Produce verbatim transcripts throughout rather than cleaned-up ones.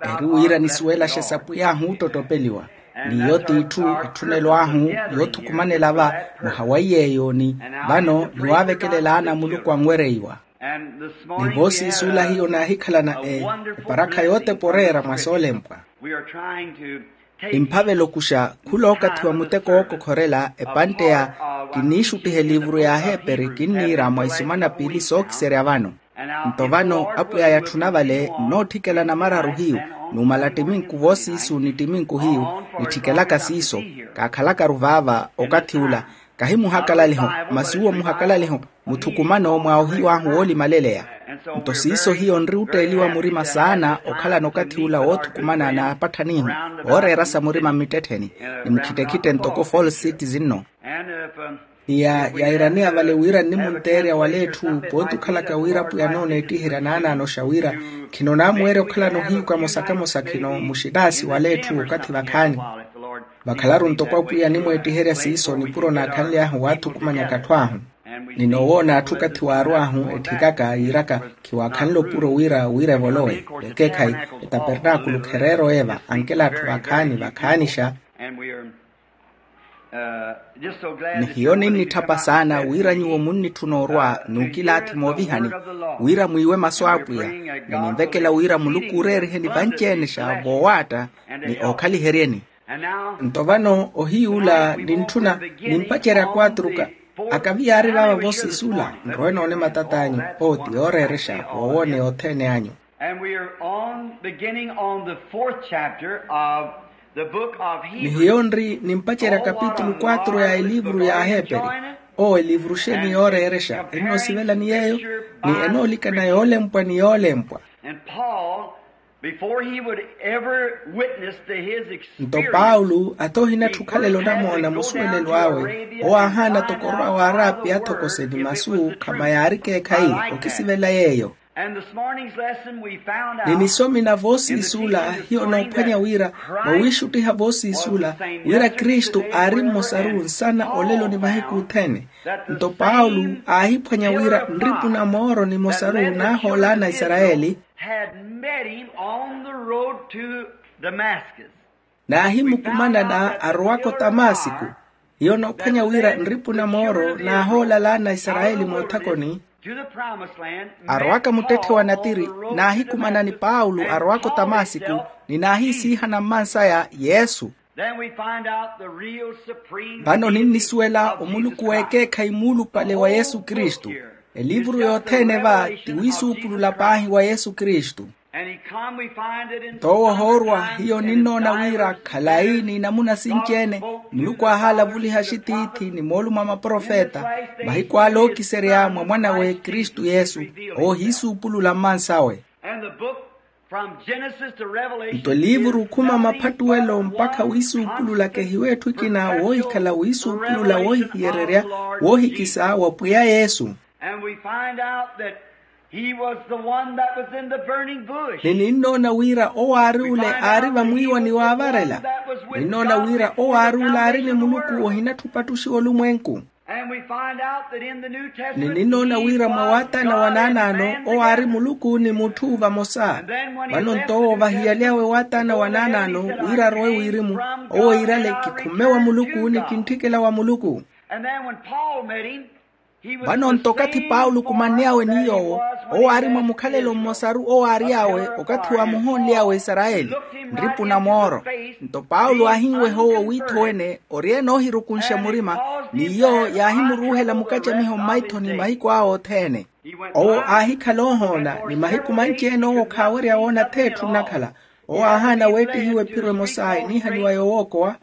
Eri wira nisuwelaxe sapwiy'ahu ottottopeliwa. N'iyo t'itthu etthunelo ahu yoothukumanela va muhawaiye eyo ni vano niwaavekelelaana muluku anwereiwa. Ni voosiisuula hiyo naahikhalana eparakha yootepa oreera mwa soolempwa. Nimphavela okuxa khula okathi wa muteko wookokhorela epantte ya kinniixuttiha eliivuru y'aheperi kinniira mwa isumana piili sookiserya vano. Nto vano apwiya yatthuna vale nnootthikela namararu hiyu numala ttiminku voosiisu ni ttiminku hiyu nitthikelaka siiso. Kaakhalakaru vaava okathi ula kahi muhakalaliho masi uwo muhakalaliho muthukumano mwa ohiyu ahu woolimaleleya. Nto siiso hiyo nri otteeliwa murima saana okhalana okathi ula woothukumana n'apatthan'ihu ooreerasa murima mmittettheni ni mukhittekhitte ntoko fool citizen nno. Iya yairaneya vale wira nnimunteerya wala etthu pooti okhalaka wira apwiya anooneettiherya naanaanoxa wira khinonaamuweerya okhalana ohiyu kamosa kamosa khino muxitaasi wala etthu okathi vakhaani. Vakhalaru ntoko apwiya animweettiherya siiso nipuro naakhanly'ahu waathukumanyaka atthu ahu. Ninoowoona atthu okathi waarw'ahu etthikaka yiiraka khiwaakhanle opuro wira wira evolowe vekeekhayi etapernaakulu khereera oyeeva ankela atthu vakhaani vakhaanixa. Ni hiyo ninnitthapa saana wira nyuwo munnitthuna orwa n'ukilaathi moovihani wira mwiiwe masu a apwiya ni ninvekela wira muluku ooreeriheni vanci-ene xa voowaatta ni ookhaliheryeni. Nto vano ohiy'ula nintthuna nimpacerya kwatruka akavi yaari vaava voosiisuula nrowe noone matat'anyu owo ti yooreerexa woowooneya othene anyu. And we are on beginning on the fourth chapter of the book of ni Hebrews. Hiyo nri nimpacerya kapitulu kwatru ya eliivuru y'aheperi. Owo eliivuru xeeni yooreerexa ennoosivela ni yeeyo ni enoolikana yoolempwa ni yoolempwa. And Paul, before he would ever witness to his experience, nto paulo athi ohinattha okhalela onamoona musuwelelo awe owo aahaana toko orwa waaraapiya athokose ni masu khama yaari ekeekhayi okisivela yeeyo. And this morning's lesson we found out ni nisomi na voosiisuula hiyo noophwanya wira vawiixuttiha voosiisuula wira kristu aari mmosaru nsana olelo ni mahiku othene. Nto paulo aahiphwanya wira nripu na mooro nimosaru naahool'ana a isarayeli had met him on the road to Damascus. Naahimukumanana arowaka otamasiku. Hiyo noophwanya wira nripu na mooro naahool'ana a isarayeli moothakoni. Arowaka muttetthe wa natiri naahikumana ni paulo arowaka otamasiku ni naahiisiihana mmansaya yesu. Then we find out the real supreme vano ninnisuwela omuluku w'ekeekhayi muulupale wa yesu kristu. Eliivuru yothene va ti wiisuupulula paahi wa yesu kristu. Nto owo ohoorwa hiyo ninnoona wira khalayi n'inamuna sinci-ene muluku aahaalavuliha axitiithi ni moolumo a maprofeta mahiku ale ookiserya mwa mwan'awe kristu yesu. Owo ohiisuupulula mmansawe. Nto eliivuru okhuma maphattuwelo mpakha wiisuupulula kehiwa etthu ekina woohikhala wiisuupulula woohihiyererya woohikisa wa pwiya yesu. And we find out that he was the one that was in the burning bush. Ni ninnoona wira owo aari ole aari vamwiiwa ni waavarela. Ninnoona wira owo aari ole aari ni muluku ohinatthupa attuxiwa olumwenku. And we find out that in the New Testament, ni ninnoona wira mwa waataana wa naanaano owo aari muluku ni mutthu vamosa. Vano nto owo vahiyalyawe waataana wa naanaano wira arowe wirimu owo iirale kikhumme wa muluku ni kintthikela wa muluku. And then when Paul met him, vano nto okathi paulo okumanny'awe ni yoowo owo aari mwa mukhalelo mmosaru owo aary'awe okathi waamuhoonly'awe isarayeli nripu na mooro. Nto paulo aahinweha owo wiitho wene ori-ene oohirukunxa murima ni iyo yaahimuruuhela mukacamiho mmaithoni mahiku awe othene. Owo aahikhala oohoona ni mahiku manci-ene owo khaawerya woona atheetthu nnakhala. Owo aahaana weettihiwa ephiro emosa eniihaniwa yoowookowa.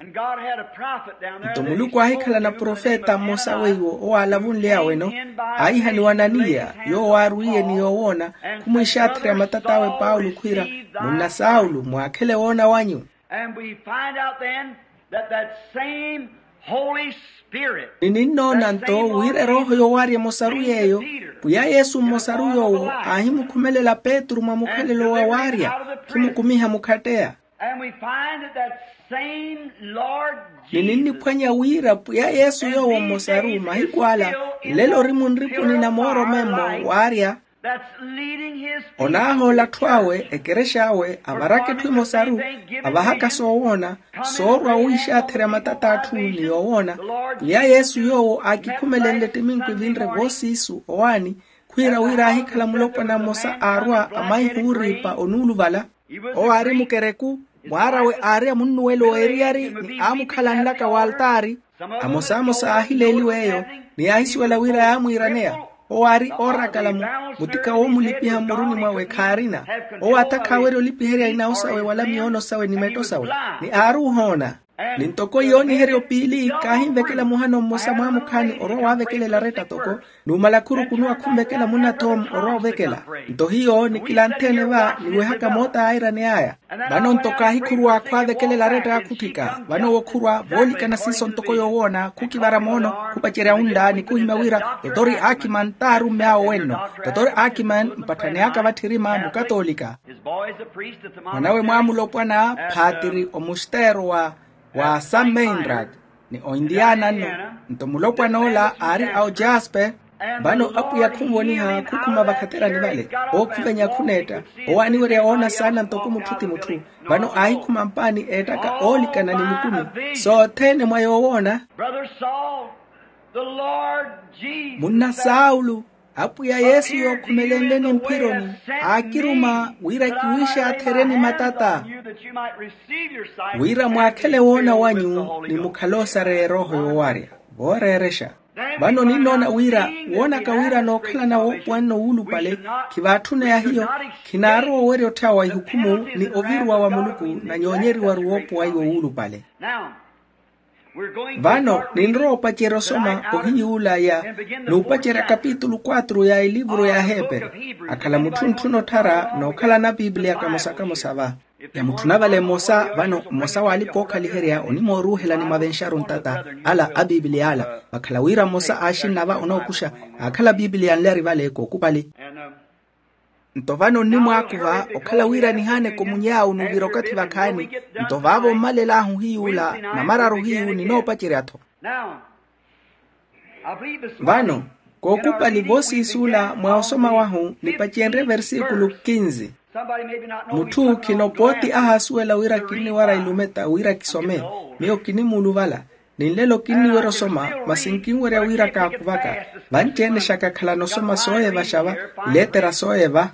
Nto muluku aahikhala na profeta mmosa weiwo owo aalavunly'awe-no aahihaniwa ananiya yoowo aarwiiye ni yoowoona khumwiixaatherya matat'awe paulo khwiira munna saulo mwaakhele woona wanyu. And we find out then that that same Holy Spirit ni ninnoona nto wira erooho yoowaarya emosaru yeeyo pwiya yesu mmosaru yoowo aahimukhumelela petru mwa mukhalelo wa waarya khimukumiha mukhatteya. And we find that that same Lord ni ninniphwanya wira pwiya yesu yoowo mmosaru mahiku ala nlelo ori munripuni na mooro memmo waarya. That's leading his people. Onaahoola atthu awe ekerexa awe avaraka etthu emosaru, avahaka soowoona, soorwa wiixatherya matata atthu ni yoowoona. Pwiya yesu yoowo aakikhumelenle ettiminku evinre voosiisu owaani, khwiira wira aahikhala mulopwana mmosa aarwa amaiha ooriipa onuuluvala. Owo aari mukereku, mwaar'awe aari amunnuwelo w'eriyari ni aamukhalanlaka w'altaari. Amosamosa aahileeliwa eyo, ni yaahisuwela wira yaamwiiraneya. Owo aari oorakala mu mutika woomulipiha mmuruni mwawe khaarina. Owo atakha aawerya olipiherya inawu sawe wala miyoono sawe ni metto sawe, ni aari ohoona. Ni ntoko yooniheryo piili kaahinvekela muhano mmosa mwaamukhaani orwa waavekelela aretta toko, numala khurukunuwa khunvekela munathoom orwa ovekela. Nto hiyo nikilanthe-ene va niwehaka moota aayiraney'aya. Vano nto kaahikhuruwa khwaavekelela aretta akhutthika vano owo khurwa voolikana siiso ntoko yoowoona khukivara moono, khupacerya unla ni khuhimya wira, totori akiman t'arumme awo wenno. Totori akiman mpatthani aka vatthirima mukatoolika. Mwanawe mwaamulopwana phaatiri omusteero wa wa sammeinrad, ni ointiyaana nno. Nto mulopwan'ola aari a ojaspe. Vano apwiya khunvoniha khukhuma vakhaterani vale, ookhuvenya khuneetta. Owo aaniwerya woona saana ntoko mutthu ti mutthu. Vano aahikhuma mpaani eettaka oolikana ni mukumi, sothene mwa yoowoona. Munna saulu, apwiya yesu yookhumelenleni mphironi, aakiruma wira kiwiixatherye ni matata, wira mwaakhele woona wanyu ni mukhale osareya erooho yoowarya. Vooreerexa, vano ninnoona wira woonaka wira nookhalana woopuwanna owuulupale, khivaatthuna ya hiyo, khinaarowa owerya otthyawa ihukhumu ni oviruwa wa muluku, nanyoonyeriwaru woopuwaiwa owuulupale. Vano ninrowa opacerya osoma ohiyuula ya n'upacerya kapitulu quatro ya elivuru ya aheeperi. Akhala mutthu ontthuna otthara nookhalana apiipiliya kamosa kamosa va. Yamutthuna vale mmosa vano mmosa w'alipa ookhaliherya onimooruuhelani mwavenxaru ntata, ala apiipiliya ala vakhala wira mmosa aaxinna va onookuxa, aakhala apiipiliya anle ari vale kookupali. Nto vano nnimwaakuva okhala wira nihaaneke omuny'awu n'uvira okathi vakhaani. Nto vaavo mmalel'ahu hiyuula, namararu hiyu ninoopacerya-tho. Vano kookupali voosiisuula mwa osoma wahu nipacenrye versikulu kinzi. Mutthu khino pooti ahaasuwela wira kinniwara ilumeta wira kisome. Miyo kinimuuluvala, ni nlelo kinniwerya osoma, masi nkinwerya wira kaakuvaka. Vanci-ene xakakhalana osoma sooyevaxa va, ileetera sooyeva.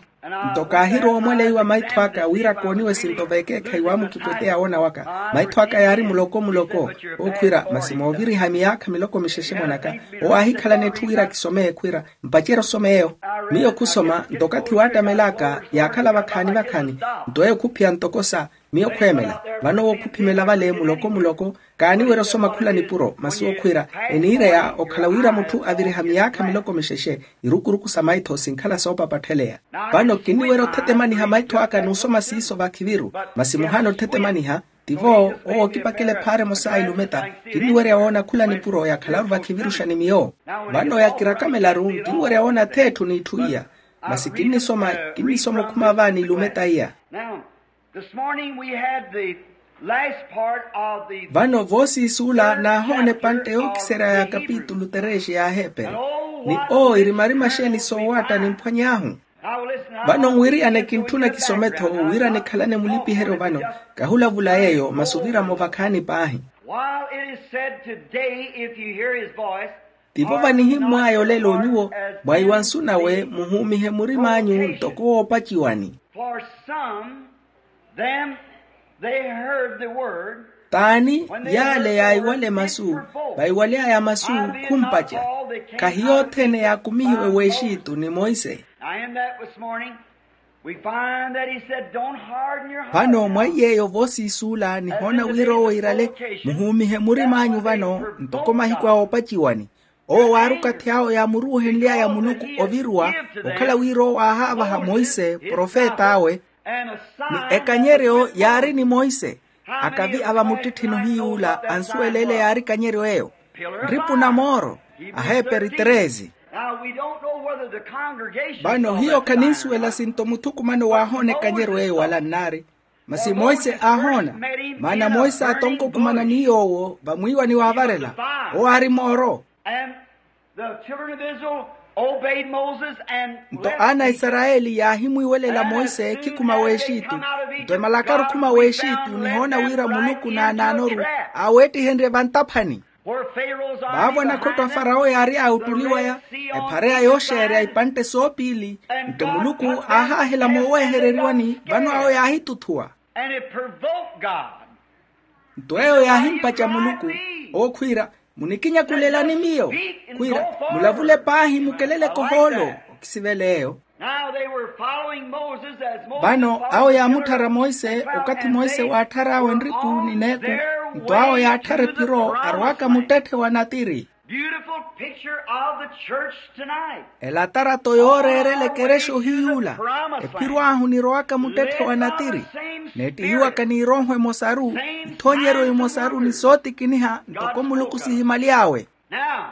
Nto kaahirowa omweleiwa maitho aka wira kooniwe sinto veekeekhayi waamukipweteya woona waka. Maitho aka yaari muloko muloko. Ookhwiira masi mooviriha miyaakha miloko mixexe mwanaka. Owo aahikhalana etthu wira kisomeye khwiira, mpacerya osoma eyo. Miyo khusoma nto okathi waattamel'aka yaakhala vakhaani vakhaani. Nto eyo khuphiya ntoko sa miyo khweemela. Vano owo khuphimela vale muloko muloko. Kaaniwerya osoma khula nipuro masi okhwiira, eniireya okhala wira mutthu aviriha miyaakha miloko mixexe. Irukuruku sa maitho sinkhala soopapatthelleya. Vano kinniwerya othetemaniha maitho aka n'usoma siiso vakhiviru. Masi muhaana othetemaniha, tivo owo okipakela ephaara emosa ilumeta. Kinniwerya woona khula nipuro yakhalaru vakhiviruxa ni miyo. Vano yakirakhamelaru nkinwerya woona ath'etthu n'itthu iya. Masi kinnisoma kinnisoma okhuma vaani ilumeta iya. This morning we had the last part of the vano voosiisuula naahoona epantte yookiserya ya kapitulu terexe ya aheeperi. Ni owo irimarima xeeni soowatta nimphwany'ahu? Vano nwiriyane kintthuna kisome-tho wira nikhalane mulipiheryo vano. Kahulavula yeeyo masi oviramo vakhaani paahi. While it is said today, if you hear his voice, tivo vanihimmw'aya olelo nyuwo, mwaiwa nsu nawe muhuumihe murim'anyu ntoko woopaciwani. For some, them, they heard the word. T'ani yaale yaiwale masu, vaiwale'aya masu khumpaca. Khahiyo othene yaakumihiwe w'exitu ni monse. Now in that this morning, we find that he said, don't harden your heart. Vano mwaiy'eyo voosiisuula nihoona wira owo iirale, muhuumihe murim'anyu vano ntoko mahiku a oopaciwani. Owo waari okathi awo yaamuruuhenly'aya muluku oviruwa, okhala wira owo aahaavaha monse profet'awe. Ni ekanyeryo yaari ni monse. Akavi a vamuttitthini ohiyuula ansuwela ele yaari ekanyeryo eyo. Nripu na mooro. Aheeperi treze. Vano hiyo khaninsuwela sinto muthukumano waahoona ekanyeryo eyo wala nnaari. Masi monse aahoona. Maana monse aatonka okhumana ni yoowo vamwiiwani waavarela. Owo aari mooro. And the children of Israel Obeyed Moses and nto aana a isarayeli yaahimwiiwelela monse ekhikuma w'exitu. Nto emalakaru khuma w'exitu nihoona wira muluku naanaanoru aaweettihenrye vantaphani. Vaavo anakhotto a farawo yaari aawuttuliwaya ephareya yooxeerya ipantte soopiili. Nto muluku aahaahela mooweehereriwani vano awo yaahituthuwa. Nto eyo yaahimpaca muluku owo khwiira, munikinyakulelani miyo? Khwiira, mulavule paahi mukeleleke ohoolo. Okisivela eyo. Vano awo yaamutthara monse okathi monse waatthar'awe nripu ni neeku. Nto awo yaatthara ephiro arwaka muttetthe wa natiri. Beautiful picture of the church tonight. Elatarato yooreerela ekerexa ohiyuula. Ephiro ahu nirowaka muttetthe wa natiri. Neettihiwaka n'irooho emosaru, ithoonyeryo imosaru ni sootikiniha ntoko muluku sihimaly'awe. Now,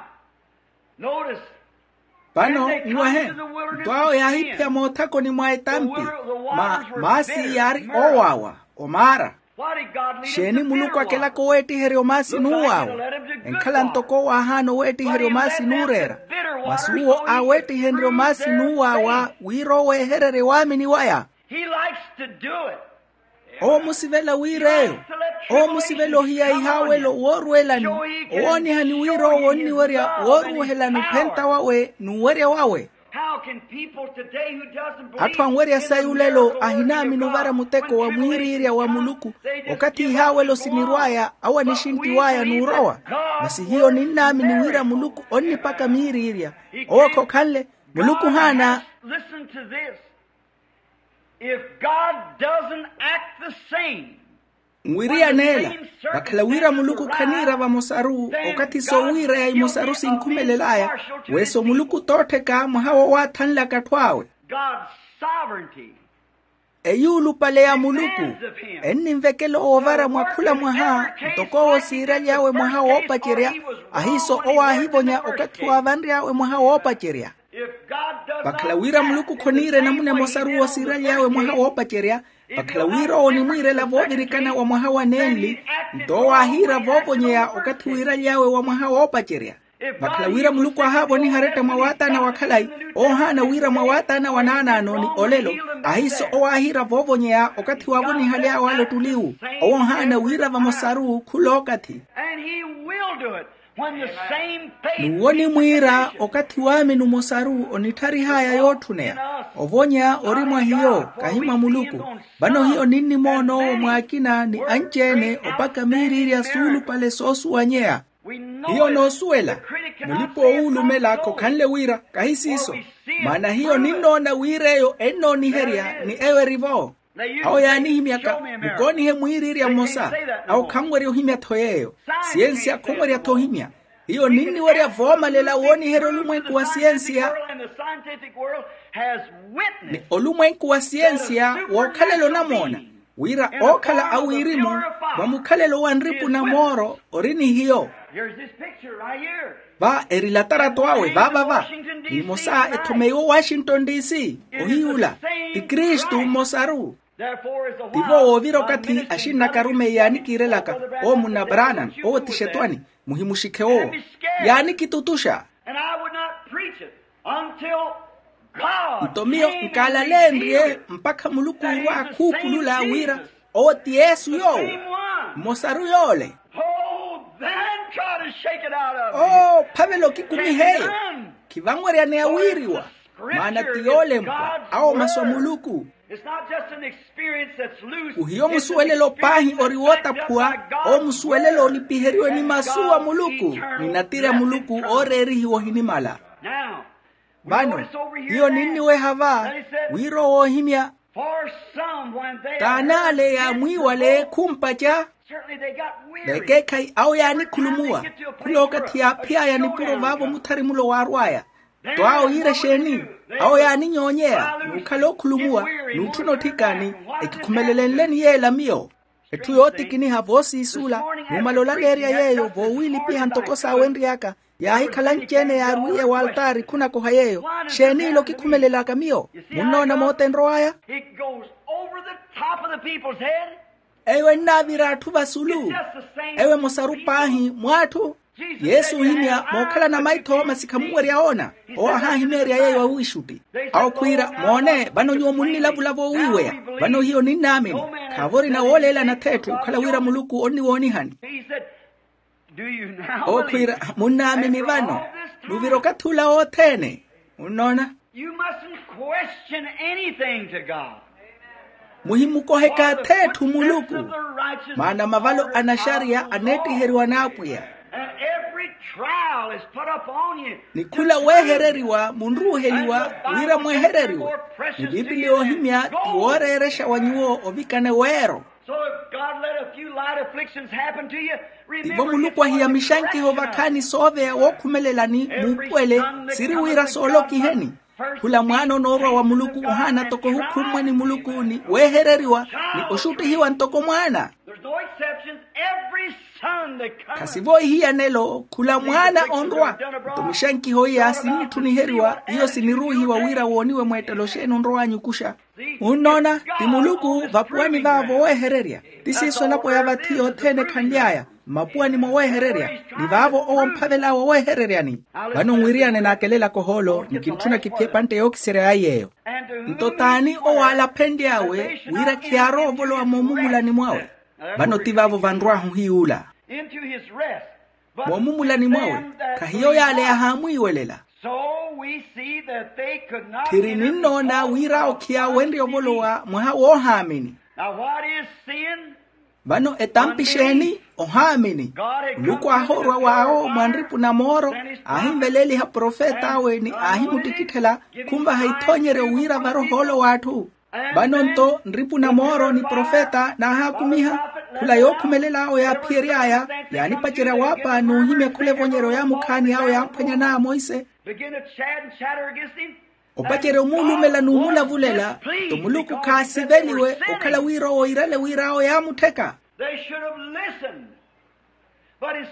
notice. Vano nwehe, nto awo yaahiphiya moothakoni mwa etampi. Maasi yaari oowaawa, omaara. Xeeni muluku akelaka oweettiherya omaasi n'uwaawa? Enkhala ntoko owo aahaana oweettiherya omaasi n'ureera. Masi uwo aaweettihenrye omaasi n'uwaawa wira oweehererye waamini waya. Owo omusivela wira eyo. Owo omusivela ohiya ihaawelo woorwelani, owoonihani wira owo onniwerya wooruuhelani ophenta wawe n'uwerya wawe. Atthu anwerya sayi olelo ahinaamini ovara muteko wa mwiiriirya wa muluku. Okathi ihaawelo sinirw'aya awo anixinttiw'aya n'urowa. Masi hiyo ninnaamini wira muluku onnipaka miiriirya. Owo khokhanle. Muluku ohaana. Listen to this. If God doesn't act the same, nwiriyaneela. Vakhala wira muluku khaniira vamosaru okathi soowiireya imosaru sinkhumelel'aya. Weso muluku toottheka mwaha woowaathanlaka atthu awe. God's sovereignty. Eyuulupale ya muluku enninvekela owo ovara mwa khula mwaha. Ntoko owo siiraly'awe mwaha woopacerya, ahiiso owo aahivonya okathi waavanry'awe mwaha woopacerya. Vakhala wira muluku khoniira enamuna emosaru wosiiraly'awe mwaha woopacerya. Vakhala wira owo onimwiirela voovirikana wa mwaha wa nenli, nto owo aahiira voovonyeya okathi wiiraly'awe wa mwaha woopacerya. Vakhala wira muluku aahaavoniha aretta mwa waataana wa khalayi, owo ohaana wira mwa waataana wa naanaano ni olelo. Ahiiso owo aahiira voovonyeya okathi waavonihaly'awe ale ottuliwu. Owo ohaana wira vamosaru khula okathi. N'uwo onimwiira okathi waamini omosaru onittharihaaya yootthuneya. Ovonya ori mwa hiyo kahi mwa muluku. Vano hiyo ninnimoona owo mwaakina ni anci-ene opaka miiriirya suulupale soosuwanyeya. Hiyo noosuwela mulipa-oowuulumela khokhanle wira kahi siiso. Maana hiyo ninnoona wira eyo ennooniherya ni eyo eri-vo. Awo yaanihimyaka mukoonihe mwiiriirya mmosa. Awo khanwerya ohimya-tho yeeyo. Siyensiya khonwerya-tho ohimya. Hiyo ninniwerya voomalela wooniherya olumwenku wa siyensiya. Ni olumwenku wa siyensiya wookhalela onamoona wira ookhala awiirimu va mukhalelo wa nripu na mooro ori ni hiyo. Va eri latarato awe vaavava. Ni imosa ethomeiwe owashington DC. Ohiyuula ti kristu mmosaru. Tivo woovira okathi axinnaka arumeyi yaanikiirelaka owo munna branham owo ti xetwani. Muhimuxikhe owo yaanikitutuxa. Nto miyo nkaalaleenrye mpakha muluku orwa akhuupulula wira owo ti yesu yoowo. Mmosaru yoole. Oo phavela okikumiha eyo. Khivanweryaneya wiiriwa. Maana ti yoolempwa awo masu a muluku. Khuhiyo musuwelelo paahi ori wootaphuwa. Owo musuwelelo olipiheriwe ni masu a muluku ni natiri a muluku ooreerihiwa ohinimala. Vano hiyo ninniweha va wira owo oohimya. T'ana ale yaamwiiwale khumpaca. Vekeekhayi awo yaanikhulumuwa. Khula okathi yaaphiy'aya nipuro vaavo muthari mulo waarw'aya. Tto awo yiira exeeni? Awo yaaninyoonyeya n'ukhala okhulumuwa n'utthuna otthikani. Ekikhumelele nleni yeela miyo. Etthu yootikiniha voosiisuula numala olaleerya yeeyo voowiilipiha ntoko saawenry'aka. Yaahikhala anci-ene yaarwiiye waltaari khunakoha yeeyo. Xeeni ila okikhumelel'aka miyo? Munnoona moota enrow'aya. Eyo ennaavira atthu vasulu. Eyo emosaru paahi mw'atthu. Yesu ohimya mookhalana maitho masi khamuwerya oona. Owo ahahimeerya yeeyo awiixutti. Awo khwiira moone vano nyuwo munnilavula voowiiweya. Vano hiyo ninnaamini. Khaavo orina wooleelana atheetthu okhala wira muluku onniwoonihani. Owo khwiira munnaamini vano. Nuvira okathi ula wothene. Munnoona? You mustn't question anything to God. Muhimukoheka atheetthu muluku. Maana mavalo a naxariya aneettiheriwa n'apwiya. And every trial is put upon you. Ni khula weehereriwa munruuheliwa wira mwehereriwe. Ni biipili yoohimya ti wooreerexa wa nyuwo ovikana eweero. So if God let a few light afflictions happen to you, remember, tivo muluku ahiya mixankiho vakhaani sooveya wookhumelelani muupuwele. Siri wira soolokiheni. Khula mwaana onoorwa wa muluku ohaana ntoko ohukhummwa ni muluku ni weehereriwa ni oxuttihiwa ntoko mwaana. There's no exceptions. Every son that comes. Khasivo ihiyanelo khula mwaana onrwa. Nto mixankiho iya sinnitthu niheriwa iyo siniruuhiwa wira wooniwe mweettelo xeeni onrow'anyu okuxa. Munnoona ti muluku vapuwani vaavo weehererya. Ti siiso elapo ya vathi yothene ekhanly'aya mmapuwani mwa weehererya. Ni vaavo owo omphavel'awe oweehereryani. Vano nwiriyane naakelelaka ohoolo ni kintthuna kiphiye epantte yookiserya ya yeeyo. Nto t'ani owo aalaphenly'awe wira khiyaarowa ovolowa moomumulani mwawe? Vano ti vaavo vanrw'ahu hiy'ula. Into his rest. Moomumulani mwawe. Khahiyo yaale yahaamwiiwelela. So we see that they could not. Tthiri ninnoona wira awo khiyaawenrye ovolowa mwaha woohaamini. Now what is sin? Vano etampi xeeni? Ohaamini. Muluku aahoorwa w'awo mwa nripu na mooro. Aahinveleeliha profet'awe ni aahimuttikitthela khunvaha ithoonyeryo wira varohoolo w'atthu. Vano nto nripu na mooro ni profeta naahaakumiha. Khula yookhumelela awo yaaphiyery'aya yaanipacerya waapa n'uhimya khula evonyeryo yaamukhaani awo yaamphwanyan'aya monse. Begin to chat and chatter against him. Opacerya omuulumela n'umulavulela. Nto muluku khaasiveliwe okhala wira owo iirale wira awo yaamuttheka. They should have listened.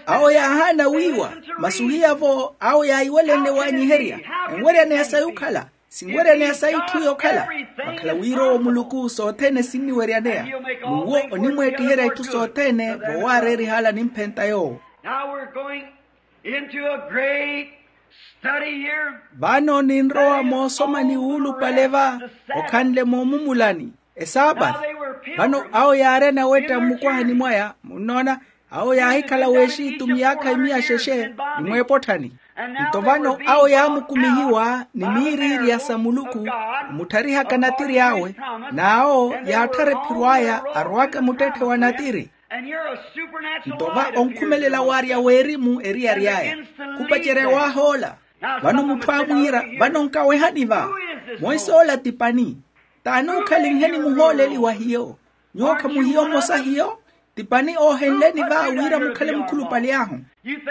Awo yaahaana wiiwa. Masi ohiyavo awo yaahiwelenle waanyiherya. Enweryaneya sayi okhala? Sinweryaneya sayi itthu yokhala. Vakhala wira owo muluku sothene sinniweryaneya. N'uwo onimweettiherya itthu sothene voowaareeriha ala nimphenta yoowo. Now we're going into a great study here. Vano ninrowa moosomani wuulupale va okhanle moomumulani esaapathi. Vano awo yaari anawetta mmukwahani mwaya munnoona. Awo yaahikhala w'exitu miyaakha imiya xexe ni mweepotthani. Nto vano awo yaamukumihiwa ni miiriirya sa muluku omutthariha kanatiri awe. N'awo yaatthara ephiro aya arwaka muttetthe wa natiri. Nto va onkhumelela waarya w'erimu eriyari aya khupacerya waahoola. Vano mutthu aamwiira vano nkawehani va? Monse ola ti pani? T'ani okhalinheni muhooleli wa hiyo? Nyuwo khamuhiyo mmosa hiyo? Ti pani oohenleni va wira mukhale mukhulupale ahu?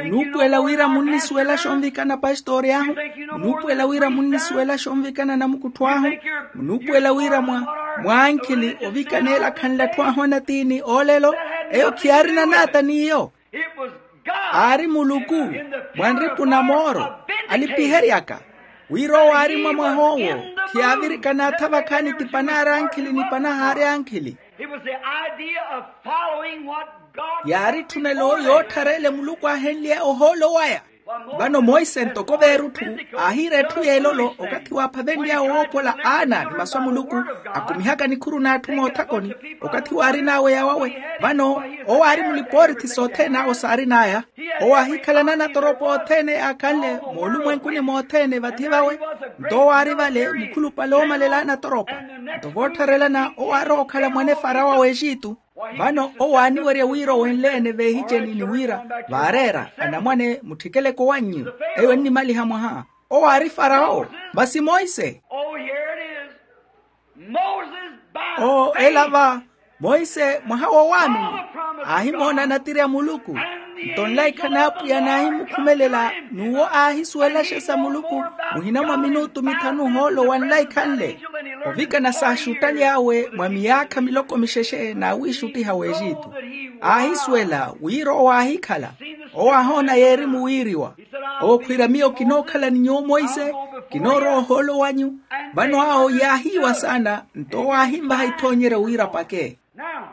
Munuupuwela wira munnisuwelaxa onvikana pastori ahu? Munuupuwela wira munnisuwelaxa onvikana namukuttho ahu? Munuupuwela wira mwa mwaankhili ovikana elakhanle atthu ahu anatiini oolelo? Eyo khiyaarina naata n'iyo. Aari muluku mwa nripu na mooro alipiheryaka wira owo aari mwa mwah'owo. Khiyaavirikana atha vakhaani ti panaarankhili ni panahaari ankhili. Yaari etthunelo yoottharele muluku aahenlye ohoolo waya. Vano monse ntoko veerutthu aahiira etthu y'elolo okathi waaphavenly'awe woopola aana ni masu a muluku akumihaka nikhuru n'atthu moothakoni. Okathi waarin'awe yawawe vano owo aari mulipoorithi sothene awo saarin'aya. Owo aahikhalana anatoropa othene yaakhanle moolumwenkuni mothene vathi vawe. Nto owo aari vale mukhulupale oomalela anatoropa. Nto voottharelana owo aarowa okhala mwane farawo a w'exitu. Vano owo aaniwerya wira owenle-ene veehiceni ni wira vaareera anamwane mutthikeleke owannyu. Eyo ennimaliha mwaha owo aari farawo. Masi monse. Oo ela va monse mwaha woowaamini aahimoona natiri a muluku. Nto nlaikha n'apwiya naahimukhumelela n'uwo aahisuwelaxa sa muluku muhina mwa minutu mithanu ohoolo wa nlaikha nle. Ovikana saaxuttaly'awe mwa miyaakha miloko mixexe n'awiixuttiha w'exitu. Aahisuwela wira owo aahikhala owo aahoona yeerimu wiiriwa. Owo khwiira miyo kinookhala ni nyuwo monse kinoorowa ohoolo wanyu. Vano awo yaahiiwa saana nto owo aahinvaha ithoonyeryo wira apake. Now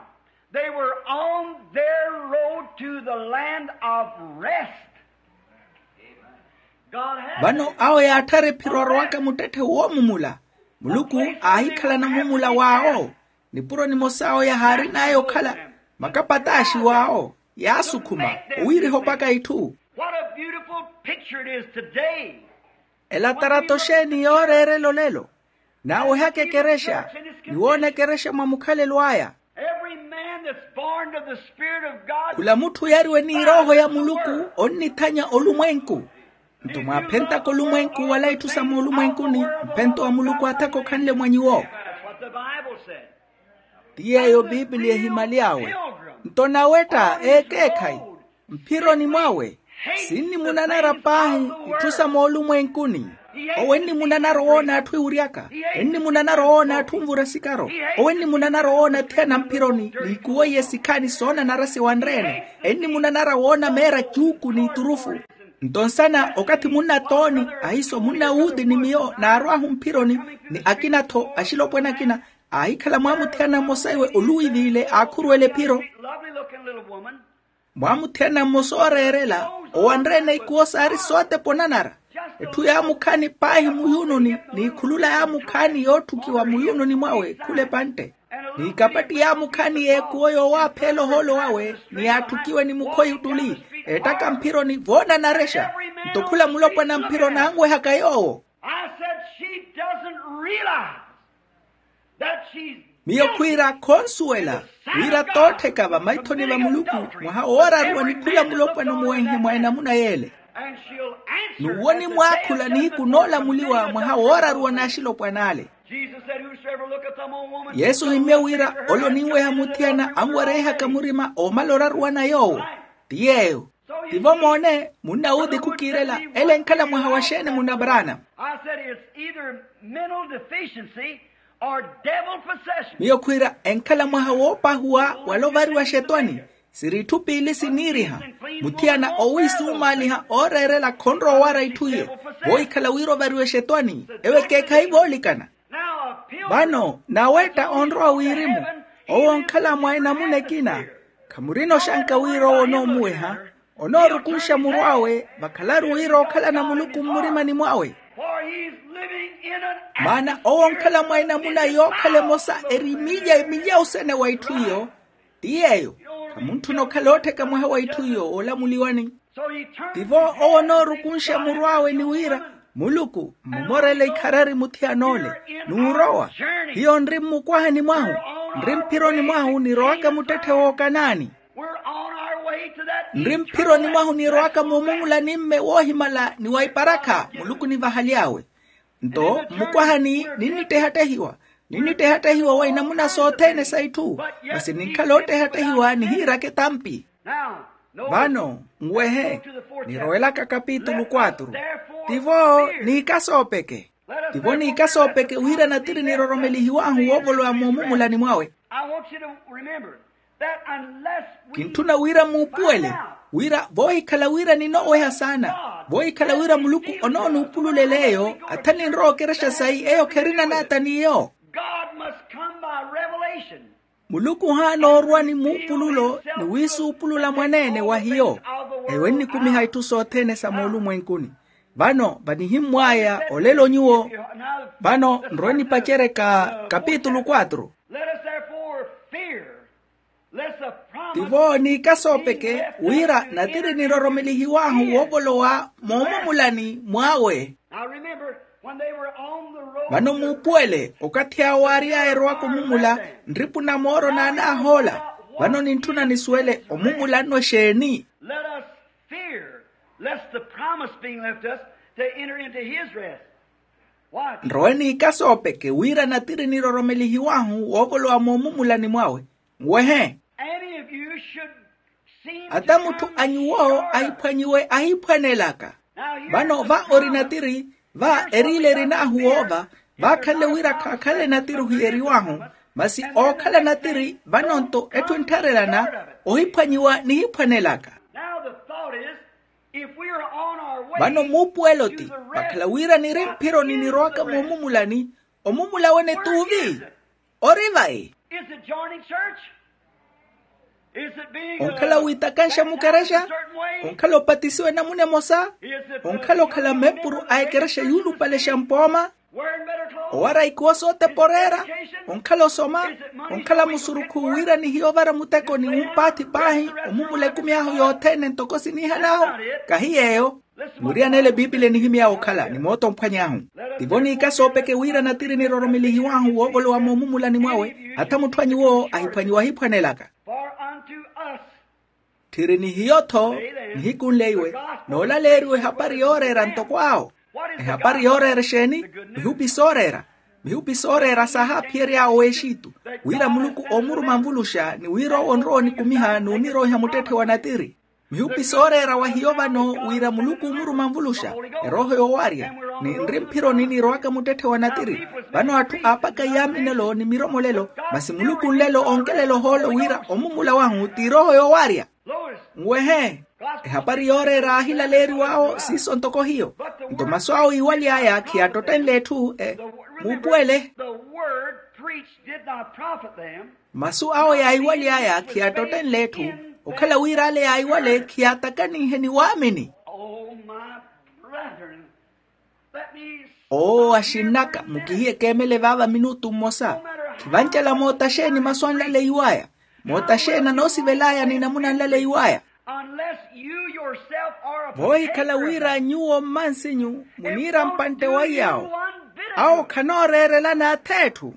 they were on their road to the land of rest. Vano awo yaatthara ephiro arowaka muttetthe woomumula. Muluku aahikhalana omumula w'awo. Nipuro nimosa awo yahaarin'aya okhala makapataaxi w'awo, yaasukhuma owiiriha opaka itthu. What a beautiful picture it is today. Ela tarato xeeni yooreerela olelo. Naawehaka ekerexa, ni woona ekerexa mwa mukhalelo aya. Every man that's born of the Spirit of God. Khula mutthu oyariwe ni erooho ya muluku onnithanya olumwenku. Nto mwaaphentaka olumwenku wala itthu sa moolumwenkuni, mphento wa muluku athaka okhanle mwa nyuwo. That's what the Bible said. Ti yeeyo piipiliya ehimaly'awe. Nto nawetta ekeekhayi mphironi mwawe, sinnimunanara paahi itthu sa moolumwenkuni. Owo ennimunanara owoona atthu ewuryaka. Ennimunanara owoona atthu onvura sikaro. Owo ennimunanara owoona athiyana mphironi n'ikuwo iye sikhaani soonanara siwanre-ene. Ennimunanara woona meera cuuku n'iturufu. Nto nsana okathi munnatooni, ahiiso munnawuuti ni miyo naarw'ahu mphironi, ni akina-tho axilopwana akina, aahikhala mwaamuthiyana mmosa iwe oluwiiviile aakhuruwela ephiro. Lovely looking little woman. Mwaamuthiyana mmosa ooreerela owanre-ene ikuwo saari sootepa onanara. Etthu yaamukhaani paahi muyununi, n'ikhulula yaamukhaani yootthukiwa muyununi mwawe khula epantte. N'ikapatti yaamukhaani y'ekuwo yoowaapheela ohoolo wawe, ni yaatthukiwe ni mukhoyi ottuli, eettaka mphironi voonanarexa. Nto khula mulopwana mphironi aanwehaka yoowo. I said she doesn't realize that she's miyo khwiira khonsuwela wira toottheka vamaithoni va muluku mwaha wooraruwa ni khula mulopwana omuwenhe mwa enamuna yeele. And she'll answer. N'uwo nimwaakhula nihiku noolamuliwa mwaha wooraruwa n'axilopwana ale. Jesus said, whosoever looketh on a woman. Yesu ohimmye wira ole oninweha muthiyana anwerehaka murima oomala oraruwa na yoowo. Ti yeeyo. Tivo moone, munnawuuti khukiirela ele enkhala mwaha wa xeeni munna branham? I said it's either mental deficiency or devil possession. Miyo khwiira enkhala mwaha woopahuwa wala ovariwa xetwani. Siri itthu piili siniiriha. Muthiyana owiisumaaliha ooreerela khonrowa owara itthu iye. Voohikhala wira ovariwe xetwani ewo ekeekhayi voolikana. Vano nawetta onrowa wirimu, owo onkhala mwa enamuna ekina. Khamurina oxanka wira owo onoomuweha, onoorukunxa muru awe vakhalaru wira ookhalana muluku mmurimani mwawe. Maana owo onkhala mwa enamuna yookhala emosa eri milya milya osene wa itthu iyo. Ti yeeyo, khamutthuna okhala oottheka mwaha wa itthu iyo oolamuliwani. Tivo owo onoorukunxa muru awe ni wira, muluku mmomorele ikharari muthiyana ole. Nuurowa. Hiyo nri mmukwahani mwahu, nri mphironi mwahu nirowaka muttetthe w'okanaani. Nri mphironi mwahu nirowaka moomumulani-mme woohimala ni wa iparakha muluku nivahaly'awe. Nto mmukwahani ninnittehattehiwa, ninnittehattehiwa wa inamuna sothene sa itthu. Masi ninkhala oottehattehiwa nihiiraka etampi. Vano nwehe, nirowelaka kapitulu quatro. Tivo niikasoopeke. Tivo niikasoopeke wira natiri niroromelihiwahu woovolowa moomumulani mwawe. Kintthuna wira muupuwele wira voohikhala wira ninooweha saana, voohikhala wira muluku onoonuupululela eyo. Athani nrowa okerexa sayi eyo kherina naata n'iyo. Muluku ohaana orwa ni muupululo ni wiisuupulula mwaneene wa hiyo. Eyo ennikumiha itthu sothene sa moolumwenkuni. Vano vanihimmw'aya olelo nyuwo. Vano nrowe nipaceryaka kapitulu quatro. Tivo niikasoopeke wira natiri niroromelihiwahu woovolowa moomumulani mwawe. Vano muupuwele okathi awo waary'aya erowaka omumula, nripu na mooro naanaahoola. Vano nintthuna nisuwele omumula nno exeeni. Let us fear lest the promise being left us to enter into his rest. Nrowe niikasoopeke wira natiri niroromelihiwahu woovolowa moomumulani mwawe. Nwehe. Ata mutthu a nyuwo ahiphwanyiwe ahiphwanelaka. Vano va ori natiri, va eriile erin'ahu woova, vaakhanle wira khaakhale natiri ohiyeriwahu. Masi ookhala natiri vano-nto etthu enttharelana ohiphwanyiwa nihiphwanelaka. Vano muupuwelo ti vakhala wira niri mphironi nirowaka moomumulani. Omumula wene t'uvi? Ori vayi? Is it joining church? Onkhala wiitakanxa mukerexa? Onkhala opatisiwa enamuna emosa? Onkhala okhala mempuru a ekerexa yuulupalexa mpooma? Owara ikuwo sootepa oreera? Onkhala osoma? Onkhala musurukhu wira nihiyo ovara muteko ni wumpaathi paahi omumula ekumi ahu yothene ntoko siniihan'ahu? Kahi yeeyo. Muriyan'ele epiipili enihimy'awe okhala ni moota omphwany'ahu. Tivo niika soopeke wira natiri niroromelihiw'ahu woovolowa moomumulani mwawe. Hatha mutthu a nyuwo ahiphwanyiwa ahiphwanelaka. Tthiri nihiyo-tho nihiku nleiwe noolaleeriwa ehapari yooreera ntoko awo. Ehapari yooreera exeeni? Mihupi sooreera. Mihupi sooreera saahaphiyery'awo w'exitu, wira muluku oomuruma nvuluxa ni wira owo onrowa onikumiha n'uniroiha muttetthe wa natiri. Mihupi sooreera wa hiyo vano wira muluku oomuruma nvuluxa erooho yoowarya, ni nri mphironi niirowaka muttetthe wa natiri. Vano atthu aapaka iyaaminelo ni miromolelo, masi muluku nlelo onkelela ohoolo wira omumula wahu ti erooho yoowarya. Nwehe. Ehapari yooreera aahilaleeriw'awo siiso ntoko hiyo. Nto masu awo yiiwaly'aya khiyaattotthenle etthu. Muupuwele. Masu awo yaayiwaly'aya khiyaattotthenle etthu, okhala wira ale yaayiwale khiyaatakaninhe ni waamini. Oo axinn'aka, mukihiye keemele vaava minutu mmosa. Khivancela moota xeeni masu anlaleiw'aya? Moota xeeni anoosivel'aya ni namuna anlaleiw'aya? Voohikhala wira nyuwo mmansinyu muniira mpantte wa iy'awo, awo khanooreerelana ath'etthu.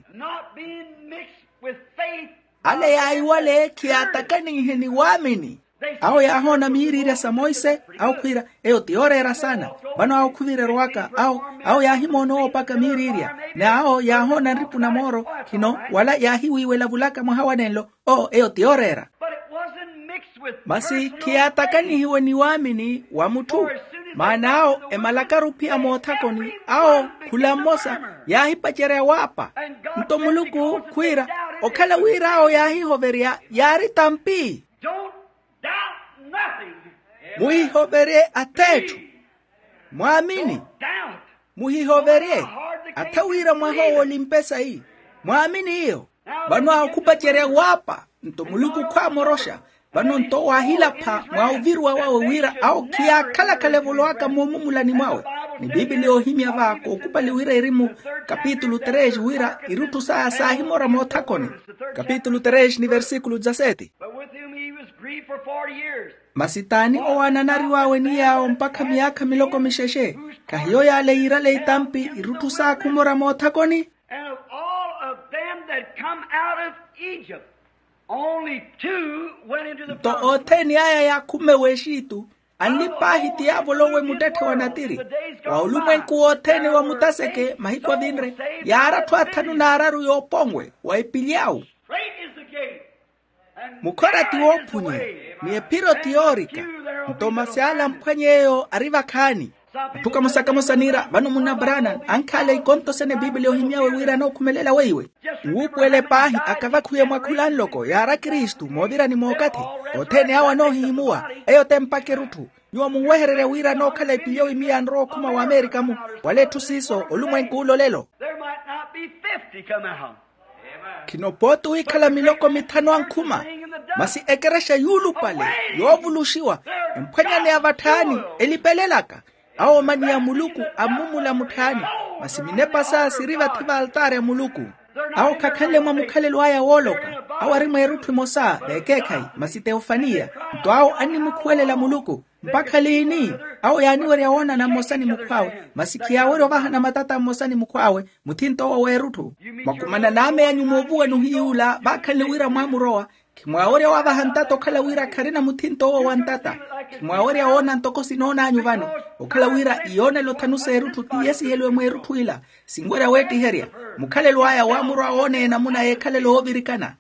Ale yaayiwale khiyaatakaninhe ni waamini. Awo yaahoona miiriirya sa monse, awo khwiira, eyo ti yooreera saana. Vano awo khuvirerowaka awo, awo yaahimoona owoopaka miiriirya. N'awo yaahoona nripu na mooro khino, wala yaahiwiiwela vulaka mwaha wa nenlo. Oo eyo ti yooreera. Masi khiyaatakanihiwe ni waamini wa mutthu. Maana awo emalakaru ophiya moothakoni awo khula mmosa yaahipacerya waapa. Nto muluku khwiira, okhala wira awo yaahihoverya yaari tampi. Muhihoverye ath'etthu. Mwaamini. Muhihoverye. Atha wira mwaha owo olimpe sayi. Mwaamini iyo. Vano awo khupacerya waapa. Nto muluku khwaamoroxa. Vano nto waahilapha mwa oviruwa wawe wira awo khiyaakhalakhala evolowaka moomumulani mwawe. Ni piipili yoohimya va kookupali wira eri mu kapitulu três wira irutthu saya saahimora moothakoni. Kapitulu três ni versikulu dezasete. But with whom he was grieved for forty years. Masi t'ani owo aananariw'awe ni yaawo mpakha miyaakha miloko mixexe? Khahiyo yaale yiirale itampi irutthu saakhumora moothakoni. And of all of them that come out of Egypt, only two went into the promised land. Nto othene aya yaakhumme w'exitu anli paahi ti yaavolowe muttetthe wa natiri. Wa olumwenku wothene wa mutaseke mahiku avinre yaari atthu athanu n'araru yooponwe wa epili awu. Mukhora ti woophunye ni ephiro ti yoorika. Nto masi ala amphwany'eyo ari vakhaani. Atthu kamosa-kamosa niira vano munna branham ankhaale ikonto sene piipili ohimy'awe wira anookhumelela weiwe. Nwuupuwele paahi akavakhuye mwa khula nloko yaari akristu moovirani mookathi. Othene awo anoohihimuwa. Eyo te mpaka erutthu. Nyuwo munwehererye wira anookhala epili owo imiya anrowa okhuma wa amerika-mu. Wala etthu siiso olumwenku ulo lelo. Khino pooti wikhala miloko mithanu ankhuma. Masi ekerexa yuulupale yoovuluxiwa emphwanyaneya vatthaani elipelelaka. Awo omaniya muluku ammumula mutthaani. Masi minepa saya siri vathi v'altaari a muluku. Awo khakhanle mwa mukhalelo aya wooloka. Awo ari mweerutthu emosa v'ekeekhayi masi teofaniya. Nto awo annimukhuwelela muluku. Mpakha liini? Awo yaaniwerya woonana mmosa ni mukhw'awe. Masi khiyaawerya ovahana matata mmosa ni mukhw'awe. Muthinto owo w'erutthu. Mwakhumana n'ame anyu moovuwa n'uhiyuula vaakhanle wira mwaamurowa. Khimwaawerya waavaha ntata okhala wira kharina muthinto owo wa ntata. Khimwaawerya woona ntoko sinoon'anyu vano. Okhala wira iyoonelo thanu s'erutthu ti yeesiheliwe mweerutthu ila. Sinwerya weettiherya. Mukhalelo aya waamurowa woona enamuna y'ekhalelo oovirikana.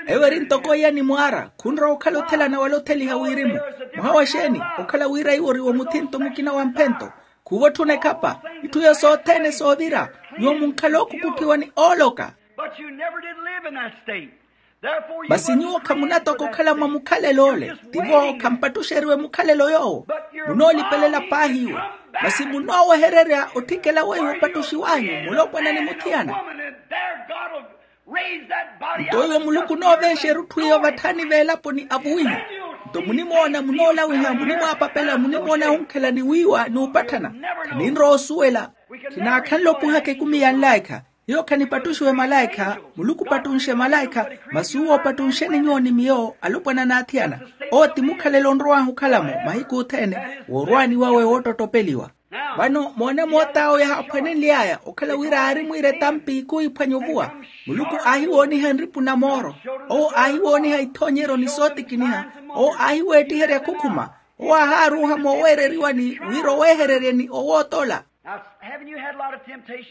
Ewo eri ntoko iya ni mwaara khunrowa okhala othelana wala otheliha wirimu. Mwaha wa xeeni? Okhala wira iwo ori womuthinto mukina wa mphento. Khuuva otthuna ekhapa. Itthu iyo sothene soovira. Nyuwo munkhala ookukutthiwa ni ooloka. Masi nyuwo khamunatoka okhala mwa mukhalelo ole. Tivo khampattuxeriwe mukhalelo yoowo. Munoolipelela paahi iwe. Masi munoowehererya otthikela weiwo opattuxiw'anyu mulopwana ni muthiyana. Nto iwo muluku nooveexa erutthu iyo vatthaani veelaponi avuwiha. Nto munimoona munoolawiha munimwaapapela munimoona onkhela ni wiiwa n'upatthana. Khaninrowa osuwela. Khinaakhanle opuhaka ekumi ya nlaikha. Hiyo khanipattuxiwe malaikha. Muluku opattunxe malaikha. Masi uwo opattunxeni nyuwo ni miyo alopwana n'athiyana. Owo ti mukhalelo onrow'ahu okhala-mo mahiku othene. Woorwaani wawe woottottopeliwa. Vano moone moot'awo yaaphwanenly'aya okhala wira aari mwiira etampi khuhiphwanya ovuwa. Muluku aahiwooniha nripu na mooro. Owo aahiwooniha ithoonyeryo ni sootikiniha. Owo aahiweettiherya khukhuma. Owo aahaaruuha mooweereriwani wira oweehereryeni owoot'ola.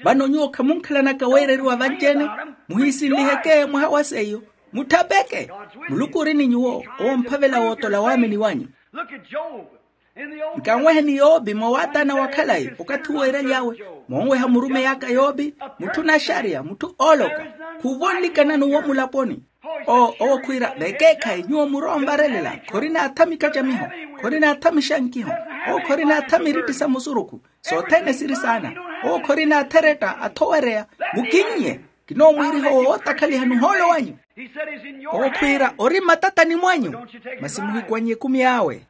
Vano nyuwo khamunkhalanaka weereriwa vanci-ene. Muhiisinliheke mwaha wa seiyo. Mutthapeke. Muluku ori ni nyuwo. Owo omphavela wootola waamini wanyu. Nkanweheni yopi mwa waataana wa khalayi okathi uwo eeraly'awe. Moonweha murumeyi aka yopi. Mutthu naxariya mutthu ooloka. Khuuva onlikana n'uwo mulaponi. Owo khwiira vekeekhayi nyuwo murowa onvarelela. Khorina athamika ca miho. Khorina athamixa nkiho. Owo khorina athami iritti sa musurukhu. Sothene siri saana. Owo khorina atheretta athowereya. Mukinnye. Kinoomwiiriha owo wootakhaliha nuhoolo wanyu. Owo khwiira ori mmatatani mwanyu. Masi muhikwannye ekumi awe.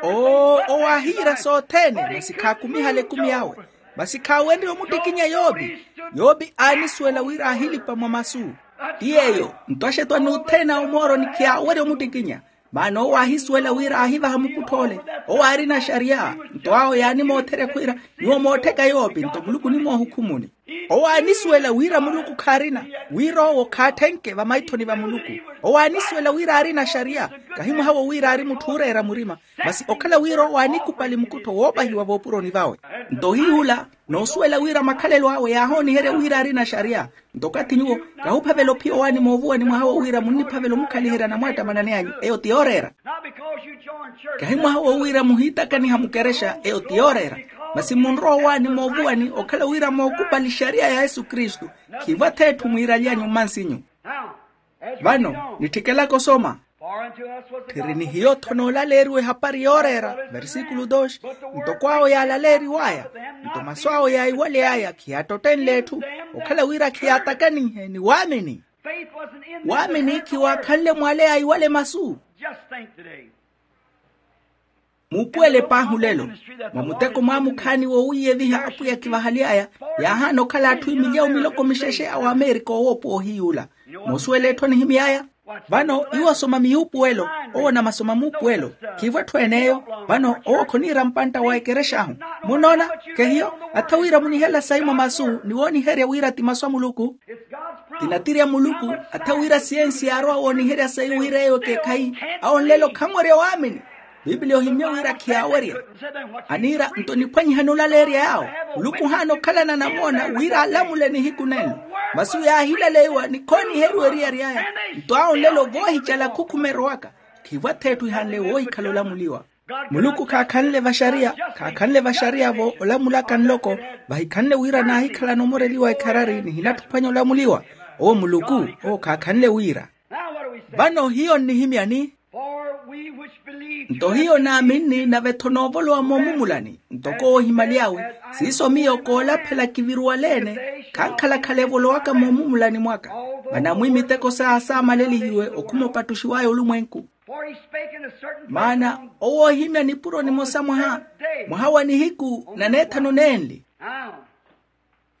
Owo aahiira sothene masi khaakumihale ekumi awe. Masi khaawenrye omuttikinya yopi. Yopi aanisuwela wira aahilipa mwa masu. Ti yeeyo. Nto axetwani othene awo mooroni khiyaawerya omuttikinya. Maana owo aahisuwela wira aahivaha mukuttho ole. Owo aarina xariya. Nto awo yaanimootherya khwiira nyuwo moottheka yopi nto muluku onimoohukhumuni. Owo aanisuwela wira muluku khaarina. Wira owo khaatthenke vamaithoni va muluku. Owo aanisuwela wira aarina xariya. Kahi mwaha wo wira aari mutthu ooreera murima. Masi okhala wira owo aanikupali mukuttho woopahiwa voopuroni vawe. Nto hiy'ula noosuwela wira makhalelo awe yaahooniherya wira aarina xariya. Nto okathi nyuwo kahuphavela ophiya owaani moovuwani mwaha wo wira munniphavela omukhaliherya anamwattamanani anyu eyo ti yooreera. Kahi mwaha wo wira muhiitakaniha mukerexa eyo ti yooreera. Masi munrowa owaani moovuwani okhala wira mookupali xariya ya yesu kristu. Khiivo ath'etthu mwiiraly'anyu mmansinyu. Vano nitthikelaka osoma. Tthiri ni hiyo-tho noolaleeriwa ehapari yooreera. Versikulu dos. Ntoko awo yaalaleeriw'aya nto masu awo yaiwaly'aya khiyaattotthenle etthu. Okhala wira khiyaatakaninhe ni waamini. Waamini khiwaakhanle mwaale yaiwale masu. Muupuwele paahi olelo. Mwa muteko mwaamukhaani woowiiyeviha apwiya khivahaly'aya. Yaahaana okhala atthu emilyawu miloko mixexe a wamerika owoopuwa ohiy'ula. Moosuwela etthu anihimy'aya. Vano iwo osoma miyuupuwelo. Owo namasoma muupuwelo. Khiivo etthu en'eyo. Vano owo khoniira mpantta wa ekerex'ahu. Munnoona? Khehiyo. Atha wira munihelela sayi mwa masu ni wooniherya wira ti masu a muluku. Ti natiri a muluku. Atha wira siyensi yaarowa wooniherya sayi wira eyo ekeekhayi. Awo nlelo khanwerya waamini. Piipiliya ohimmye wira khiyaawerya. Aniira nto niphwanyihani olaleerya yaawo. Muluku ohaana okhalana namoona wira alamule nihiku nenlo. Masi yaahilaleiwa ni khooniheriwa eriyari aya. Nto awo nlelo voohicala khukhuma erowaka. Khiivo ath'etthu ihanle woohikhala olamuliwa. Muluku khaakhanle vaxariya. Khaakhanle vaxariya-vo olamulaka nloko. Vahikhanle wira naahikhalana omoreliwa ekharari nihinatthi ophwanya olamuliwa. Owo muluku owo khaakhanle wira. Vano hiyo nnihimyani. Nto hiyo naaminni nave-tho noovolowa moomumulani ntoko oohimaly'awe. Siiso miyo koolaphela kiviruwale-ene. Khankhala-khala evolowaka moomumulani mwaka. Manamwi miteko saya saamalelihiwe okhuma opattuxiw'aya olumwenku. Maana owo oohimya nipuro nimosa mwaha mwaha wa nihiku naneethanu neenli.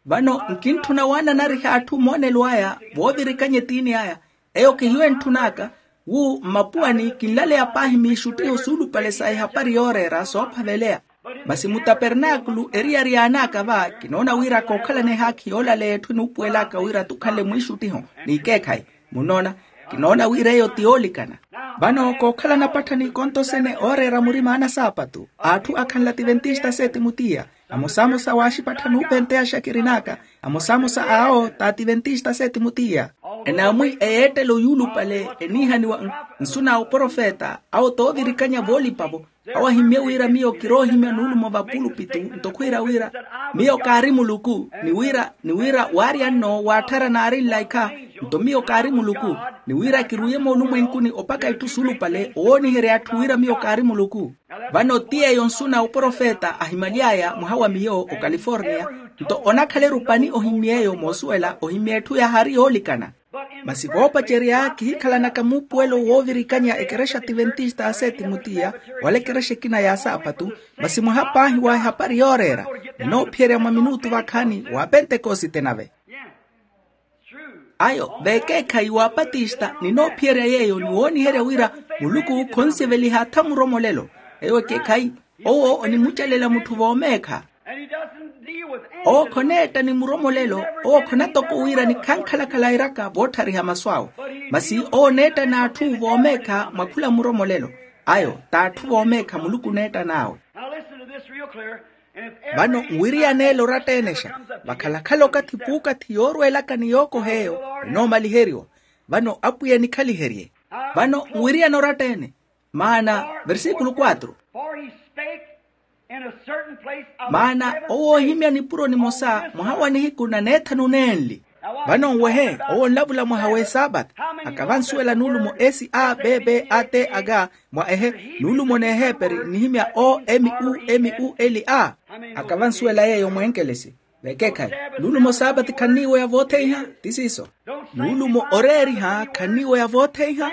Vano nkintthuna waananariha atthu moonelo aya voovirikanya etiini aya. Eyo khihiyo entthun'aka. Wu mmapuwani kinlaleya paahi miixuttiho suulupale sa ehapari yooreera soophaveleya. Masi mutapernaakulu eriyari yaan'aka va kinoona wira kookhalana ehaakhi yoolaleya etthu enuupuwel'aka wira tukhanle mwiixuttiho n'ikeekhayi. Munnoona? Kinoona wira eyo ti yoolikana. Vano kookhalana apattha n'ikonto sene ooreera murima anasaapatu a atthu akhanle ativentista s'etimutiya. Amosamosa waaxipatthani oopenteyasha kirin'aka. Amosamosa awo t'ativentista s'etimutiya. Enaamwi eyeettelo yuulupale eniihaniwa nsu na oprofeta awo t'ovirikanya voolipa-vo. Awo ahimmye wira miyo kiroohimya nuulumo vapulupitu nto khwiira wira miyo kaari muluku. Ni wira ni wira waarya nno waatthara naari nlaikha. Nto miyo kaari muluku ni wira kiruuye moolumwenkuni opaka itthu suulupale owooniherya atthu wira miyo kaari muluku. Vano ti yeeyo nsu na oprofeta ahimaly'aya mwaha wa miyo okaliforniya. Nto onakhala erupani ohimy'eyo moosuwela ohimya etthu yahari yoolikana. Masi voopacerya kihikhalanaka muupuwelo woovirikanya ekerexa ativentista a seti mutiya, wala ekerexa ekina ya saapatu. Masi mwaha paahi wa ehapari yooreera ninoophiyerya mwa minutu vakhaani wa pentekosite nave. Ayo vekeekhayi wa patista ninoophiyerya yeeyo ni wooniherya wira muluku khonsiveliha atha muromolelo. Eyo ekeekhayi. Owo onimucelela mutthu voomeekha. Owo khoneetta ni muromolelo. Owo khonatoko wira nikhankhalakhala airaka vootthariha masu awe. Masi owo oneetta n'atthu voomeekha mwa khula muromolelo. Ayo t'atthu voomeekha muluku oneetta n'awe. Vano nwiriyaneele oratta-enexa. Vakhalakhala okathi puukathi yoorweelaka ni yookoha eyo enoomaliheriwa. Vano apwiya enikhaliherye. Vano nwiriyane oratta-ene. Maana versikulu quatro. Maana owo oohimya nipuro nimosa mwaha wa nihiku na neethanu nenli. Vano nwehe owo onlavula mwaha w'esaapati. Akavansuwela nuulumo s a b b a t a k mwa ehe nuulumo n'eheeperi nnihimya o m u m u l a. Akavansuwela yeeyo mweenkelesi. Vekeekhayi nuulumo saapati khanniiweya vootheiha. Ti siiso. Nuulumo oreeriha khanniiweya vootheiha.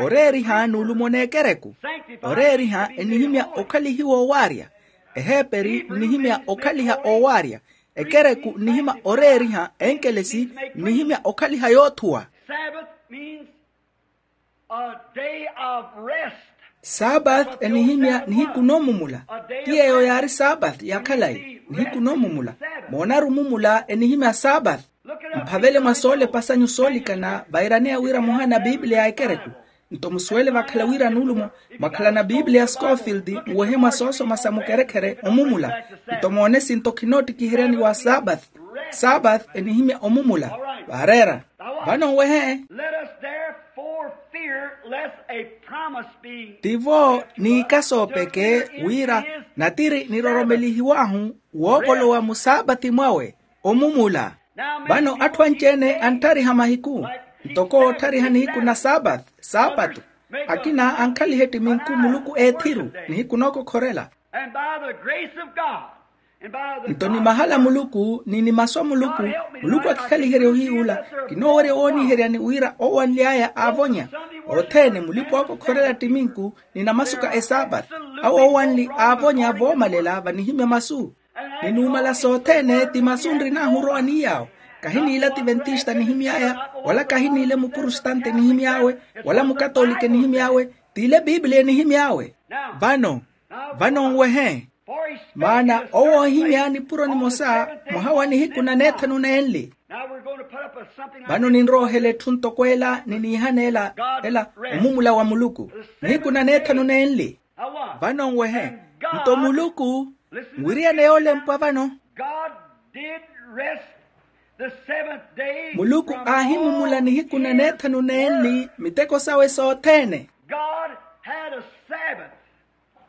Oreeriha nuulumo n'ekereku. Oreeriha ennihimya okhalihiwa owaarya. Eheeperi nnihimya okhaliha owaarya. Ekereku nnihimya oreeriha enkelesi nnihimya okhaliha yoothuwa. Sabbath means a day of rest. Sabath enihimya nihiku noomumula. Ti yeeyo yaari sabath ya khalayi nihiku noomumula. Moonaru omumula enihimya sabath. Mphavele mwa soolepa sanyu soolikana vairaneya wira muhaana bibliya ya ekereku. Nto musuwele vakhala wira nuulumo mwakhalana bibliya scofield nwehe mwa soosoma sa mukerekhere omumula. Nto moone sinto khinoottikiheryani wa sabath. Sabath enihimya omumula. Vaareera. Vano nwehe. Let us therefore fear lest a promise being. Tivo niikasoopeke wira natiri niroromelihiw'ahu woovolowa musaapati mwawe omumula. Vano atthu anci-ene antthariha mahiku ntoko ootthariha nihiku na saapatu. Akina ankhaliha ettiminku muluku eethiru nihiku nookokhorela. And by the grace of God. Nto ni mahala muluku ni ni masu a muluku. Muluku akikhaliherye ohiyuula. Kinoowerya wooniheryani wira owanly'aya aavonya othene mulipa ookokhorela ttiminku ni namasuka esaapati. Awo owanli aavonya voomalela vanihimya masu. Ni numala sothene ti masu nrin'ahu orowani yaawo. Kahiniila ativentista nihimy'aya wala kahiniile mupurustante nihimy'awe wala mukatolike nihimy'awe. T'ile bibliya enihimy'awe. Vano vano nwehe. Maana owo oohimya nipuro nimosa mwaha wa nihiku na neethanu nenli. Vano ninrowa ohela etthu ntoko ela niniihana ela ela omumula wa muluku nihiku na neethanu nenli. Vano nwehe. Nto muluku nwiriyane yoolempwa vano. Muluku aahimumula nihiku na neethanu nenli miteko sawe sothene.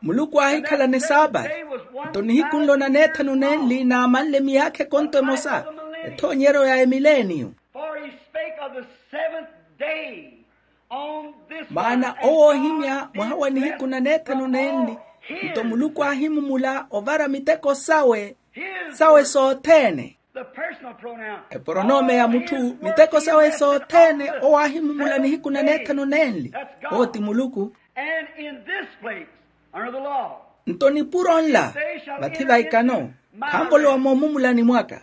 Muluku aahikhalana esaapati. Nto nihiku nlo na neethanu nenli naamanle miyaakha ekonto emosa ethoonyeryo ya emileeniyo. Maana owo oohimya mwaha wa nihiku na neethanu nenli. Nto muluku aahimumula ovara miteko sawe sawe sothene. Eporonome ya mutthu miteko sawe sothene owo aahimumula nihiku na neethanu nenli. Owo ti muluku. Nto nipuro nla vathi va ikano khanvolowa moomumulani mwaka.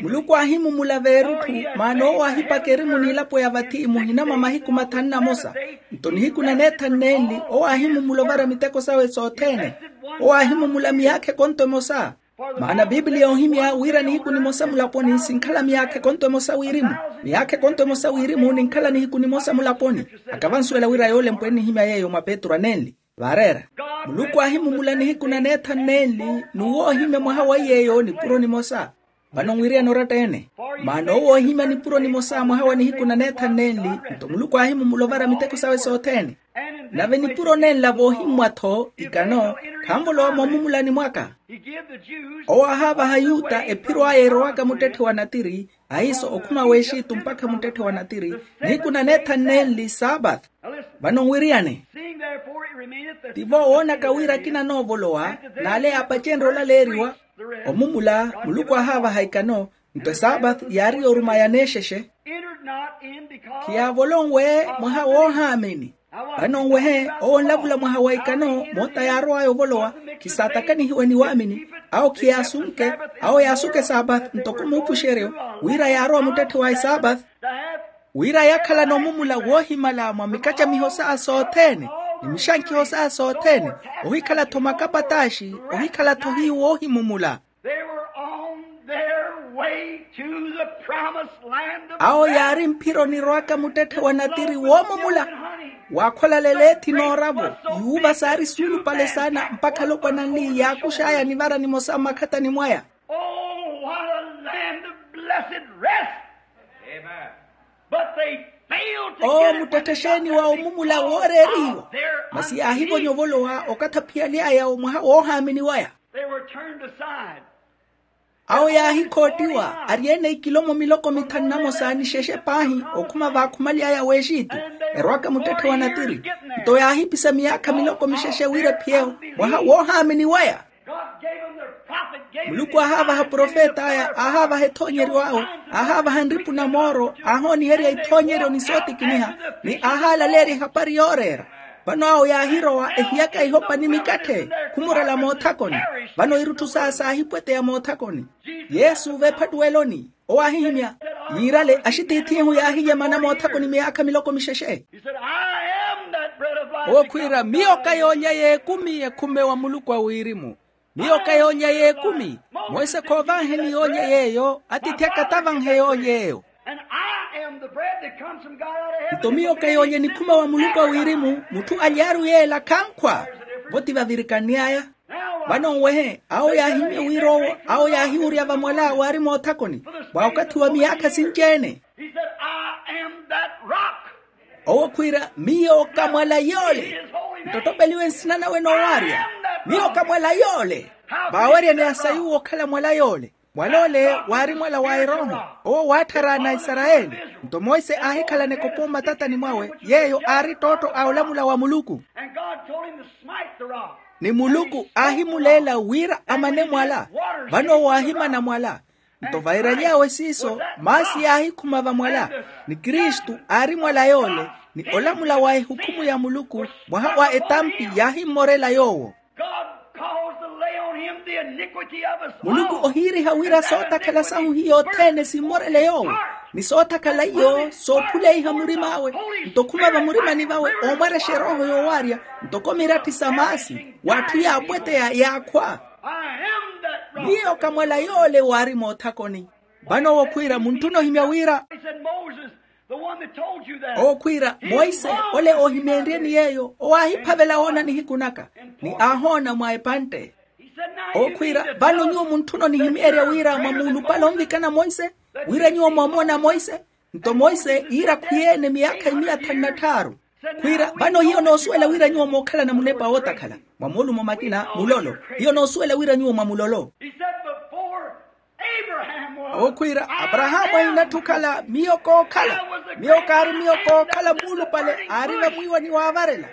Muluku aahimumula veerutthu. Maana owo aahipaka erimu n'ilapo ya vathi muhina mwa mahiku mathanu na mosa. Nto nihiku na neethanu nenli owo aahimumula ovara miteko sawe sothene. Owo aahimumula miyaakha ekonto emosa. Maana bibliya yoohimya wira nihiku nimosa mulaponi sinkhala miyaakha ekonto emosa wirimu. Miyaakha ekonto emosa wirimu ninkhala nihiku nimosa mulaponi. Akavansuwela wira yoolempwa ennihimya yeeyo mwa petru anenli. Vaareera. Muluku aahimumula nihiku na neethanu nenli n'uwo oohimya mwaha wa iy'eyo nipuro nimosa. Vano nwiriyane oratta-ene. Maana owo oohimya nipuro nimosa mwaha wa nihiku na neethanu nenli. Nto muluku aahimumula ovara miteko sawe sothene. Nave nipuro nenla voohimmwa-tho ikano khanvolowa moomumulani mwaka. Owo aahaavaha ayuta ephiro aya erowaka muttetthe wa natiri. Ahiiso okhuma w'exitu mpakha muttetthe wa natiri. Nihiku na neethanu nenli saapatu. Vano nwiriyane. Tivo woonaka wira akina anoovolowa n'ale yaapacenrye olaleeriwa. Omumula muluku aahaavaha ikano. Nto esaapathi yaari yooruma yaneexexe. Khiyaavolonwe mwaha woohaamini. Vano nwehe owo onlavula mwaha wa ikano moota yaarow'aya ovolowa. Khisaatakanihiwe ni waamini. Awo khiyaasunke. Awo yaasuke esaapathi ntoko muupuxeryo wira yaarowa muttetthe wa esaapathi wira yakhalana omumula woohimala mwa mikacamiho saya sothene ni mixankiho saya sothene. Ohikhala-tho makapataaxi. Ohikhala-tho hiyu woohimumula. They were on their way to the promised land of awo yaari mphironi rwaka muttetthe wa natiri woomumula. Waakholalele ethi nooravo. Yuuva saari suulupale saana mpakha alopwana anli yaakux'aya nivara nimosa mmakhatani mwaya. Oh, what a land of blessed rest. But they failed to oo get it when they muttetthexeeni wa omumula wooreeriwa. Masi yaahivonya ovolowa okathi aphiyaly'aya omwaha woohaamini waya. They were turned aside. Awo yaahikhottiwa ari ene ikilomo miloko mithanu na mosa ni xexe paahi okhuma vaakhumaly'aya w'exitu. Erwaka muttetthe wa natiri. Nto yaahipisa miyaakha miloko mixexe wira ephiyeewo mwaha woohaamini waya. Muluku aahaavaha profet'aya aahaavaha ethoonyeryo awe. Aahaavaha nripu na mooro aahooniherya ithoonyeryo ni sootikiniha. Ni aahaalaleerya ehapari yooreera. Vano awo yaahirowa ehiyaka ihopa ni mikatthe khumurela moothakoni. Vano irutthu saya saahipweteya moothakoni. Yesu veephattuweloni owo aahihimya yiirale axitiith'ihu yaahiyemana moothakoni miyaakha miloko mixexe. Owo khwiira miyo ka yoolya y'ekumi ekhume wa muluku a wirimu. Miyo ka yoolya y'ekumi. Monse khoovaaheni yoolya yeeyo atiithi aka tavanhe yoolya eyo. Nto miyo ka yoolya enikhume wa muluku a wirimu mutthu aly'aru yeela khankhwa. Vo ti vavirikann'aya. Vano nwehe awo yaahimya wira owo awo yaahiwurya vamwala waari moothakoni mwa okathi wa miyaakha sinci-ene. Owo khwiira miyo ka mwala yoole. Nttottopeliwe nsina nawe noowaarya. Miyo ka mwala yoole. Vaaweryani asa yuwo okhala mwala yoole. Mwala ole waari mwala wa erooho. Owo waattharaana aisarayeli. Nto monse aahikhalana ekopo mmatatani mwawe yeeyo aari ttootto a olamula wa muluku. Ni muluku aahimuleela wira amane mwala. Vano owo aahimana mwala. Nto vairaly'awe siiso maasi yaahikhuma vamwala. Ni kristu aari mwala yoole. Ni olamula wa ehukhumu ya muluku mwaha wa etampi yaahimmorela yoowo. Muluku ohiiriha wira sootakhala sahu hiyo othene simmorele yoowo. Ni sootakhala iyo sookhuleiha murim'awe. Nto okhuma vamurimani vawe oomwarexa erooho yoowaarya ntoko miratthi sa maasi w'atthu yaapweteya yaakhwa. Miyo ka mwala yoole waari moothakoni. Vano owo khwiira muntthuna ohimya wira owo khwiira monse ole oohimeenryeni yeeyo owo aahiphavela woona nihiku naka. Ni aahoona mwa epantte. Owo khwiira vano nyuwo muntthuna onihimeerya wira mwamuulupale onvikana monse wira nyuwo mwamoona monse. Nto monse iira khwiyeene miyaakha imiya thanu na tthaaru. Khwiira vano hiyo noosuwela wira nyuwo mookhalana munepa wootakhala mwa moolumo makina mulolo. Hiyo noosuwela wira nyuwo mwa mulolo. Owo khwiira aparahaamu ahinatthu okhala miyo kookhala. Miyo kaari miyo kookhala muulupale aari vamwiiwa ni waavarela.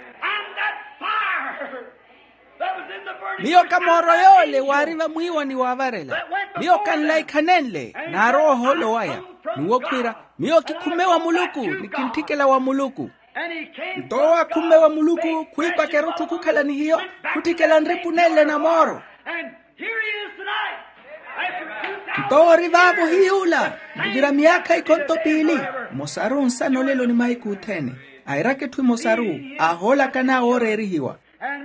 Miyo ka mooro yoole waari vamwiiwa ni waavarela. Miyo ka nlaikhanenle n'aroowa ohoolo waya. N'uwo khwiira miyo kikhumme wa muluku ni kintthikela wa muluku. Nto owo akhumme wa muluku khwiipaka erutthu khukhala ni hiyo khutthikela nripu nenle na mooro. Nto owo ori vaavo hiy'ula. Muvira miyaakha ikhonto piili. Mmosaru nsana olelo ni mahiku othene. Airaka etthu emosaru aahoolakan'awe ooreerihiwa.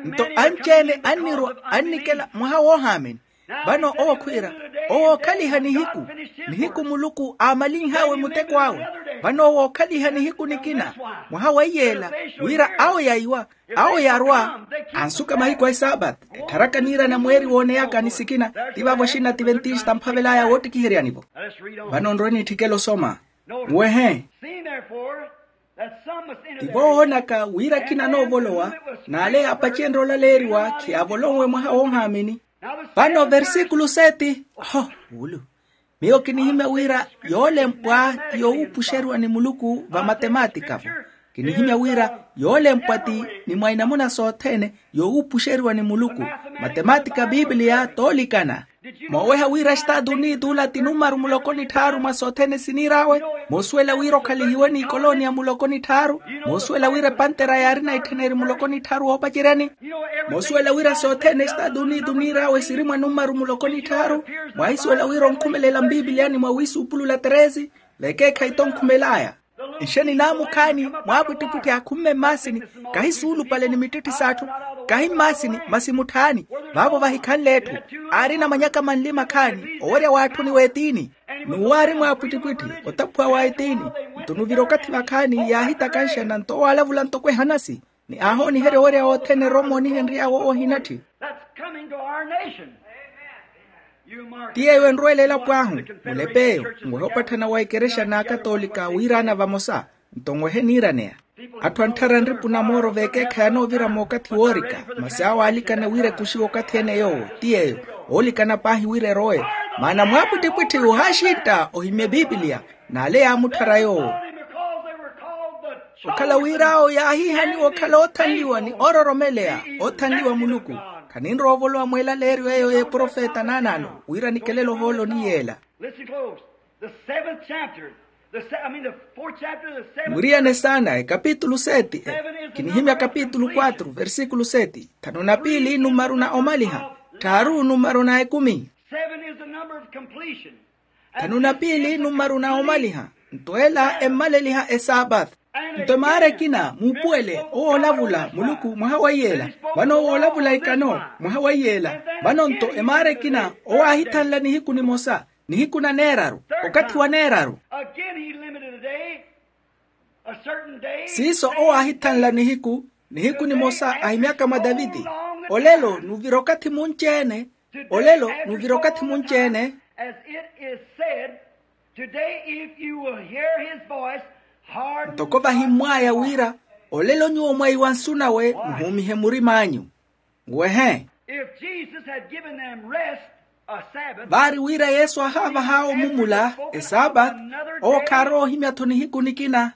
Nto anci-ene annirwa annikela mwaha woohaamini. Vano owo khwiira owo ookhaliha nihiku nihiku muluku aamalinh'awe muteko awe. Vano owo ookhaliha nihiku nikina mwaha weiyeela wira awo yaiwa awo yarwa ansuka mahiku a esaapati. Ettharaka niirana mweeri wooneyaka ni sikina ti vaavo axinna ti ventista mphavel'aya woottikiheryani-vo. Vano nrwe nitthikela osoma nwehe. Ti voowoonaka wira akina anoovolowa n'ale yaapacenrye olaleeriwa khiyaavolonwe mwaha woohaamini. Vano versikulu seti oho wulu miyo kinihimya wira yoolempwa ti yowuupuxeriwa ni muluku va matematika-vo. Kinihimya wira yoolempwa ti ni mwa inamuna sothene yoowuupuxeriwa ni muluku. Matematika a pipiliya toolikana. Mooweha wira estaatu unitula ti numaru muloko ni tthaaru mwa sothene siniir'awe. Moosuwela wira okhalihiwe ni ikolonia muloko ni tthaaru. Moosuwela wira epantera yaarina ittheneri muloko ni tthaaru woopaceryani. Moosuwela wira sothene estaatu unitu niir'awe siri mwa numaru muloko ni tthaaru. Mwaahisuwela wira onkhumelela mpipiliyani mwa wiisuupulula teresi. Vekeekhayi tonkhumel'aya. Nxeni naamukhaani mwaapwittipwitthi akhumme mmaasini. Kahi suulupale ni mittitthisaathu. Kahi mmaasini masi mutthaani. Vaavo vahikhanle etthu aarina manyaka manli makhaani owerya w'atthuni w'etiini. N'uwo aari mwaapwittipwitthi otaphuwa wa etiini. Nto nuvira okathi vakhaani yaahitakanxana nto owaalavula ntoko ehanasi. Ni aahooniherya owerya wothene eroomo onihenry'awe owo ohinatthi. That's coming to our nation. Ti yeeyo enrweela elapo ahu. Mulep'eyo. Nwehe opatthana wa ikerexa n'akatoolika wiiraana vamosa. Nto nwehe niiraneya. Atthu antthara nripu na mooro veekeekhayi anoovira mookathi woorika. Masi awo aalikana wira ekuxiwe okathi ene yoowo. Ti yeeyo. Oolikana paahi wira erowe. Maana mwaapwittipwitthi ohaaxintta ohimye pipiliya. N'ale yaamutthara yoowo. Okhala wir'awo yaahiihaniwa okhala oothanliwa ni oororomeleya. Oothanliwa muluku. Khaninrowa ovolowa mweelaleeryo eyo y'eprofeta naanaano wira nikelele ohoolo ni yeela. Listen close. The seventh chapter, the se- I mean the fourth chapter of the seventh. Mwiriyane saana ekapitulu seti. Kinihimya kapitulu quatro versikulu seti. Thanu na piili numaru na omaliha. Tthaaru numaru na ekumi. Seven is the number of completion. Thanu na piili numaru na omaliha. Nto ela emmaleliha esaapatha. Nto emaara ekina muupuwele owoolavula muluku mwaha wa iyela. Vano owoolavula ikano mwaha wa iyela. Vano nto emaara ekina owaahithanla nihiku nimosa, nihiku na neeraru, okathi wa neeraru. Again he limited a day, a certain day. Siiso owaahithanla nihiku, nihiku nimosa ahimyaka mwa taviti. Olelo nuvira okathi munci-ene. Olelo nuvira okathi munci-ene. As it is said, today if you will hear his voice, harden not your heart. Ntoko vahimmw'aya wira, olelo nyuwo mwaiwa nsu nawe muhuumihe murim'anyu. Nwehe. If Jesus had given them rest, a Sabbath, vaari wira yesu ahaavah'awe omumula esaapathi, owo khaarowa ohimya-tho nihiku nikina.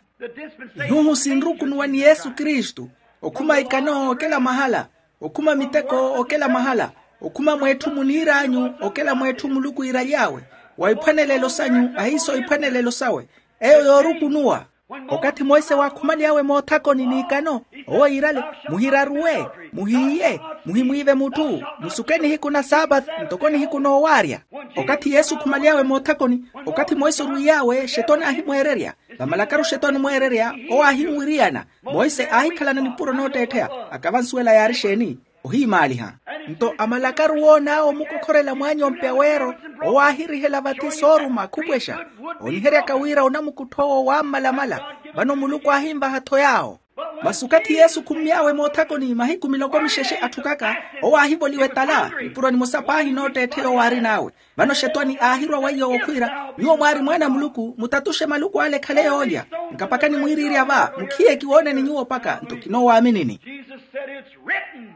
Ihuhu sinrukunuwa ni yesu kristu. Okhuma ikano okela mahala. Okhuma miteko okela mahala. Okhuma mweetthu muniir'anyu okela mweetthu muluku iiraly'awe. Wa iphwanelelo sanyu ahiiso iphwanelelo sawe. Eyo yoorukunuwa. Okathi monse waakhumaly'awe moothakoni n'ikano, owo yiirale, muhiraruwe, muhiiye, muhimwiive mutthu, musuke nihiku na saapathi ntoko nihiku noowaarya. Okathi yesu okhumaly'awe moothakoni, okathi monse orwiiy'awe xetwani aahimweererya. Vamalakaru xetwani omweererya, owo aahinwiriyana. Monse aahikhalana nipuro nootteettheya. Akavansuwela yaari exeeni? Ohiimaaliha. Nto amalakaru woon'awe omukokhorela mwaanyompe aweero, owo aahirihela vathi sooruma akhupwexa. Ooniheryaka wira onamukutth'owo waammalamala. Vano muluku aahinvaha-tho yaawo. Masi okathi yesu okhummy'awe moothakoni mahiku miloko mixexe atthukaka, owo aahivoliwa etala nipuro nimosa paahi nootteettheya owo aarin'awe. Vano xetwani aahirwa weiyo okhwiira, nyuwo mwaari mwaana a muluku mutatuxe maluku ale ekhale yoolya. Nkapakani mwiiriirya va mukhiye kiwooneni nyuwo mpakha nto kinowaaminini. Jesus said it's written.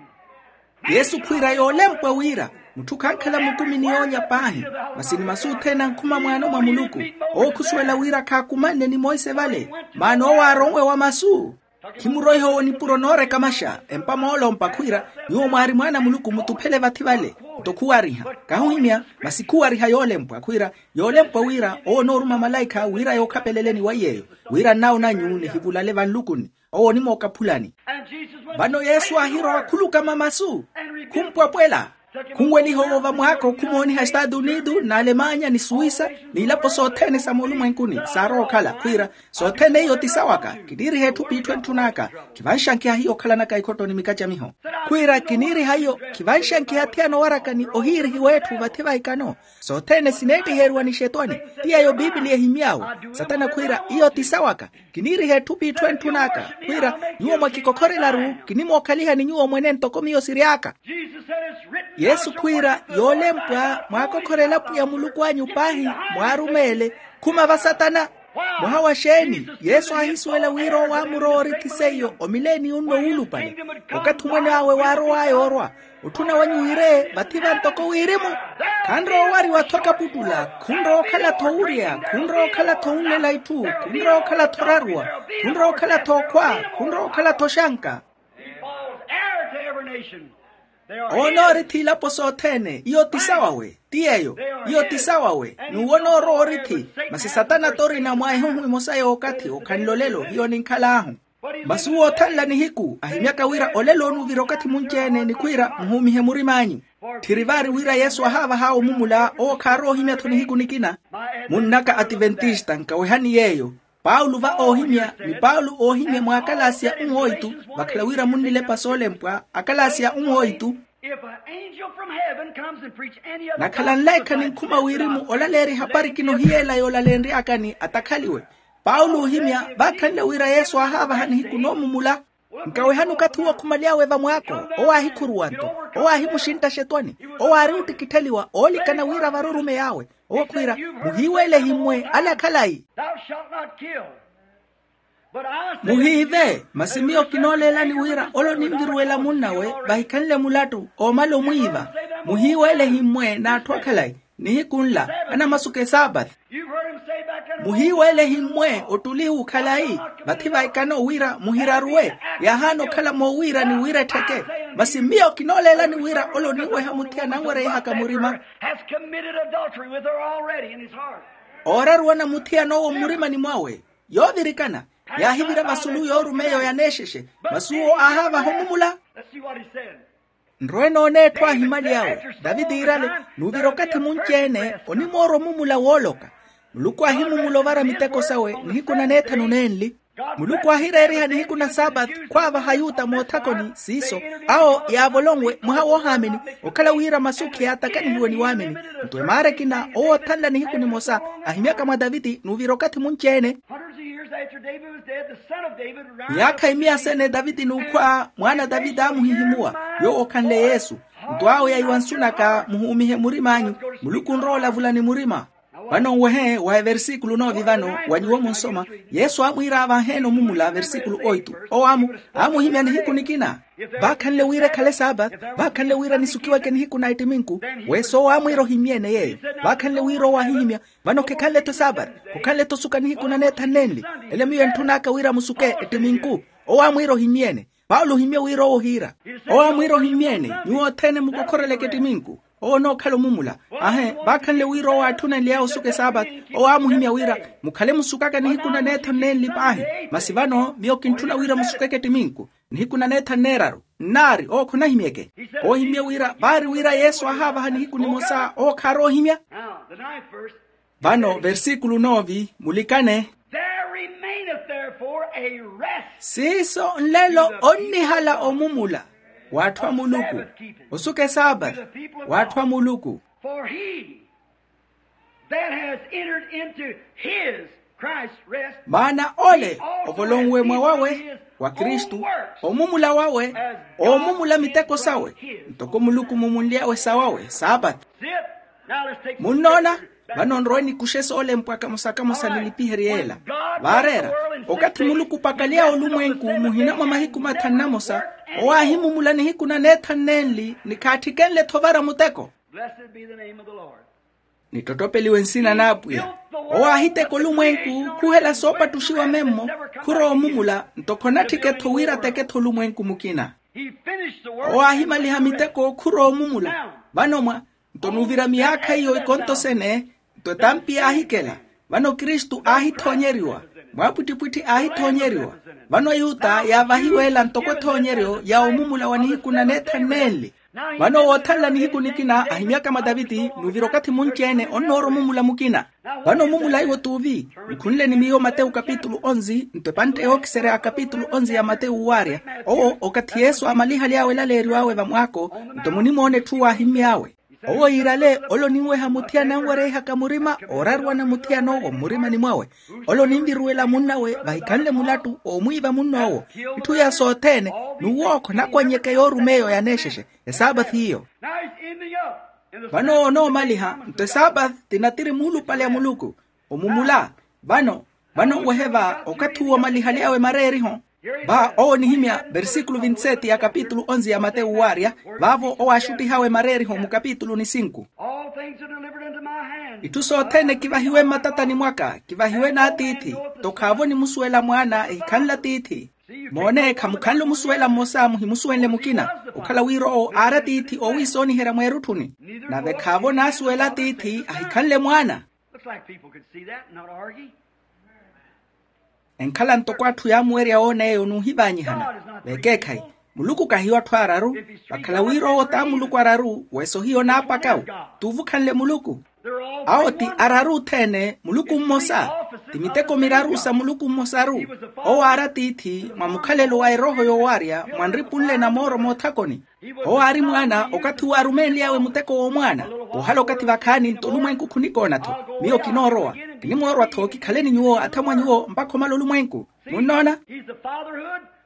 Yesu khwiira yoolempwa wira, mutthu khankhala mukumi ni yoolya paahi, masi ni masu othene ankhuma mwaano mwa muluku. Owo khusuwela wira khaakumanne ni monse vale, maana owo aaronwe wa masu. Khimuroihe owo nipuro noorekamaxa empa moolompa khwiira, nyuwo mwaari mwaana a muluku mutuphele vathi vale. Nto khuwariha, kahuhimya, masi khuwariha yoolempwa khwiira, yoolempwa wira owo onooruma malaikha wira yookhapeleleni wa iy'eyo, wira nnawo nanyu nihivulale vanlukuni. Owo onimookaphulani. Vano yesu aahirowa khulukama masu, khumpwapwela. Khunweliha owo vamwaako khumooniha estaatu unitu n'alemanya ni suwisa, n'ilapo sothene sa moolumwenkuni saarowa okhala khwiira, sothene iyo ti sawaka. Kiniiriha etthu p'itthu entthun'aka. Khivanxankiha hiyo okhalanaka ikhotto ni mikacamiho. Khwiira kiniiriha iyo, khivanxankiha athiyana owaraka ni ohiirihiwa etthu vathi va ikano. Sothene sineettiheriwa ni xetwani. Ti yeeyo pipiliya ehimy'awe. Satana khwiira iyo ti sawaka. Kiniiriha etthu p'itthu entthun'aka khwiira, nyuwo mwakikokhorelaru kinimookhalihani nyuwo mwene ntoko miyo siry'aka. Yesu khwiira, yoolempwa mwaakokhorela pwiya muluku anyu paahi, mwaarumeele. Khuma va satana. Mwaha wa xeeni? Yesu aahisuwela wira owo amurowa orithi seiyo omileeni unno wuulupale. Okathi omwene awe waarow'aya orwa, otthuna wanyu wira ee vathi va ntoko wirimu. Khanrowa owariwa-tho kaputtula, khunrowa okhala-tho owurya, khunrowa okhala-tho onlela itthu, khunrowa okhala-tho oraruwa, khunrowa okhala-tho okhwa, khunrowa okhala-tho oxanka. He falls heir to every nation. Owo onoorithi ilapo sothene. Iyo ti sawawe. Ti yeeyo. Iyo ti sawawe. N'uwo onoorowa orithi. Masi satana t'orina mwa ehuhu emosa y'okathi okhanle olelo hiyo ninkhal'ahu. Masi uwo othanla nihiku ahimyaka wira olelo onuvira okathi munci-ene ni khwiira muhuumihe murim'anyu. Tthiri vaari wira yesu ahaavah'awe omumula owo khaarowa ohimya-tho nihiku nikina. Munn'aka ativentista nkawehani yeeyo. Paulo va oohimya ni paulo oohimya mw'akalasia unwoitu. Vakhala wira munnilepa soolempwa akalasia unwoitu. If an angel from heaven comes and preach any other nakhala nleekha ninkhuma wirimu olaleerya ehapari kinohiyeela yoolalenry'akani atakhaliwe. Paulo oohimya vaakhanle wira yesu aahaavaha nihiku noomumula. Nkawehani okathi uwo khumaly'awe vamwaako. Owo aahikhuruwa-nto. Owo aahimuxintta axetwani. Owo aari ottikittheliwa oolikana wira vari orumeyi awe. Owo khwiira, muhiiweele ehimmwe ale akhalayi. Thou shalt not kill. But I say unto you, muhiive masi miyo kinooleelani wira ole oninviruwela munnawe vahikhanle mulattu oomala omwiiva. Muhiiweele ehimmwe n'atthu akhalayi. Nihiku nla anamasuka esaapathi. You've heard him say back there, muhiiweele ehimmwe ottuli ukhalayi. Vathi vaikano wira muhiraruwe. Yaahaana okhala moowiirani wira ettheke. Masi miyo kinooleelani wira ole oniweha muthiyana anwereyihaka murima. Has committed adultery with her already in his heart. Ooraruwa na muthiyana owo mmurimani mwawe. Yoovirikana yaahivira vasulu yoorumeya oyaneexexe. Masi uwo aahaavaha omumula. Let's see what he said. Nrowe noona etthu aahimaly'awe. Daviti iirale, nuuvira okathi munci-ene onimoorwa omumula wooloka. Muluku aahimumula ovara miteko sawe nihiku na neethanu nenli. Muluku aahireeriha nihiku na saapati khwaavaha ayuta moothakoni siiso. Awo yaavolonwe mwaha woohaamini okhala wira masu khiyaatakanihiwe ni waamini. Nto emaara ekina owo othanla nihiku nimosa ahimyaka mwa daviti nuuvira okathi munci-ene. Hundreds of years after David was dead, the son of David ran miyaakha imiya sene daviti n'ukhwa mwaana daviti aamuhihimuwa. Yoowo okhanle yesu. Nto awo yaiwa nsunaka muhuumihe murim'anyu. Muluku onrowa olavula ni murima. Vano nwehe wa eversikulo noovi vano wa nyuwo munsoma. Yesu aamwiira aavaheene omumula versikulo oitu. Owo aamuhimya nihiku nikina. Vaakhanle wira ekhale saapathi. Vaakhanle wira nisukiweke nihiku na ettiminku. Weso owo aamwiira ohimyene yeeyo. Vaakhanle wira owo aahihimya. Vano khekhanle-tho saapathi. Khukhanle-tho osuka nihiku na neethanu nenli. Ele miyo entthun'aka wira musuke ettiminku. Owo aamwiira ohimyene. Paulo ohimye wira owo ohiira. Owo aamwiira ohimyene nyuwo othene mukokhoreleke ettiminku. Owo onookhala omumula. Ahe vaakhanle wira owo aatthunenly'awe osuka esaapathi. Owo aamuhimya wira mukhale musukaka nihiku na neethanu nenli paahi. Masi vano miyo kintthuna wira musukeke ettiminku. Nihiku na neethanu neeraru nnaari owo khonahimyeke. Owo ohimye wira vaari wira yesu aahaavaha nihiku nimosa owo khaarowa ohimya. Vano versikulu noovi mulikane. There remaineth therefore a rest. Siiso nlelo onnihala omumula w'atthu a muluku. Osuka esaapathi w'atthu a muluku. For he that has entered into his Christ rest. Maana ole ovolonwe mwa wawe wa kristu omumula wawe oomumula miteko sawe. Ntoko muluku mumunly'awe sawawe saapathi. Munnoona? Vano nrowe nikuxe soolempwa kamosa-kamosa nilipiherye yeela. Vaareera okathi muluku opakaly'awe olumwenku muhina mwa mahiku mathanu na mosa. Owo aahimumula nihiku na neethanu nenli ni khaattikenle-tho ovara muteko. Nittottopeliwe nsina n'apwiya. Owo aahiteka olumwenku khuhela soopattuxiwa memmo. Khurowa omumula nto khonatthike-tho wira ateke-tho olumwenku mukina. Owo aahimaliha miteko khurowa omumula. Vano mwa nto nuuvira miyaakha iyo ikonto sene. Nto etampi yaahikela. Vano kristu aahithoonyeriwa. Mwaapwittipwitthi aahithoonyeriwa. Vano ayuta yaavahiweela ntoko ethoonyeryo ya omumula wa nihiku na neethanu nenli. Vano owo othanla nihiku nikina ahimyaka mwa taviti nuuvira okathi munci-ene onnoora omumula mukina. Vano omumula iwo t'uvi? Nkhunle ni miyo matewu kapitulu onzi nto epantte yookiserya kapitulu onzi ya matewu waarya. Owo okathi yesu aamalihaly'awe elaleeriw'awe vamwaako nto munimoona etthu waahimmy'awe. Owo yiirale ole oninweha muthiyana anwereyihaka murima ooraruwana muthiyana owo mmurimani mwawe. Ole oninviruwela munn'awe vahikhanle mulattu oomwiiva munn'owo. Itthu iya sothene n'uwookho nakwannyeke yoorumeya oyaneexexe esaapathi iyo. Vano owo onoomaliha nto esaapathi ti natiri muulupale a muluku. Omumula vano Vano nwehe va okathi uwo omalihaly'awe mareeriho. Va owo onihimya versikulu vinti seti ya kapitulu onze ya matewu waarya, vaavo owo aaxuttihawe mareeriho mukapitulu ni sinku. Itthu sothene kivahiwe mmatatani mwaka kivahiwe n'atiithi. Nto khaavo onimusuwela mwaana ehikhanle atiithi. Moone khamukhanle omusuwela mmosa muhimusuwenle mukina, okhala wira owo aari atiithi oowiisooniherya mweerutthuni. Nave khaavo onaasuwela atiithi ahikhanle mwaana. Enkhala ntoko atthu yaamuwerya woona eyo n'uhivaanyihana. Vekeekhayi, muluku kahiyo atthu aararu. Vakhala wira owo t'amuluku araru weso hiyo naapakawu. T'uvukhanle muluku. Awo ti araru othene muluku mmosa. Ti miteko miraru sa muluku mmosaru. Owo aari atiithi mwa mukhalelo wa erooho yoowarya mwa nripunle na mooro moothakoni. Owo aari mwaana okathi uwo arumenly'awe muteko w'omwaana. Poohala okathi vakhaani nto olumwenku khunikoona-tho. Miyo kinoorowa. Kinimoorwa-tho kikhale ni nyuwo athamwa nyuwo mpakha omala olumwenku. Munnoona?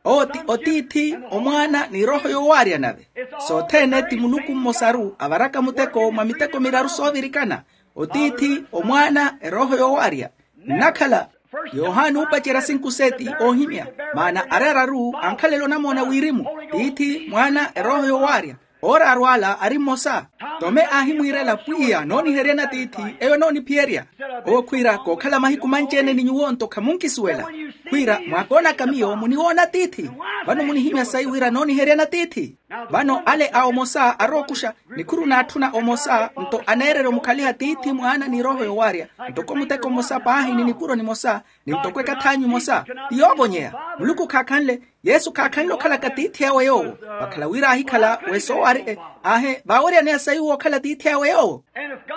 Owo ti otiithi, omwaana ni erooho yoowaarya nave. Sothene ti muluku mmosaru avaraka muteko mwa miteko miraru soovirikana. Otiithi, omwaana, erooho yoowaarya. Nnakhala yohani uupacerya sinku seti oohimya. Maana ari araru ankhalela onamoona wirimu. Tiithi, mwaana, erooho yoowaarya. Ooraaru ala ari mmosa. Tome aahimwiirela pwiya nooniheryani atiithi eyo enooniphiyerya. Owo khwiira kookhala mahiku manci-ene ni nyuwo nto khamunkisuwela. Khwiira mwaakoonaka miyo muniwoona atiithi. Vano munihimya sayi wira nooniheryani atiithi. Vano ale a omosa arookuxa nikhuru naatthuna omosa nto aneererya omukhaliha tiithi mwaana ni erooho yoowaarya. Ntoko muteko mmosa paahi ni nipuro nimosa ni ntoko ekath'anyu emosa. Ti yoovonyeya. Muluku khaakhanle. Yesu khaakhanle okhalaka tiithi awe yoowo. Vakhala wira aahikhala wesoowaari aahi vaaweryaneya sayi w'okhala tiithi awe yoowo.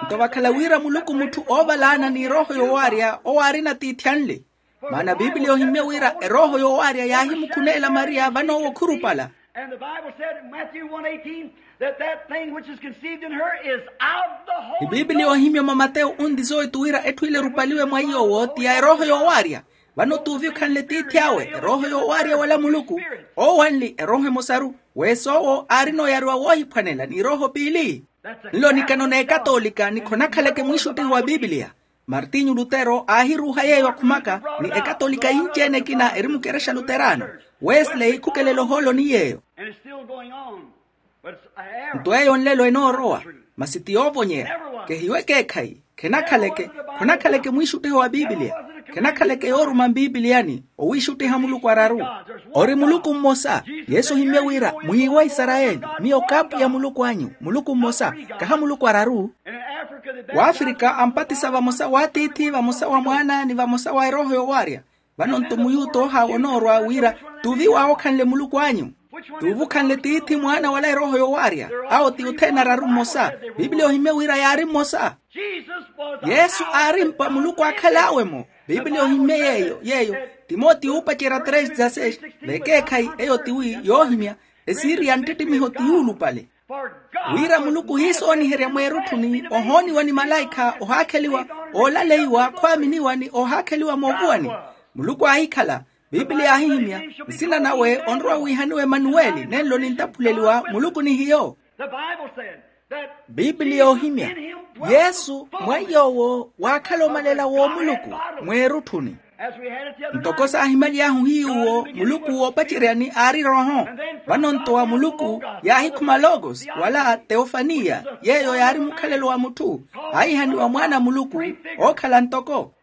Nto vakhala wira muluku mutthu oovalaana ni erooho yoowaarya owo aarina tiithi anle. Maana bibiliya ohimmye wira erooho yoowaarya yaahimukhuneela mariya vanoowo khurupala. And the bible said in matthew one eighteen that that thing which is conceived in her is of the holy. Ni bibiliya ohimmye mwa mateyo unli zoitu wira etthu ile erupaliwe mwa iy'owo ti ya erooho yoowaarya. Vano t'uvikhanle tiithi awe erooho yoowaarya wala muluku. Owanli erooho emosaru. Wees'owo aarina oyariwa woohiphwanela ni erooho piili. Nlo nikano n'ekatolika ni khonakhaleke mwiixuttiho wa bibiliya. Martinyu lutero aahiruuha yeeyo akhumaka. Ni ekatolika yinci-ene ekina eri mukerexa luterano. Wesley khukelela ohoolo ni yeeyo. Nto eyo nlelo enoorowa. Masi ti yoovonyeya. Kehiwe ekeekhayi. Khenakhaleke khonakhaleke mwiixuttiho wa bibiliya. Khenakhaleke yooruma mbiibiliyani owiixuttiha muluku araru. Ori muluku mmosa. Yesu ohimmye wira mwiiwa isarayeli. Miyo kaapwiya muluku anyu muluku mmosa. Kaha muluku araru. W'afrika ampatisa vamosa w'atiithi vamosa wa mwaana ni vamosa wa erooho yoowaarya. Vano nto muyuta ohawa onoorwa wira tuvi waawokhanle muluku anyu. Tuuvukhanle tiithi mwaana wala erooho yoowaarya. Awo ti othene araru mmosa. Bibiliya ohimmye wira yaari mmosa. Yesu aari mpa muluku aakhal'awe-mo. Bibiliya ohimmye yeeyo yeeyo. Timotiyo uupacerya tres dezasseis. Vekeekhayi eyo tiwi yoohimya. Esiriya nttittimiho ti yuulupale. Wira muluku ohiisooniherya mweerutthuni ohooniwa ni malaikha ohaakheliwa oolaleiwa khwaaminiwa ni ohaakheliwa moovuwani. Muluku aahikhala. Bibiliya yaahihimya. Nsina nawe onrowa wiihaniwa emanuweli nenlo nintaphuleliwa muluku ni hiyo. Bibiliya yaahimya. Yesu mwa iy'owo waakhala omalela w'omuluku mweerutthuni. Ntoko saahimaly'ahu hiy'uwo muluku woopaceryani aari erooho. Vano nto wa muluku yaahikhuma logos wala teofaniya yeeyo yaari mukhalelo wa mutthu. Aahihaniwa mwaana a muluku ookhala ntoko.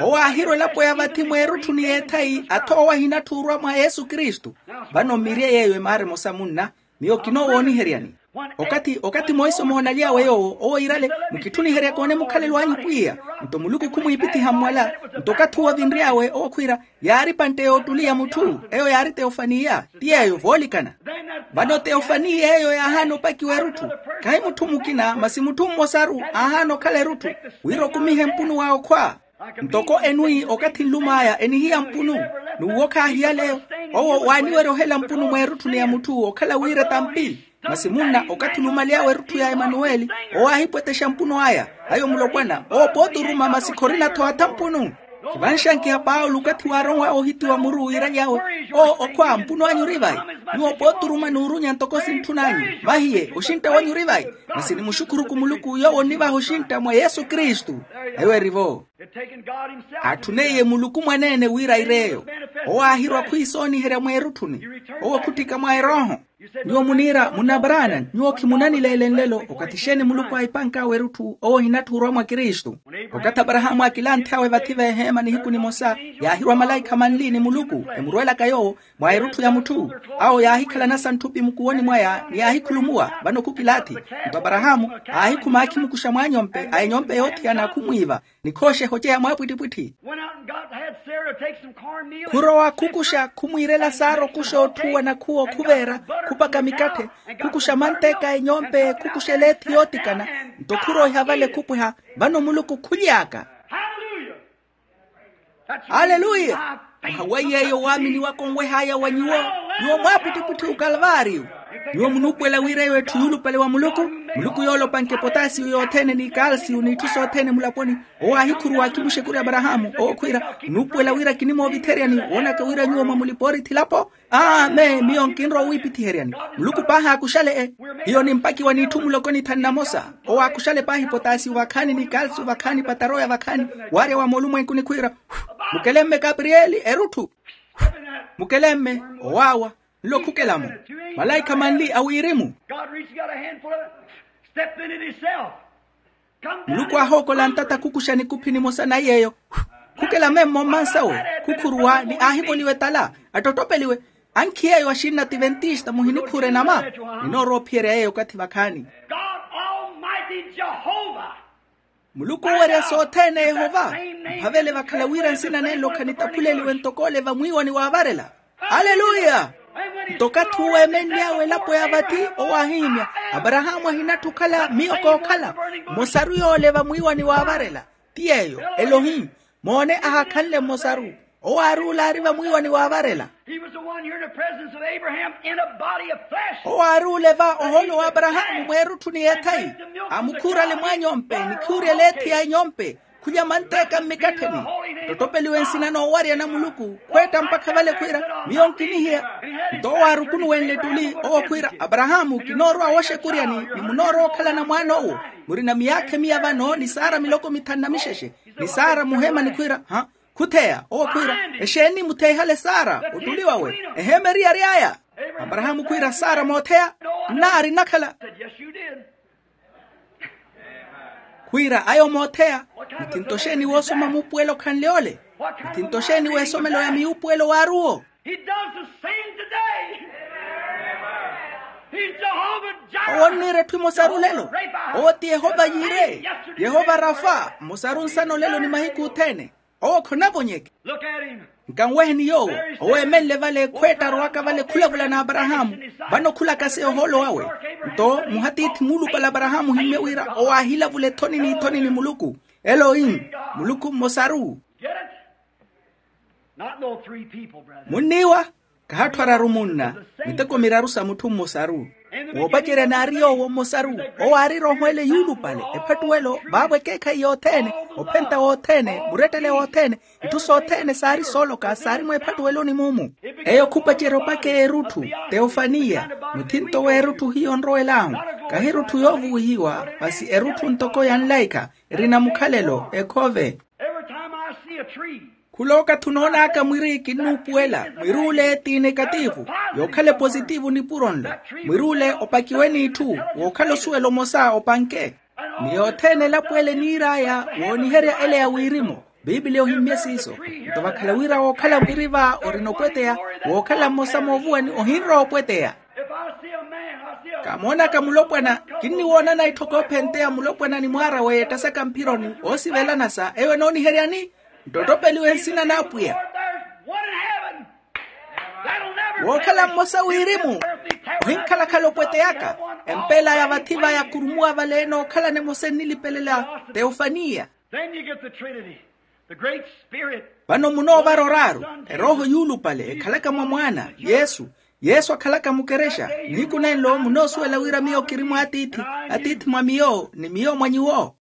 Owo aahirwa elapo ya vathi mweerutthuni y'ethayi athoowa ahinatthu orwa mwa yesu kristu. Vano mmirye yeeyo emaara emosa munna. Miyo kinoowooniheryani. Okathi okathi monse omoonalyawe yoowo owo iirale. Mukitthuniheryaka one mukhalelo anyu pwiya. Nto muluku khumwiipithiha mmwala. Nto okathi owo avinry'awe owo khwiira yaari pantte y'ottuli ya mutthu eyo yaari teofaniya. Ti yeeyo voolikana. Vano teofaniya eyo yaahaana opakiwa erutthu. Khahi mutthu mukina masi mutthu mmosaru aahaana okhala erutthu wira okumihe mpunu wa okhwa. Ntoko enwi okathi nlum'aya enihiya mpunu. N'uwo khaahiyaleyo. Owo waaniwerya ohela mpunu mweerutthuni ya mutthu okhala wira etampi. Masi munna okathi olumaly'awe erutthu ya emanuweli owo aahipwetexa mpunu aya. Ayo mulopwana owo pooti oruma masi khorina-tho atha mpunu. Khivanxankiha paulo okathi waaronw'awe ohitiwa muru wiira yawe, oo okhwa mpuno anyu ori vayi? Nyuwo pooturuma n'urunya ntoko sintthun'anyu. Mahiye oxintta wanyu ori vayi? Masi nimuxukhuru ku muluku yoowo onnivaha oxintta mwa yesu kristu. Eyo eri-vo. Atthuneiye muluku mwaneene wira air'eyo. Owo aahirwa khwiisooniherya mweerutthuni. Owo khutthika mwa erooho. Nyuwo muniira munna abraana nyuwo khimunanileele nlelo okathi exeeni muluku aahipank'awe erutthu owo ohinattha orwa mwa kristu. Okathi abrahamu aakilanth'awe vathi veeheema nihiku nimosa, yaahirwa malaikha manli ni muluku emurwelaka yoowo mwa erutthu ya mutthu. Awo yaahikhalana santthupi mukuwoni mwaya ni yaahikhulumuwa vano khukilaathi. Nto abrahamu aahikhuma aakhimukuxa mwaanyompe a enyompe yoothiyana khumwiiva. Nikhooxeha oceya mwaapwittipwitthi. Khurowa khukuxa khumwiirela saara okuxa otthuwa nakhuwa okhuveera, khupaka mikatthe, khukuxa manteeka a enyompe khukuxa eleethi yootikana. Nto khuroiha vale khupweha vano muluku khuly'aka. Aleluya. Mwaha wa yeeyo waamini waka onweh'aya wa nyuwo, nyuwo mwaapwittipwitthi okalvaariyo. Nyuwo munuupuwela wira eyo etthu yuulupale wa muluku. Muluku yoolopanke potasiyo yothene ni kalsiyo n'itthu sothene mulaponi. Owo aahikhuruwa akimuxekuri abrahamu owo khwiira, onuupuwela wira kinimoovitheryani woonaka wira nyuwo mwamulipa-oorithi elapo? Amen miyo nkinrowa owiipithiheryani. Muluku paahi aakuxale-e. Hiyo nimpakiwa n'itthu muloko nithanu na mosa. Owo aakuxale paahi potasiyo vakhaani ni kalsiyo vakhaani pataroya vakhaani, waarya wa moolumwenku nikhwiira, mukelemme kapriyeli erutthu. Mukelemme owaawa. Nlo khukela-mo. Malaikha manli a wirimu. Muluku aahookola ntata khukuxa nikuphi nimosa na yeeyo. Khukela memmo mmansawe. Khukhuruwa ni aahivoliwa etala, attottopeliwe. Ankhi yeeyo axinna ativentista muhinikhuure nama. Ninoorowa ophiyerya yeeyo okathi vakhaani. Muluku oowerya sothene yehova. Mphavele vakhala wira nsina nenlo khanitaphuleliwe ntoko ole vamwiiwani waavarela. Aleluya. Nto okathi uwo eemenly'awe elapo ya vathi owo aahihimya, abrahamu ahinattha okhala miyo kookhala. Mmosaru yoole vamwiiwani waavarela. Ti yeeyo elohi. Moone ahakhanle mmosaru. Owo aari ole aari vamwiiwani waavarela. Owo aari ole va ohoolo wa abrahamu mweerutthuni y'ethayi. Amukhuurale mwaanyompe nikhuurya eleethi ya enyompe. Khulya manteeka mmikattheni. Ttottopeliwe nsina noowarya na muluku khweetta mpakha vale khwiira, miyo nkinihiya. Nto owo aarukunuwenle ettuli owo khwiira, abrahamu kinoorowa wooxekuryani ni munoorowa okhalana mwaan'owo. Murina miyaakha emiya vano ni saara miloko mithanu na mixexe. Ni saara muheemani khwiira ha. Khutheya owo khwiira, exeeni mutheihale saara ottuli wawe? Eheema eriyari aya. Abrahamu khwiira saara mootheya. Nnaari nnakhala. Khwiira ayo mootheya. Muthinto xeeni woosoma muupuwelo khanle ole? Muthinto xeeni w'esomelo ya miyuupuwelo waaruwo? Owo onniira etthu emosaru olelo. Owo ti yehova yiire. Yehova rafa mmosaru nsana olelo ni mahiku othene. Owo khonavonyeke. Nkanweheni yoowo. Owo eemenle vale khweetta arowaka vale khulavula na abrahamu. Vano khulaka sa ohoolo wawe. Nto muhatiithi muulupale abrahamu ohimmye wira owo aahilavula ethoni n'ithoni ni muluku. Elohimu. Muluku mmosaru. Munniiwa. Kahatthu araru munna. Miteko miraru sa mutthu mmosaru. Woopacerya naari yoowo mmosaru. Owo aari erooho ele yuulupale ephattuwelo vaavo ekeekhayi yothene. Ophenta wothene murettele wothene. Itthu sothene saari sooloka saari mweephattuweloni mumu. Eyo khupacerya opaka erutthu. Teofaniya. Muthinto w'erutthu hiyo onrowel'ahu. Kahi erutthu yoovuwihiwa masi erutthu ntoko ya nlaikha. Erina mukhalelo ekhove. Khula okathi onoon'aka mwiri kinnuupuwela. Mwiri ule ti negativu. Yookhala epositivu nipuro nlo. Mwiri ule opakiwe n'itthu. Wookhala osuwela omosa opanke. Ni yothene elapo ele eniir'aya wooniherya ele ya wirimu. Piipili ohimmye siiso. Nto vakhala wira wookhala mwiri va orina opweteya. Wookhala mmosa moovuwani ohinrowa opweteya. Kamoonaka mulopwana. Kinniwoonana itthokophenteya mulopwana ni mwaara w'eyo ettasaka mphironi oosivelana sa eyo enooniheryani. Nttottopeliwe nsina n'apwiya. Wookhala mmosa wirimu. Ohinkhalakhala opweteyaka. Empeela ya vathi va yakhurumuwa vale enookhalana emosa ennilipelela. Teofaniya. Vano munoovara oraaru. Erooho yuulupale ekhalaka mwa mwaana yesu. Yesu akhalaka mukerexa. Nihiku nenlo munoosuwela wira miyo kiri mwa atiithi. Atiithi mwa miyo ni miyo mwa nyuwo.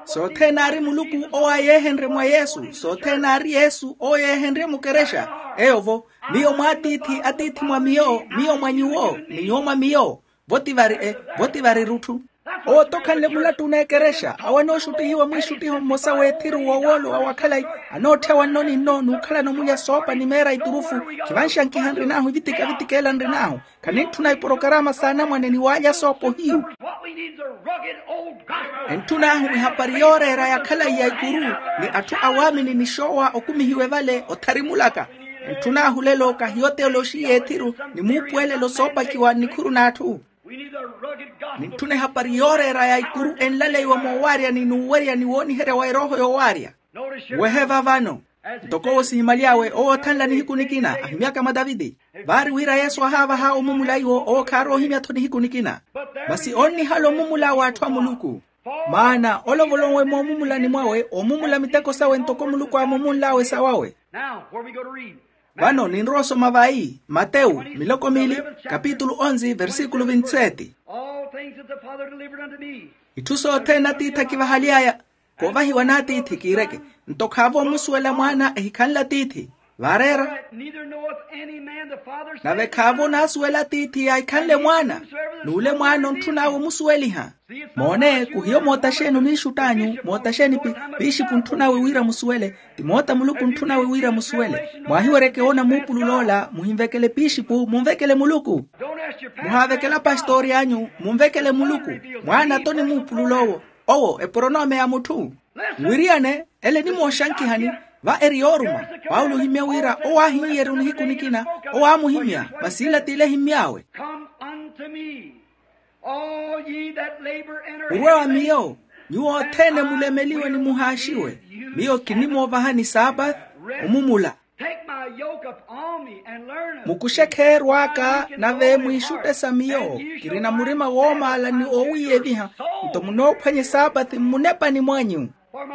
Sothene aari muluku owo ayeehenrye mwa yesu, sothene aari yesu owo yeehenrye mukerexa. Eyo-vo, miyo mwa atiithi, atiithi mwa miyo, miyo mwa nyuwo, ni nyuwo mwa miyo. Votivari e, votivari rutthu. Owo tokhanle mulattu n'ekerexa awo anooxuttihiwa mwiixuttiho mmosa w'ethiru w'owoolo wa wakhalayi, anootthyawa nno ni nno n'ukhalana omulya soopa ni meera iturufu. Khivanxankiha nrin'ahu evitika-vitika ela nrin'ahu. Khanintthuna iporokarama s'anamwane ni waalya soopa ohiyu. Entthuna ahu ehapari yooreera ya khalayi ya ikuru, ni atthu awaamini ni xoowa okumihiwe vale otharimulaka. Entthuna ahu lelo kahiyo teoloxiya ethiru ni muupuwelelo soopakiwa nnikhuru n'atthu. Nintthuna ehapari yooreera ya ikuru enlaleiwa moowaarya ni n'uwerya ni wooniherya wa erooho yoowaarya. Wehe va vano, ntoko owo sihimaly'awe owo othanla nihiku nikina ahimyaka mwa taviti. Vaari wira yesu ahaavaha omumula iwo owo khaarowa ohimya-tho nihiku nikina. Masi onnihala omumula w'atthu a muluku. Maana olovolowe moomumulani mwawe omumula miteko sawe ntoko muluku aamumunl'awe sawawe. Vano ninrowa osoma vayi matewu miloko miili, kapitulu onzi versikulu vinti seti. Itthu sothene atiithi akivahaly'aya. Koovahiwa n'atiithi kiireke. Nto khaavo omusuwela mwaana ehikhanle atiithi. Vaareera. Nave khaavo onaasuwela atiithi yaahikhanle mwaana. N'ule mwaana ontthun'awe omusuweliha. Moone kuhiyo moota xeeni oniixutt'anyu moota xeeni piixipu ontthun'awe wira musuwele. Ti moota muluku ontthun'awe wira musuwele. Mwaahiweryeke woona muupulul'ola muhinvekele piixipu munvekele muluku. Muhaavekela pastori anyu munvekele muluku. Mwaana-tho ni muupulul'owo. Owo eporonome ya mutthu. Mwiriyane ele enimooxankihani. Va eri yooruma. Paulo ohimya wira owo aahinyery'ahu nihiku nikina. Owo aamuhimya. Masi ila t'ile ehimy'awe. Murwe wa miyo, nyuwo othene mulemeliwe ni muhaaxiwe. Miyo kinimoovahani saapathi. Omumula. Mukuxe kheerw'aka nave mwiixutte sa miyo. Kirina murima woomaala ni oowiiyeviha. Nto munoophwanya esaapathi mmunepani mwanyu.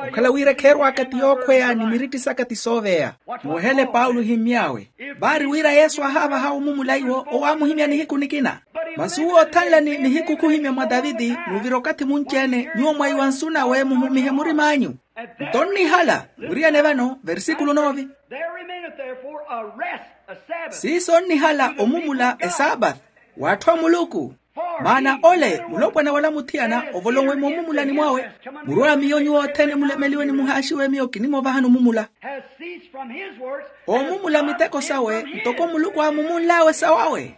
Okhala wira kheerw'aka ti yookhweya ni miritti saka ti sooveya. Muwehele paulo ihimmy'awe. Vaari wira yesu ahaavaha omumula iwo owo aamuhimya nihiku nikina. Masi uwo othanlani nihiku khuhimya mwa taviti muuvira okathi munci-ene nyuwo mwaiwa nsu nawe muhumihe murim'anyu. Nto onnihala. Muriyane vano versikulu nove. Siiso onnihala omumula esaapathi w'atthu a muluku. Maana ole mulopwana wala muthiyana ovolowe moomumulani mwawe. Murwa miyo nyuwo othene mulemeliwe ni muhaaxiwe miyo kinimoovahani omumula. Oomumula miteko sawe ntoko muluku aamumunl'awe sawawe.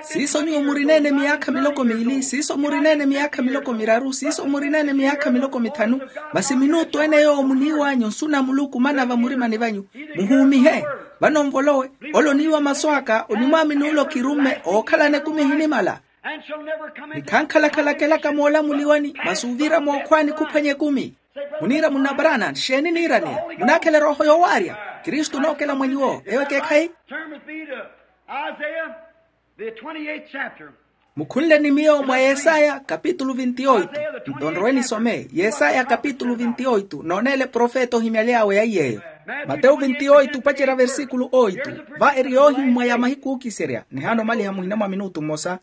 Siiso nyuwo murineene miyaakha miloko miili siiso murineene miyaakha miloko miraru siiso murineene miyaakha miloko mithanu. Masi minuutu ene yoowo muniiw'anyu nsu na muluku mana vamurimani vanyu. Muhuumihe. Vano nvolowe. Ole oniiwa masu aka onimwaamini ole okirumme ookhalana ekumi ehinimala. Ni khankhalakhalaka elaka moolamuliwani masi ovira mookhwaani khuphwanya ekumi. Muniira munna parana xeeni niiraneya? Munaakhela erooho yoowaarya. Kristu onookela mwa nyuwo eyo ekeekhayi. Mukhunle ni miyo mwa yesaya kapitulu vinti oitu. Nto nrowe nisome yesaya kapitulu vinti oitu nooneela eprofeta ohimyaly'awe ya iy'eyo. Matewu vinti oitu opacerya versikulu oitu. Va eri yoohimmwa ya mahiku ookiserya nihaana omaliha muhina mwa minutu mmosa.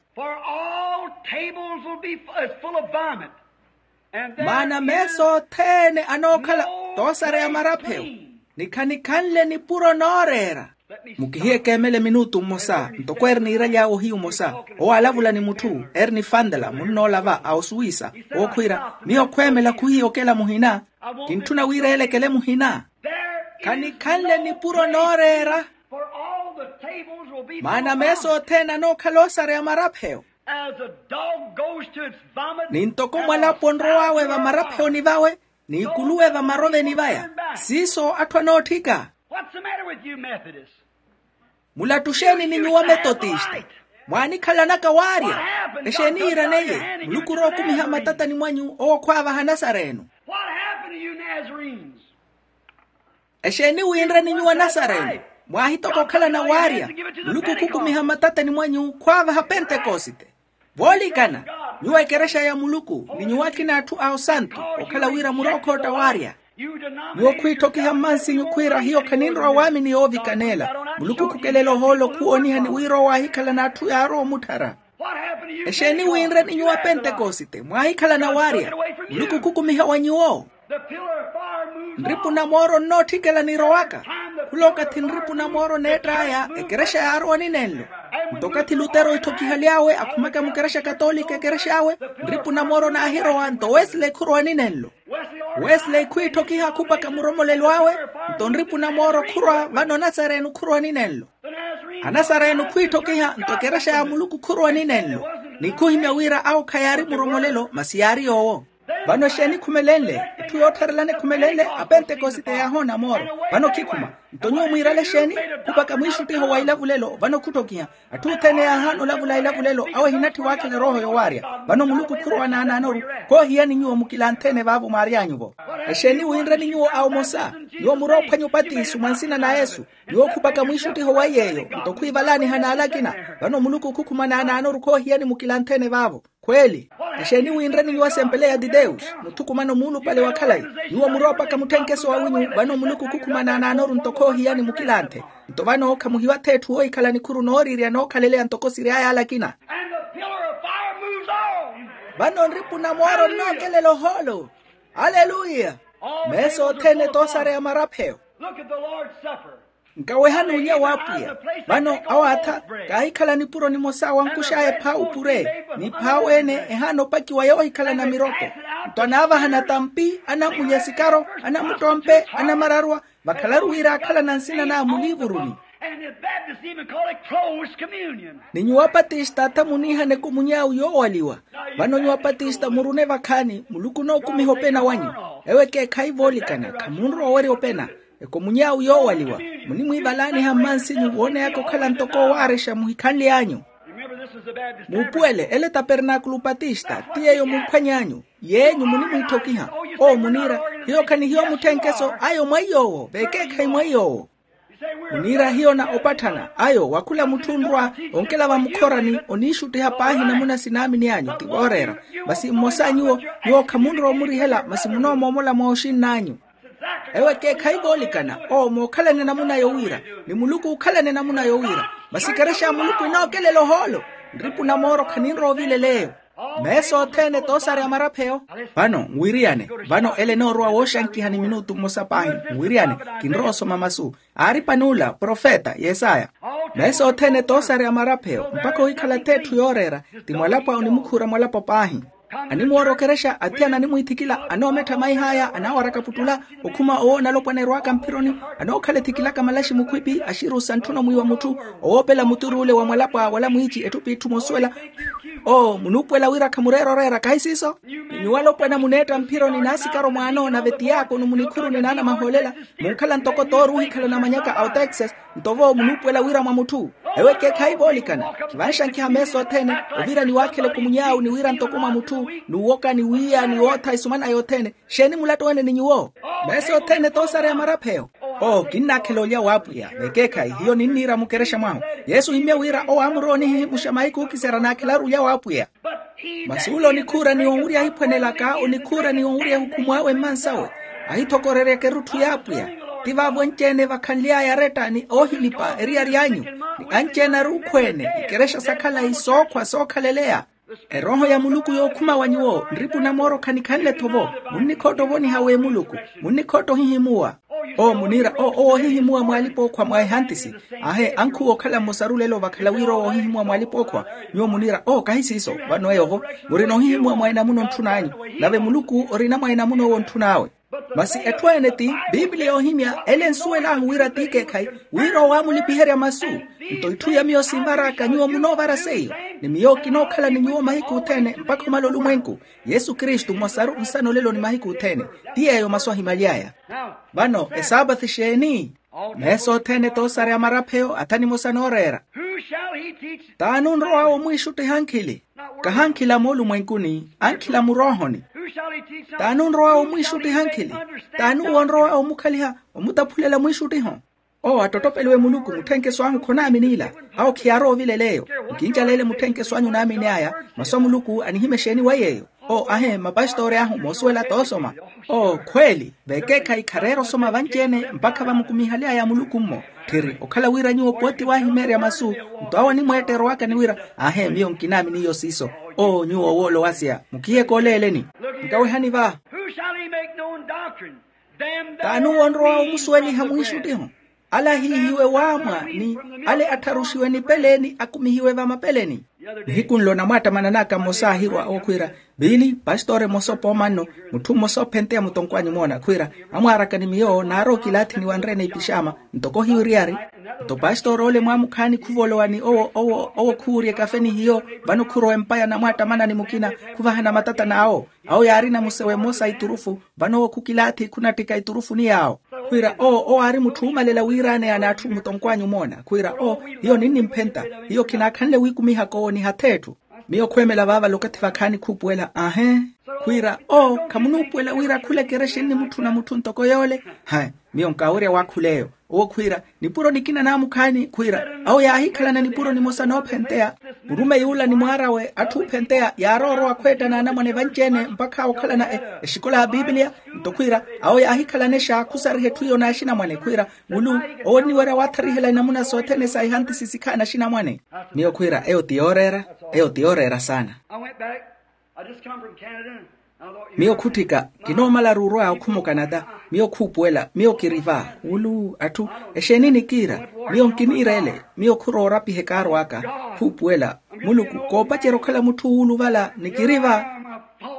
Maana meeso othene anookhala toosareya marapheyo. Ni khanikhanle nipuro nooreera. Mukihiye keemele minutu mmosa ntoko eri niiraly'awe ohiyu omosa. Owo aalavula ni mutthu eri ni fantela munnoola va a osuwisa. Owo khwiira miyo khweemela khuhiiyokela muhina. Kintthuna wira eelekele muhina. Khanikhanle nipuro nooreera. Maana meeso othene anookhala oosareya marapheyo. Ni ntoko mwalapo onrow'awe vamarapheyoni vawe ni ikuluwe vamaroveni vaya. Siiso atthu anootthika. Mulattu xeeni ni nyuwo ametotista? Mwaanikhalanaka waarya. Exeeni yiiraneiye? Muluku orowa okumiha mmatatani mwanyu owo khwaavaha nasareno. Exeeni winre ni nyuwo anasareno? Mwaahitoka okhalana waarya. Muluku khukumiha mmatatani mwanyu khwaavaha pentekosite. Voolikana, nyuwo ekerexa ya muluku ni nyuwo akina atthu a osantu okhala wira murookhotta waarya. Nyuwo khwiitthokiha mmansinyu khwiira hiyo khaninrowa waamini yoovikaneela. Muluku khukelela ohoolo khuwoonihani wira owo aahikhalana atthu yaarowa omutthara. Exeeni winre ni nyuwo apentekosite mwaahikhalana waarya? Muluku khukumiha wa nyuwo. Nripu na mooro nnootthikela nirowaka. Khula okathi nripu na mooro neett'aya ekerexa yaarowa ninenlo. Nto okathi lutero itthokihaly'awe akhumaka mukerexa katoolika ekerex'awe, nripu na mooro naahirowa nto wesley khurowa ninenlo. Wesley khwiitthokiha khupaka muromolelo awe. Nto nripu na mooro khurwa vano nasareno khurowa ninenlo. Anasareno khwiitthokiha nto ekerexa ya muluku khurowa ninenlo. Ni khuhimya wira awo khayaari muromolelo masi yaari yoowo. Vano exeeni khumelenle? Etthu yoottharelana ekhumelenle. Apentekosite yaahoona mooro. Vano khikhuma. Nto nyuwo mwiirale exeeni? Khupaka mwiixuttiho wa ilavulelo vano khutthokiha. Atthu othene yaahaana olavula ilavulelo awo ehinatthi waakhela erooho yowaarya. Vano muluku khurowa naanaanoru. Khoohiyani nyuwo mukilanthe-ene vaavo mwaary'anyu-vo. Exeeni wiinre ni nyuwo awo omosa? Nyuwo muroophwanya opatiso mwa nsina na yesu. Nyuwo khupaka mwiixuttiho wa iy'eyo. Nto khwiivalaaniha n'ale akina. Vano muluku khukhuma naanaanoru khoohiyani mukilanthe-ene vaavo. Khweeli. Exeeni wiinre ni nyuwo asempele ya titewusi muthukumano muulupale wa khalayi. Nyuwo muroopaka mutthenkeso wawinyu vano muluku khukhuma naanaanoru nto khoohiyani mukilanthe. Nto vano khamuhiwa-tho etthu woohikhala nikhuru nooriirya nookhaleleya ntoko siry'aya ale akina. Vano nripu na mooro nnookelela ohoolo. Aleluya. Meesa othene toosareya marapheyo. Nkawehani ulya w'apwiya. Vano awaatha kaahikhala nipuro nimosa wankux'aya ephaawu pure. Ni phaawu ene ehaana opakiwa yoohikhala na miroko. Nto anaavahana tampi, anammulya sikaro, anamuttompe, anamararwa. Vakhalaru wira aakhalana nsina na muliivuruni. Ni nyuwo apatista atha muniihana ekomuny'awu yoowaliwa. Vano nyuwo apatista murune vakhaani muluku onookumiha opena wanyu. Ewo ekeekhayi voolikana khamunrowa owerya opena. Ekomuny'awu yoowaliwa. Munimwiivalaaniha mmansinyu wooneyaka okhala ntoko owaarexa muhikhanly'anyu. Muupuwele ele tapernaakulu patista ti yeeyo mumphwany'anyu. Yeenyu munimwiitthokiha. Owo muniira hiyo khanihiyo mutthenkeso ayo mwa iy'owo veekeekhayi mwa iy'owo. Muniira hiyo na opatthana ayo wa khula mutthu onrwa onkela vamukhorani oniixuttiha paahi namuna sinaamini anyu ti vooreera. Masi mmosa a nyuwo nyuwo khamunrowa omurihela masi munoomoomola mwa oxinn'anyu. Ewo ekeekhayi voolikana owo mookhalana enamuna yowiira. Ni muluku ookhalana enamuna yowiira. Masi ekerexa ya muluku enookelela ohoolo. Nripu na mooro khaninrowa ovilela eyo. Meesa othene toosareya marapheyo. Vano nwiriyane. Vano ele enoorowa wooxankiha ni minutu mmosa paahi. Nwiriyane. Kinrowa osoma masu. Aari pan'ula profeta yesaya. Meesa othene toosareya marapheyo mpakha ohikhala-tho etthu yooreera. Ti mwalapo a onimukhuura mwalapo paahi. Animwoora okerexa athiyana animwiithikila anoomettha maih'aya anaawaraka puttula. Okhuma owo onalopwana erwaaka mphironi. Anookhala ethikilaka malaxi mukhwipi axiru sa ntthuna omwiiwa mutthu. Owoopela muturu ole wa mwalapwa wala mwiici etthu p'itthu moosuwela. Oo munuupuwela wira khamureera oreera kahi siiso? Ni nyuwo alopwana muneetta mphironi n'asikaro mwaano nave tiyaakonu munikhuruni n'anamahoolela. Munkhala ntoko toori ohikhala na manyaka a otexas. Nto vo munuupuwela wira mwa mutthu. Ewo ekeekhayi voolikana. Khivanxankiha meesa othene. Ovira ni waakhela ekumuny'awu ni wira ntoko mwa mutthu. N'uwoka ni wiiya ni wootha esumana yothene. Xeeni mulatto wene ni nyuwo? Meesa othene toosareya marapheyo. Oo kinnaakhela olya w'apwiya vekeekhayi hiyo ninniira mukerexa mwahu. Yesu ohimmye wira owo aamurowa onihihimuxa mahiku ookiserya naakhelaru olya w'apwiya. Masi ule onikhuura ni onwurya ahiphwanelaka onikhuura ni onwurya ehukhumu awe mmansawe. Ahithokoreryaka erutthu y'apwiya. Ti vaavo anci-ene vakhanly'aya aretta ni oohilipa eriyari anyu. Ni anci-ene aruukhwene ikerexa sa khalayi sookhwa sookhaleleya. Erooho ya muluku yookhuma wa nyuwo nripu na mooro khanikhanle-tho vo. Munnikhootta ovoniha w'emuluku. Munnikhootta ohihimuwa. Oo muniira oo owo ohihimuwa mw'alipa-ookhwa mwa ehantisi. Aahe ankhuwa okhala mmosaru lelo vakhala wira owo ohihimuwa mw'alipa-ookhwa. Nyuwo muniira oo kahi siiso. Vano eyo vo murina ohihimuwa mwa enamuna ontthun'anyu. Nave muluku orina mwa enamuna owo ontthun'awe. Masi etthu ene ti biipiliya yoohimya ele ensuwel'ahu wira ti ekeekhayi. Wira owo aamulipiherya masu. Nto itthu iya miyo sinvar'aka nyuwo munoovara seiyo. Ni miyo kinookhala ni nyuwo mahiku othene mpakha omala olumwenku. Yesu kristu mmosaru nsana olelo ni mahiku othene. Ti yeeyo masu ahimaly'aya. Vano esaapathi xeeni? Meesa othene toosareya marapheyo atha nimosa nooreera. T'ani onrow'awe omwiixuttiha ankhili? Kahi ankhili a moolumwenkuni ankhili a muroohoni. T'ani onrow'awe omwiixuttiha ankhili? T'ani uwo onrow'awe omukhaliha omutaphulela mwiixuttiho? Owo attottopeliwe muluku mutthenkeso ahu khonaamin'ila. Awo khiyaarowa ovilela eyo. Nkincaleele mutthenkeso anyu onaamini'aya. Masu a muluku anihimya exeeni weiya eyo? Oo ahe mapastoori ahu moosuwela t'osoma. Oo khweeli vekeekhayi khareera osoma vanci-ene mpakha vamukumihaly'aya muluku-mmo. Tthiri okhala wira nyuwo pooti waahimeerya masu. Nto awo animweetta erowaka ni wira ahe miyo nkinaamini iyo siiso. Oo nyuwo owoolo wasia mukihiyeke oleeleni. Nkawehani va. T'ani owo onrowa omusuweliha mwiixuttiho? Ale ahiihiwe waamwa ni ale attharuxiwe nipeleeni akumihiwe vamapeleni. Nihiku nlo namwaattamanan'aka mmosa aahirwa owo khwiira, viili pastori mmosa opoomanno, mutthu mmosa ophenteya mutonkw'anyu moona khwiira, amwaaraka ni miyo naari okilaathi niwanre-ene ipixaama ntoko hiyo eriyari. Nto pastori ole mwaamukhaani khuvolowa ni owo owo owo khuwurya ekafe ni hiyo. Vano khurowa empa ya namwaattamanani mukina khuvahana matatani awo. Awo yaarina musewe mmosa a iturufu. Vano owo khukilaathi khunattika iturufuni yaawo. Khwiira oo owo aari mutthu oomalela wiiraneya n'atthu mutonkw'anyu moona khwiira oo, hiyo ninnimphenta. Hiyo khinaakhanle wiikumihaka owo nihatha etthu. Miyo khweemela vaavale okathi vakhaani khuupuwela ahe. Khwiira oo khamunuupuwela wira khula ekerexa ennimutthuna mutthu ntoko yoole. Hai, miyo nkaawerya waakhula eyo. Owo khwiira nipuro nikina naamukhaani khwiira awo yaahikhalana nipuro nimosa noophenteya. Murumeyi ula ni mwaar'awe atthu oophenteya yaarowa orowa khweetta n'anamwane vanci-ene mpakha okhalana exikola ya piipiliya. Nto khwiira awo yaahikhalana exaakhusariha etthu iyo n'axinamwane khwiira mulu owo onniwerya waatharihela inamuna sothene sa ihantisi sikhaana axinamwane. Miyo khwiira eyo ti yooreera. Eyo ti yooreera saana. Miyo khutthika kinoomalaru orwa okhuma okanata. Miyo khuupuwela miyo kiri va wulu atthu exeeni nikiira. Miyo nkiniira ele. Miyo khurowa orapiha ekaaro aka khuupuwela muluku koopacerya okhala mutthu wuuluvala nikiri va.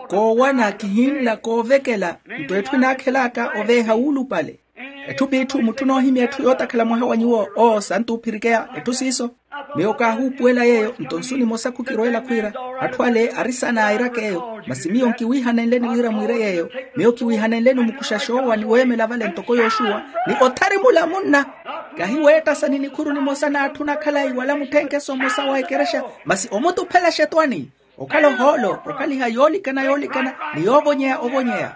Koowana kihinla koovekela nto etthu enaakhelaaka oveeha wuulupale. Etthu p'itthu mutthu onoohimya etthu yootakhala mwaha wa nyuwo oo santu ophirikeya etthu siiso. Miyo kaahuupuwela yeeyo nto nsu nimosa khukirweela khwiira atthu ale ari sanaayiraka eyo masi miyo nkiwiihanenleni wira mwiire yeeyo. Miyo kiwiihanenleni omukuxa xoowa ni weemela vale ntoko yooxuwa ni othari mula munna. Kahiweettasa ni nikhuru nimosa n'atthu na khalayi wala mutthenkeso mmosa wa ekerexa masi omutuphela xetwani. Okhala ohoolo okhaliha yoolikana yoolikana ni yoovonyeya ovonyeya.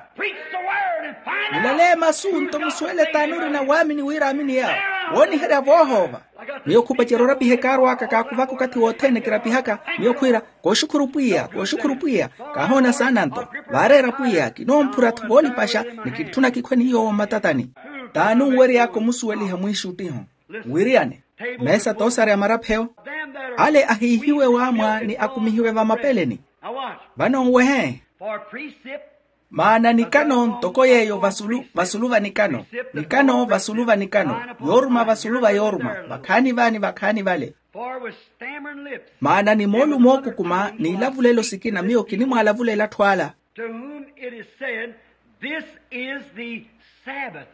Mulale masu nto musuwele t'ani orina waamini wira aamini yaawo wooniherya voohoova. Miyo khupacerya orapiha ekaaro aka kaakuvaka okathi wothene kirapihaka. Miyo khwiira kooxukhuru pwiya kooxukhuru pwiya. Kaahoona saana nto vaareera pwiya kinoomphura-tho voolipaxa ni kitthuna kikhwe ni yoowo mmatatani. T'ani onwery'aka omusuweliha mwiixuttiho? Nwiriyane meesa toosarya marapheyo. Ale ahiihiwe waamwa ni akumihiwe vamapeleni. Vano nwehe. Maana nikano ntoko yeeyo vasulu vasulu va nikano. Nikano vasulu va nikano yooruma vasulu va yooruma vakhaani vaani vakhaani vale. Maana ni moolumo ookukuma n'ilavulelo sikina miyo kinimwaalavulela atthu ala. To whom it is said, this is the Sabbath.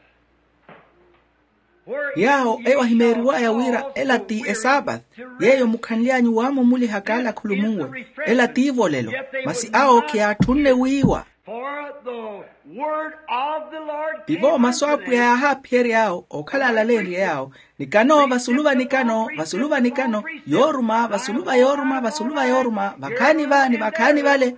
Yaawo eyo ahimeeriw'aya wira ela ti esaapathi yeeyo mukhanly'anyu waamumulihaka alakhulumunwe. Ela t'ivolelo masi awo khiyaatthunne wiiwa. Tivo masu a apwiya yaahaaphiyerya yaawo okhala alaleenrye yaawo. Nikano vasulu va nikano vasulu va nikano yooruma vasulu va yooruma vasulu va yooruma vakhaani va ni vakhaani vale.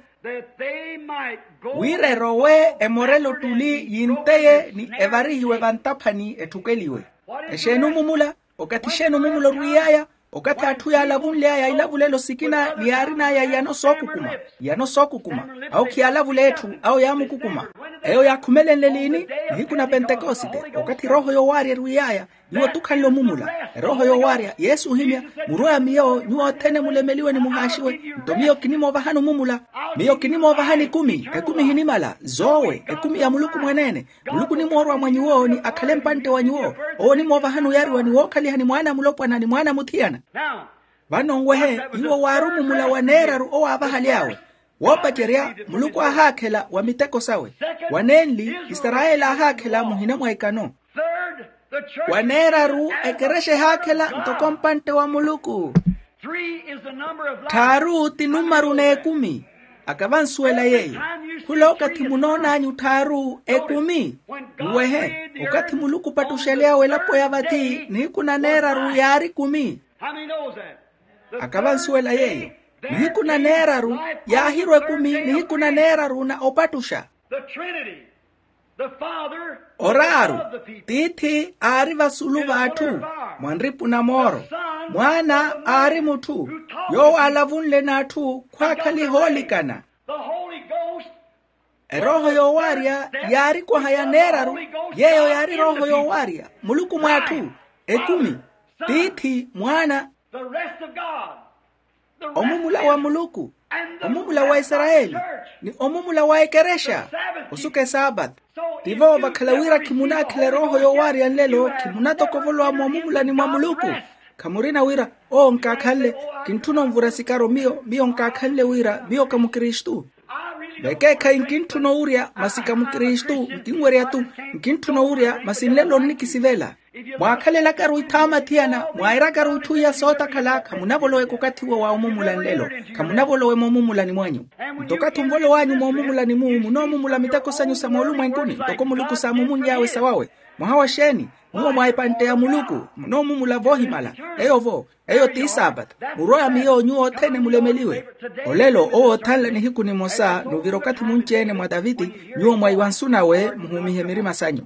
Wira erowe emorele ottuli yinteye ni evarihiwe vantaphani etthukeliwe. Exeeni omumula? Okathi exeeni omumula orwiiy'aya? Okathi atthu yaalavunly'aya ilavulelo sikina ni yaarin'aya iyano sookukuma. Iyano sookukuma. Awo khiyaalavula etthu awo yaamukukuma. Eyo yaakhumelenle liini? Nihiku na pentekosite. Okathi erooho yoowaarya erwiiy'aya. Nyuwo tukhanle omumula. Erooho yoowaarya yesu ohimya. Murowe a miyo nyuwo othene mulemeliwe ni muhaaxiwe. Nto miyo kinimoovahani omumula. Miyo kinimoovahani ekumi ekumi ehinimala zoowe ekumi ya muluku mwaneene. Muluku onimoorwa mwa nyuwo ni akhale mpantte wa nyuwo. Owo onimoovahani oyariwa ni wookhaliha ni mwaana a mulopwana ni mwaana a muthiyana. Vano nwehe iwo waari omumula wa neeraru owaavahaly'awe. Woopacerya muluku aahaakhela wa miteko sawe. Wa neenli isarayeli aahaakhela muhina mwa ikano. Wa neeraru ekerexa ehaakhela ntoko mpantte wa muluku. Tthaaru ti numaru n'ekumi. Akavansuwela yeeyo. Khula okathi munoon'anyu tthaaru ekumi. Nwehe okathi muluku opattuxaly'awe elapo ya vathi nihiku na neeraru yaari kumi. Akavansuwela yeeyo. Nihiku na neeraru yaahirwa ekumi nihiku na neeraru na opattuxa. Oraaru tiithi aari vasulu v'atthu mwa nripu na mooro. Mwaana aari mutthu yoowo aalavunle n'atthu khwaakhaliha oolikana. Erooho yoowaarya yaari kwaha ya neeraru. Yeeyo yaari erooho yoowaarya muluku mw'atthu ekumi. Tiithi mwaana omumula wa muluku. Omumula wa isarayeli ni omumula wa ekerexa osuka esaapata. Tivo vakhala wira khimunaakhela erooho yoowaarya nlelo, khimunatoka ovolowa moomumulani mwa muluku. Khamurina wira owo nkaakhanle. Kintthuna onvura sikaro miyo miyo nkaakhanle wira miyo ka mukristu. Vekeekhayi nkintthuna owurya masi ka mukristu nkinwerya-tu. Nkintthuna owurya masi nlelo nnikisivela. Mwaakhalelakaru ithaama thiyana mwaairakaru itthu iya sootakhala khamunavolowe kukathi uwo wa omumula nlelo. Khamunavolowe moomumulani mwanyu. Nto okathi onvolow'anyu moomumulani-mu munoomumula miteko sanyu sa moolumwenkuni ntoko muluku saamumunly'awe sawawe. Mwaha wa xeeni? Nyuwo mwa epantte ya muluku munoomumula voohimala. Eyo-vo eyo ti saapata. Murwaya miyo nyuwo othene mulemeliwe. Olelo owo othanla nihiku nimosa nuvira okathi munci-ene mwa taviti. Nyuwo mwaiwa nsu nawe muhuumihe mirima sanyu.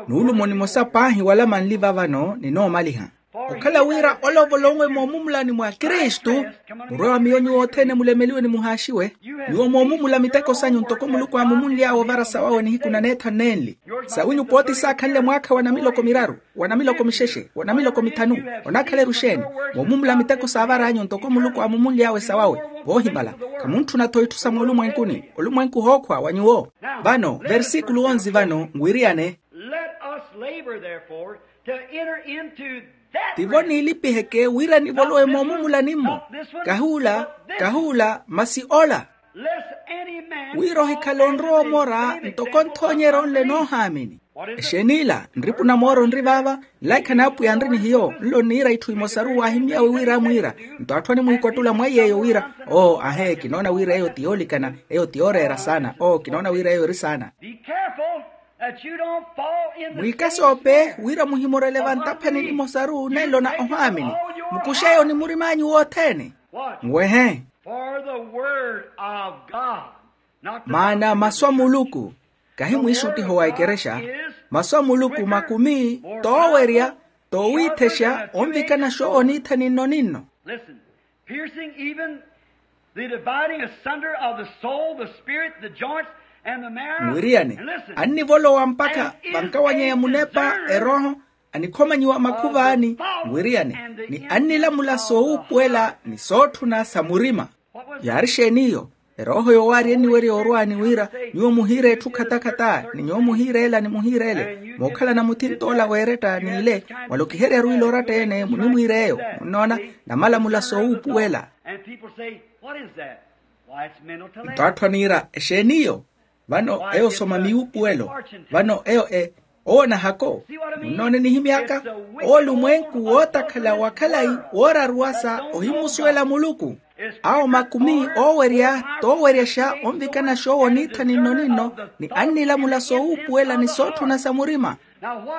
Nuulumo nimosa paahi wala manli vavano ninoomaliha. Okhala wira ole ovolonwe moomumulani mwa kristu. Murwaya miyo nyuwo othene mulemeliwe ni muhaaxiwe. Nyuwo moomumula miteko sanyu ntoko muluku aamumunly'awe ovara sawawe nihiku na neethanu nenli. Sawinyu pooti saakhanle mwaakha wa namiloko miraru, wa namiloko mixexe, wa namiloko mithanu. Onaakhala eruxeeni? Moomumula miteko saavar'anyu ntoko muluku aamumunly'awe sawawe. Voohimala. Khamuntthuna-tho itthu sa moolumwenkuni. Olumwenku hookhwa wa nyuwo. Vano versikulu onzi vano nwiriyane. Let us labor therefore to enter into that tivo rest. Niilipiheke wira nivolowe moomumulani-mmo. Kahuula, kahuula masi ola. Lest any man wira ohikhale onrowa omora ntoko nthoonyerya onle noohaamini. Exeen'ila? Nripu na mooro nri vaava. Nlaikha n'apwiya nri ni hiyo. Nlo nniira itthu imosaru waahimy'awe wira amwiira. Nto atthu animwiikottula mwa iy'eyo wira oo ahe kinoona wira eyo ti yoolikana, eyo ti yooreera saana oo kinoona wira eyo eri saana. Be careful that you don't fall in the mwiikasoope wira muhimorele vantaphani nimosaru nenlo na ohaamini. Mukux'eyo ni murim'anyu wothene. Nwehe. For the word of God. Maana masu a muluku kahi mwiixuttiho wa ekerexa. Masu a muluku makumi, toowerya, toowiithexa onvikana xoowo niitha ninno ninno. Listen. Piercing even the dividing asunder of the soul, the spirit, the joints, and the marrow. Nwiriyane. Annivolowa mpakha vankawanyeya munepa erooho, anikhomanyiwa makhuvaani. Nwiriyane ni annilamula soowuupuwela ni sootthuna sa murima. Yaari xeen'iyo? Erooho yoowaari enniwerya orwaani wira nyuwo muhiire etthu khatakhata ni nyuwo muhiire ela ni muhiire ele mookhalana muthint'ola w'eretta n'ile. Wala okiheryaru ile oratta-ene munimwiir'eyo munnoona namalamula soowuupuwela. Nto atthu aniira exeen'iyo? Vano eyo soma miwuupuwelo. Vano eyo e owo nahako. Munnoone nihimy'aka? Owo lumwenku wootakhala wa khalayi wooraruwasa ohimusuwela muluku. Awo makumi oowerya tooweryaxa onvikana xoowo niitha ninno ninno ni annilamula soowuupuwela ni sootthuna sa murima.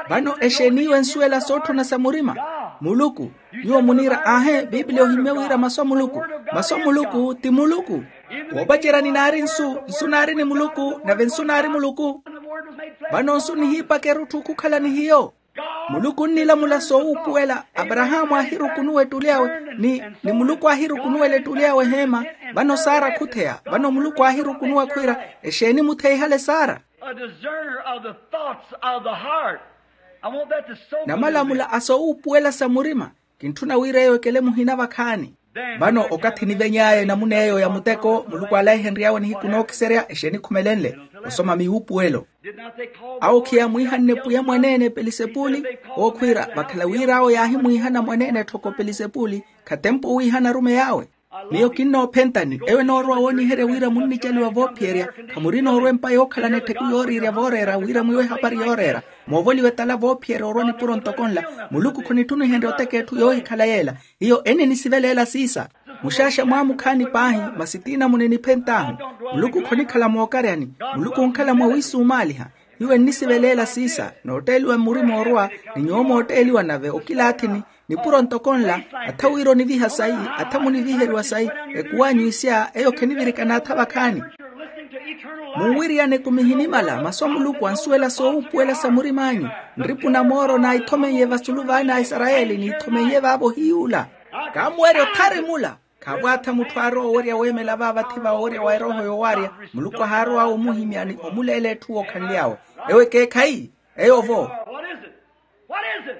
Vano exeeni iwe ensuwela sootthuna sa murima? Muluku. Nyuwo muniira aahe bibiliya ohimmye wira masu a muluku. Masu a muluku ti muluku. Woopacerya ni naari nsu, nsu naari ni muluku nave nsu naari muluku. Vano nsu nihiipaka erutthu khukhala ni hiyo. Muluku onnilamula soowuupuwela. Aparahaamu aahirukunuwa ettuli awe ni ni muluku aahirukunuwela ettuli awe eheema. Vano sara khutheya vano muluku aahirukunuwa khwiira exeeni mutheyihale sara? A discerner of the thoughts of the heart. I want that to soak into namalamula a soowuupuwela sa murima. Kintthuna wira eyo ekele muhina vakhaani. Vano okathi niveny'aya enamuna eyo ya muteko muluku alaihenry'awe nihiku nookiserya exeeni khumelenle osoma miwuupuwelo. Awo khiyaamwiihanne pwiya mwaneene pelisepuli. Ookhwiira vakhala wira awo yaahimwiihana mwaneene etthoko pelisepuli. Khatempo owiihana arumeyi awe. Miyo kinnoophentani eyo enoorowa wooniherya wira munnicaliwa voophiyerya. Khamuri noorwa empa yookhalana ettheku yooriirya vooreera wira mwiiwe ehapari yooreera. Moovoliwe tala voophiyerya orwa nipuro ntoko nla. Muluku khonittunihenrya oteka etthu yoohikhala yeela. Hiyo enninisivelela siisa. Muxaaxa mwaamukhaani paahi masi tiina muniniphent'ahu. Muluku khonikhala mookaryani. Muluku onkhala mwawiisumaaliha. Hiyo ennisivelela siisa nootteeliwa mmurima orwa. Ni nyuwo mootteeliwa nave okilaathini. Nipuro ntoko nla. Atha wira oniviha sayi. Atha muniviheriwa sayi. Ekuw'anyu isya eyo khenivirikana atha vakhaani. Munwiriyaneku mihinimala masu a muluku ansuwela soowuupuwela sa murim'anyu. Nripu na mooro naithomeiye vasulu vaana a isarayeli niithomeiye vaavo ohiyuula. Kaamuwerya othari mula. Khaavo atha mutthu aarowa owerya weemela vaavathi va owerya wa erooho yoowaarya. Muluku ahaarow'awe omuhimya ni omuleela etthu wookhanly'awe. Ewo ekeekhayi. Eyo-vo.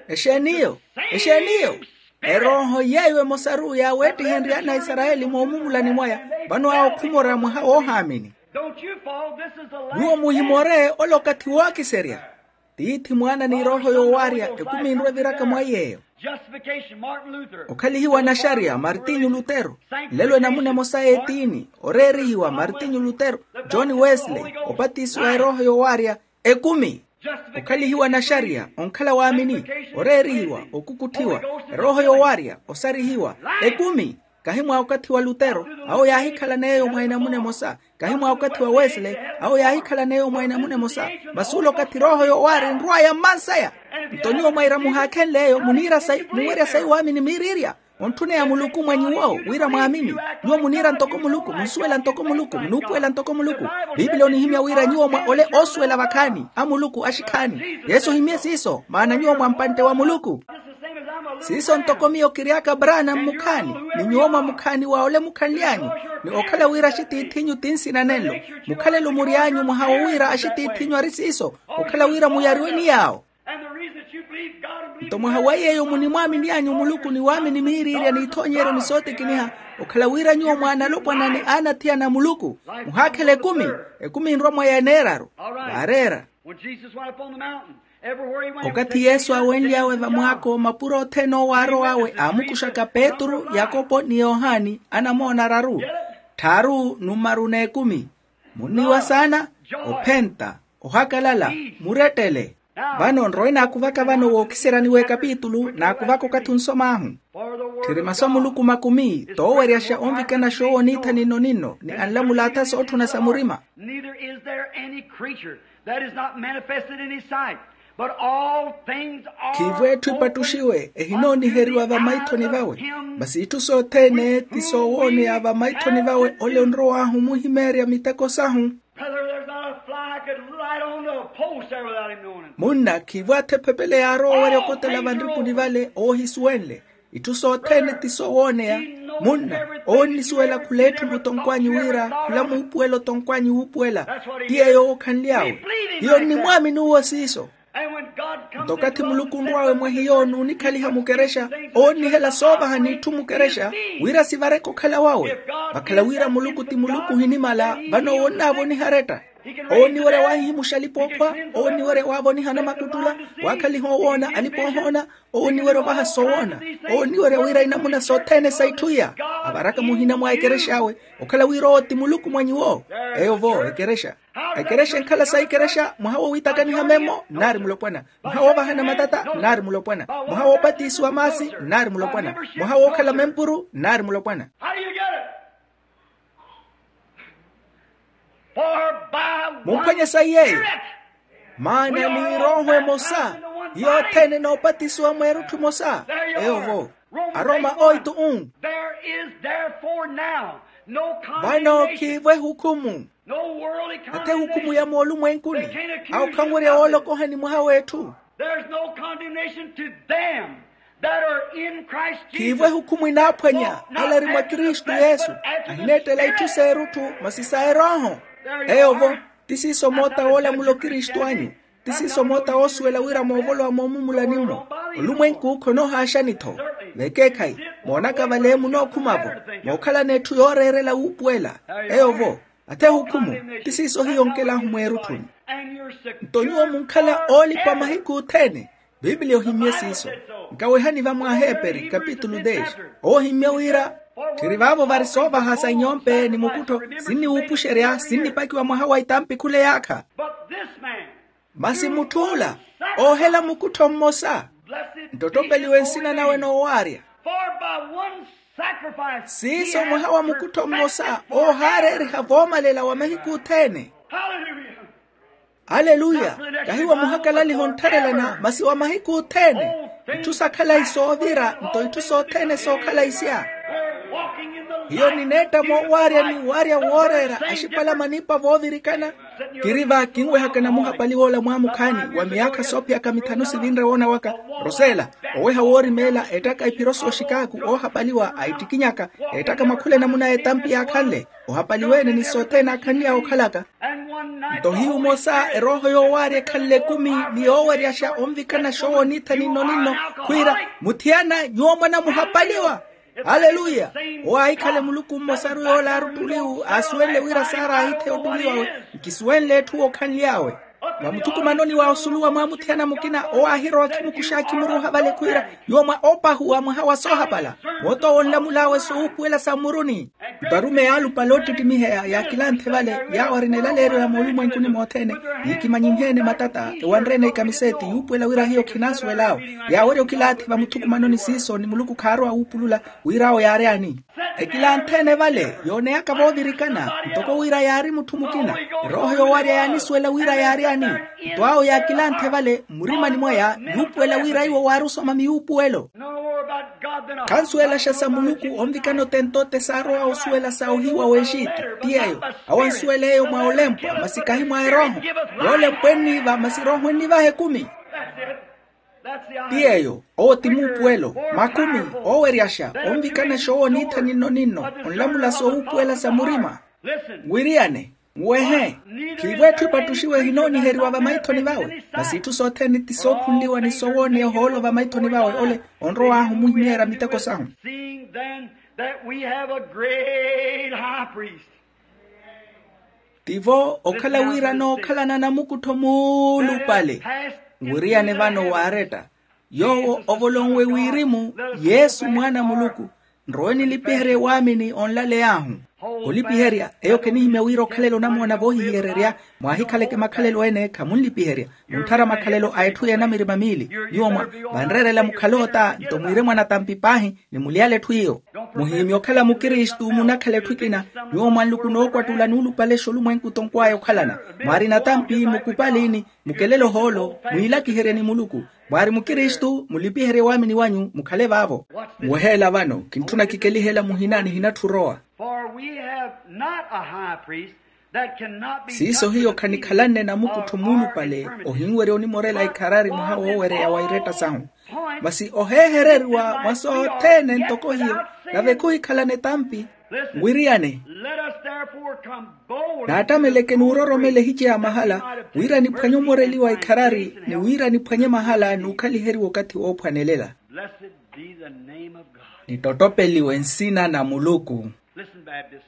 Exeeniyo? Exeeniyo? Erooho yeeyo emosaru yaaweettihenrye ana a isarayeli moomumulani mwaya. Vano awo khumora mwaha woohaamini. Nyuwo muhimore ole okathi wookiserya. Tiithi mwaana ni erooho yoowaarya ekumi enru eviraka mwa yeeyo. Okhalihiwa naxariya martinyu lutero. Nlelo enamuna emosa y'etiini oreerihiwa martinyu lutero, john wesley opatisiwa erooho yoowaarya ekumi. Okhalihiwa naxariya onkhala waamini, oreerihiwa okukutthiwa erooho yoowaarya osarihiwa ekumi. Kahi mwa okathi wa lutero awo yaahikhalan'eyo mwa enamuna emosa. Kahi mwa okathi wa wesley awo yaahikhalan'eyo mwa enamuna emosa. Masi ula okathi erooho yoowaarya enrw'aya mmansaya. Nto nyuwo mwaira muhaakhenl'eyo muniira sayi muwerya sayi waamini miiriirya. Ontthuna ya muluku mwa nyuwo wira mwaamini. Nyuwo muniira ntoko muluku munsuwela ntoko muluku munuupuwela ntoko muluku. Piipili onihimya wira nyuwo mwa ole oosuwela vakhaani a muluku axikhaani. Yesu ohimmye siiso maana nyuwo mwa mpantte wa muluku. Siiso ntoko miyo kiry'aka braana mmukhaani ni nyuwo mwa mukhaani wa ole mukhanly'anyu. Ni okhala wira axitiith'inyu ti nsina nenlo mukhalelo mury'anyu mwaha wo wira axitiith'inyu ari siiso. Okhala wira muyariwe ni yaawo. Nto mwaha wa yeeyo munimwaamini anyu muluku ni waamini miiriirya n'ithoonyeryo ni sootikiniha. Okhala wira nyuwo mwaana alopwana ni aana athiyana a muluku muhaakhela ekumi. Ekumi enrwa mwa yeneeraru. Vaareera. Okathi yesu aawenly'awe vamwaako mapuro othene owo aarow'awe aamukuxaka petru yakopo ni yohani anamoona araru. Tthaaru numaru n'ekumi. Munniwa saana. Ophenta. Ohakalala. Murettele. Vano nrowe naakuvaka vano wookiseryani w'ekapitulu naakuvaka okathi onsom'ahu. Tthiri masu a muluku makumi tooweryaxa onvikana xoowo niitha ninno-ninno ni anlamula atha sootthuna sa murima. Neither is there any creature that is not manifested in his sight, but all things are khiivo etthu epattuxiwe ehinooniheriwa vamaithoni vawe. Masi itthu sothene ti soowooneya vamaithoni vawe ole onrow'ahu omuhimeerya miteko sahu. Brother, there's not a fly could light on the post there without him knowing it. Munna khiivo atha ephepele yaarowa owerya okotela vanripuni vale owo ohisuwenle. Itthu sothene ti soowooneya. Munna owo onnisuwela khula etthu mutonkwanyu wira khula muupuwela otonkwanyu wuupuwela. Ti yeeyo owo okhanly'awe. Hiyo nnimwaamini uwo siiso. Nto okathi muluku onrw'awe mwa hiyo n'unikhaliha mukerexa owo onnihela soovaha n'itthu mukerexa wira sivareke okhala wawe. Vakhala wira muluku ti muluku ohinimala vano owo onnaavoniha aretta. Owo onniwerya waahihimuxa alipa-ookhwa. Owo onniwerya waavoniha anamakuttula waakhaliha owoona alipa-oohoona. Owo onniwerya ovaha sowoona. Owo onniwerya wira inamuna sothene sa itthu iya avaraka muhina mwa ekerex'awe okhala wira owo ti muluku mwa nyuwo. Eyo vo ekerexa. Ekerexa enkhala sa ikerexa mwaha wo wiitakaniha memmo nnaari mulopwana. Mwaha woovahana matata nnaari mulopwana. Mwaha woopatisiwa maasi nnaari mulopwana. Mwaha wookhala mempuru nnaari mulopwana. How do you get it? For by one mumphwanye sayi yeeyo. Spirit. Maana ni erooho emosa. Hiyo othene noopatisiwa mweerutthu emosa. Eyo vo. Aroma oitu un. There is therefore now no vano condemnation. Khiivo ehukhumu. No worldly condemnation. Athe ehukhumu ya moolumwenkuni. Awo khanwerya woolokohani mwaha w'etthu. There's no condemnation to them that are in Christ Jesus. Khiivo ehukhumu enaaphwanya ala ari mwa kristu yesu. Ahineettela itthu s'erutthu masi sa erooho. Eyo vo. Ti siiso moota woolamula okristu anyu. Ti siiso moota woosuwela wira moovolowa moomumulani-mo. Olumwenku khonoohaaxani-tho. Vekeekhayi. Moonaka vale munookhuma-vo. Mookhalana etthu yooreerela wuupuwela. Eyo vo. Athe ehukhumu. Ti siiso hiyo onkel'ahu mweerutthuni. Nto nyuwo munkhala oolipa mahiku othene. Piipiliya ohimmye siiso. Nkawehani va mwaaheperi kapitulu dez. Owo ohimmye wira tthiri vaavo vari soovaha sa inyompe ni mukuttho sinniwuupuxerya sinnipakiwa mwaha wa itampi khula eyaakha. Masi mutth'ula oohela mukuttho mmosa nttottopeliwe nsina nawe noowaarya. Siiso mwaha wa mukuttho mmosa oohaareeriha voomalela wa mahiku othene. Aleluya. Kahi wa muhakalaliha onttharelana masi wa mahiku othene. Itthu sa khalayi soovira nto itthu sothene sookhalayi sya. Hiyo nineetta moowaarya ni waarya wooreera axipalama niipa voovirikana. Kiri va kinwehaka namuhapaliwa ola mwaamukhaani wa miyaakha soophiyaka mithanu sivinre woona waka, rosela, oweha woorimeela ettaka iphiro sooxikaaku oohapaliwa aittikinyaka ettaka mwakhula enamuna etampi yaakhanle, ohapaliwe-ene ni sothene aakhanly'awe okhalaka. Nto hiyu omosa erooho yoowaarya ekhanle ekumi, ni yooweryaxa onvikana xoowo niitha ninno-ninno, khwiira, muthiyana nyuwo mwana muhapaliwa. Aleluya. Owo aahikhale muluku mmosaru yoola aari ottuliwu aasuwenle wira saara aahitheya ottuliwawe. Nkisuwenle etthu wookhanly'awe. Vamuthukumanoni wa osuluwa mwa muthiyana mukina owo aahirowa akhimukuxa akhimuruuha vale khwiira, nyuwo mwa opahuwa mwaha wa soohapala, moot'owo onlamul'awe sowuupuwela sa mmuruni. Nto arumeyi alupale oottittimiheya yaakilanthe vale, yaawo arina elaleeryo ya moolumwenkuni mothene, yiikimanyinhe-ene matata ewanre-ene ikamiseeti yuupuwela wira hiyo khinaasuwel'awe. Yaawerya okilaathi vamuthukumanoni siiso ni muluku khaarowa wuupulula, wira awo yaary'ani. Ekilanthe-ene vale yooneyaka voovirikana, ntoko wira yaari mutthu mukina, erooho yoowarya yaanisuwela wira yaary'ani. Nto awo yaakilanthe vale mmurimani mwaya, yuupuwela wira iwo waari osoma miyuupuwelo. Khansuwelaxa sa muluku onvikana otent'ote saarowa osuwela sa ohiiwa w'exitu. Ti yeeyo. Awo ansuwela eyo mwa olempwa masi kahi mwa erooho. Yoolempwa enniiva masi erooho ennivaha ekumi. Ti yeeyo. Owo ti muupuwelo. Makumi. Ooweryaxa. Onvikana xoowo niitha ninno-ninno. Onlamula soowuupuwela sa murima. Nwiriyane. Nwehe. Khiivo etthu epattuxiwe ehinooniheriwa vamaithoni vawe, masi itthu sothene ti sookhunliwa ni sowooneya ohoolo vamaithoni vawe ole onrow'ahu omuhimyeerya miteko sahu. Seeing then that we have a great high priest. Tivo okhala wira nookhalana namukuttho muulupale. Nwiriyane vano waaretta yoowo ovolonwe wirimu, yesu mwaana a muluku. Nrowe nilipiherye waamini onlaley'ahu. Olipiherya eyo kinihimya wira okhalela onamoona voohihiyererya, mwaahikhaleke makhalelo ene khamunlipiherya. Muntthara makhalelo a etthu y'enamirima miili. Nyuwo mwa vanreerela mukhale ota nto mwiire mwa natampi paahi, ni muliyale etthu iyo. Muhihimya okhala mukristu munakhala etthu ekina. Nyuwo mwa nluku nookwattula nuulupale xolumwenku tonkw'aya okhalana. Mwaari natampi mukupalini, mukelele ohoolo, mwiilakiherye ni muluku. Mwaari mukristu mulipiherye waamini wanyu mukhale vaavo. Muweheela vano kintthuna kikelihela muhina nihinatthu orowa. For we have not a high priest that cannot be siiso hiyo khanikhalanne namukuttho muulupale ohinwerya onimorela ikharari mwaha woowereya wa iretta sahu. Masi oheehereriwa mwa sothene ntoko hiyo, nave khuhikhalana etampi. Nwiriyane. Let us therefore come boldly to the throne of grace, that we might obtain mercy. Naattameleke nuuroromela ehice ya mahala, wira niphwanye omoreliwa ikharari ni wira niphwanye mahala nuukhaliheriwa okathi woophwanelela. Blessed be the name of God. Nittottopeliwe nsina na muluku. Listen, Baptist.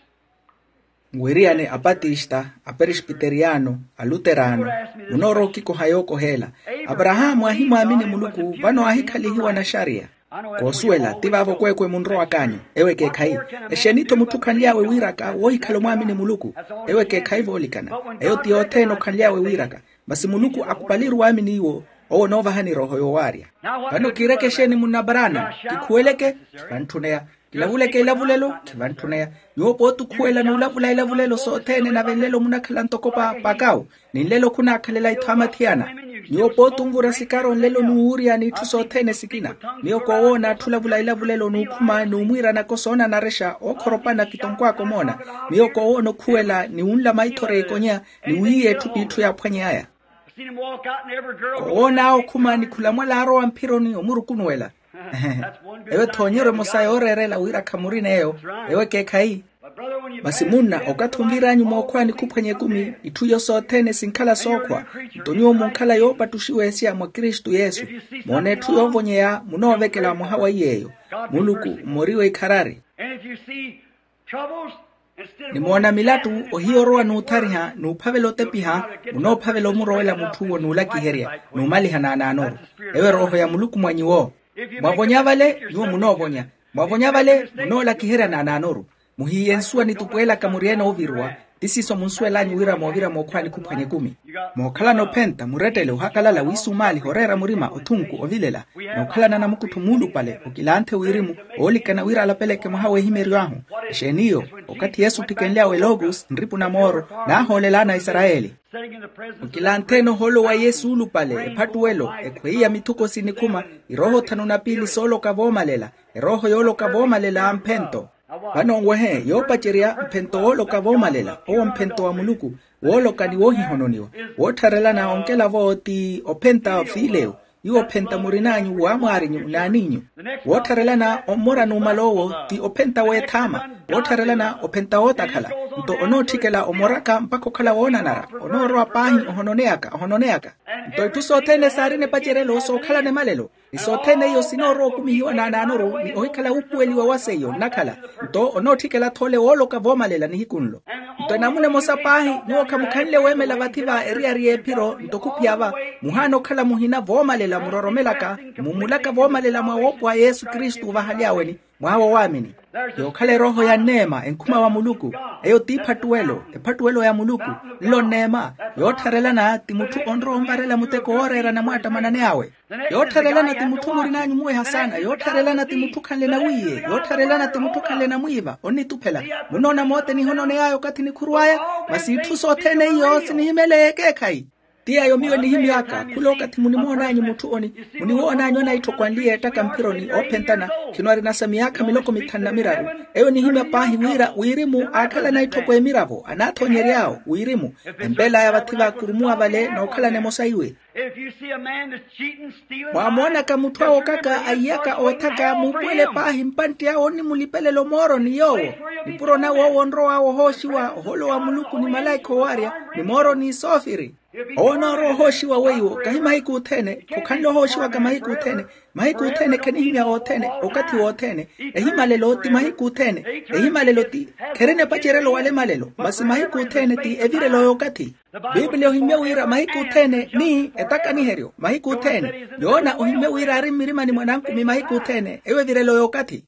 Nwiriyane apatista, aperesbiteriyano, aluterano, munoorowa okikoha yookoheela. Aparahaamu aahimwaamini muluku vano aahikhalihiwa naxariya. Koosuwela ti vaavo kweekwe munrowak'anyu. Ewo ekeekhayi. Exeeni-tho mutthu okhanly'awe wiiraka woohikhala omwaamini muluku? Ewo ekeekhayi voolikana. Eyo ti yothene okhanly'awe wiiraka. Masi muluku akupaliru waamini iwo, owo onoovahani erooho yoowaarya. Vano kiireke exeeni munna abarana? Kikhuweleke? Khivantthuneya. Kilavuleke ilavulelo? Khivantthuneya. Nyuwo pooti okhuwela n'ulavula ilavulelo sothene nave nlelo munakhala ntoko pa pakawu, ni nlelo khunaakhalela ithaamathiyana. Nyuwo pooti onvura sikaro nlelo n'uwuurya n'itthu sothene sikina. Miyo koowoona atthu olavula ilavulelo n'ukhuma n'umwiira nako soonanarexa ookhoropana kitonkw'aka omoona. Miyo koowoona okhuwela ni wunla maithori a ikonya ni wiiya etthu p'itthu yaaphwany'aya. Kowoon'awe okhuma ni khulamwala aarowa mphironi omurukunuwela. Eyo ethoonyeryo emosa yooreerela wira khamurina eyo. Eyo ekeekhayi. Masi munna okathi onvir'anyu mookhwaani khuphwanya ekumi itthu iyo sothene sinkhala sookhwa. Nto nyuwo munkhala yoopattuxiwa esiya mwa kristu yesu. Moona etthu yoovonyeya munoovekela mwaha wa iy'eyo. Muluku mmoriwe ikharari. Nimoona milattu ohiya orowa n'uthariha n'uphavela otepiha. Munoophavela omurowela mutth'uwo n'ulakiherya n'umaliha naanaanoru. Eyo erooho ya muluku mwa nyuwo. Mwavonya vale nyuwo munoovonya. Mwavonya vale munoolakiherya naanaanoru. Muhiiye nsuwa nitupweelaka muryeene oviruwa. Ti siiso munsuwel'anyu wira moovira mookhwaani khuphwanya ekumi. Mookhalana ophenta murettele ohakalala wiisumaaliha oreera murima othunku ovilela. Nookhalana namukuttho muulupale okilanthe wirimu. Oolikana wira alapeleke mwaha w'ehimery'ahu. Exeeni iyo? Okathi yesu ottikenly'awe logos nripu na mooro naahoolel'ana aisarayeli. Okilantheene ohoolo wa yesu oolupale ephattuwelo ekhweiya mithuko sinikhuma. Irooho thanu na piili sooloka voomalela. Erooho yooloka voomalela amphento. Vano nwehe yoopacerya mphento wooloka voomalela owo mphento wa muluku, wooloka ni woohihononiwa, woottharelana onkelavo ti ophenta fiileyo, iwo ophenta murin'anyu wamwaarinyu n'aniinyu. Woottharelana ommora numala owo ti ophenta weethaama, woottharelana ophenta wootakhala. Nto onootthikela omoraka mpakha okhala woonanara, onoorowa paahi ohononeyaka ohononeyaka. Nto itthu sothene saarina epacerelo sookhalana emalelo, ni sothene iyo sinoorowa okumihiwa n'anaanoru ni ohikhala wuupuweliwa wa seiyo nnakhala. Nto onootthikela-tho ole wooloka voomalela nihiku nlo. Nto enamuna emosa paahi, nyuwo khamukhanle weemela vathi va eriyari y'ephiro nto khuphiya va, muhaana okhala muhina voomalela muroromelaka, mumulaka voomalela mwa woopo wa yesu kristu ovahaly'aweni, mwaha wa waamini. Yookhala erooho ya nneema enkhuma wa muluku. Eyo t'iphattuwelo, ephattuwelo ya muluku. Nlo nneema, yoottharelana ti mutthu onrowa onvarela muteko wooreera anamwaattamana ni awe. Yoottharelana ti mutthu murin'anyu muweha saana, yoottharelana ti mutthu khanle nawiiye, yoottharelana ti mutthu khanle namwiiva onnituphela. Munoona mooteni ehononey'aya okathi nikhuruw'aya. Masi itthu sothene iyo sinihimeleya ekeekhayi. Ti yeeyo miyo nihimy'aka khula okathi munimoon'anyu mutthu oni, muniwoon'anyu anaitthoko anli yeettaka mphironi oophentana, khino arinasa miyaakha miloko mithanu na miraru. Eyo nihimya paahi wira wirimu aakhala anaitthoko emiravo anaathoonyery'awo wirimu, empeel'aya vathi vaakurumuwa vale nookhalana emosa iwe. Mwaamoonaka mutthu awookaka aiyaka oothaka muupuwele paahi mpantti awe onnimulipelela omooroni yoowo, nipuro nawe owo onrow'awe ohooxiwa oholo wa muluku ni malaikha owaarya, ni mooroni soofiri. Owo onoorowa ohooxiwa weiwo kahi mahiku othene khokhanle ohooxiwaka mahiku othene. Mahiku othene khanihimya othene okathi wothene. Ehimalelo ti mahiku othene. Ehimalelo ti kherina epacerelo wala emalelo masi mahiku othene ti evirelo y'okathi. Piipili ohimmye wira mahiku othene ni etakaniheryo mahiku othene. Yoona ohimmye wira ari mmirimani mwa nankumi mahiku othene eyo evirelo y'okathi.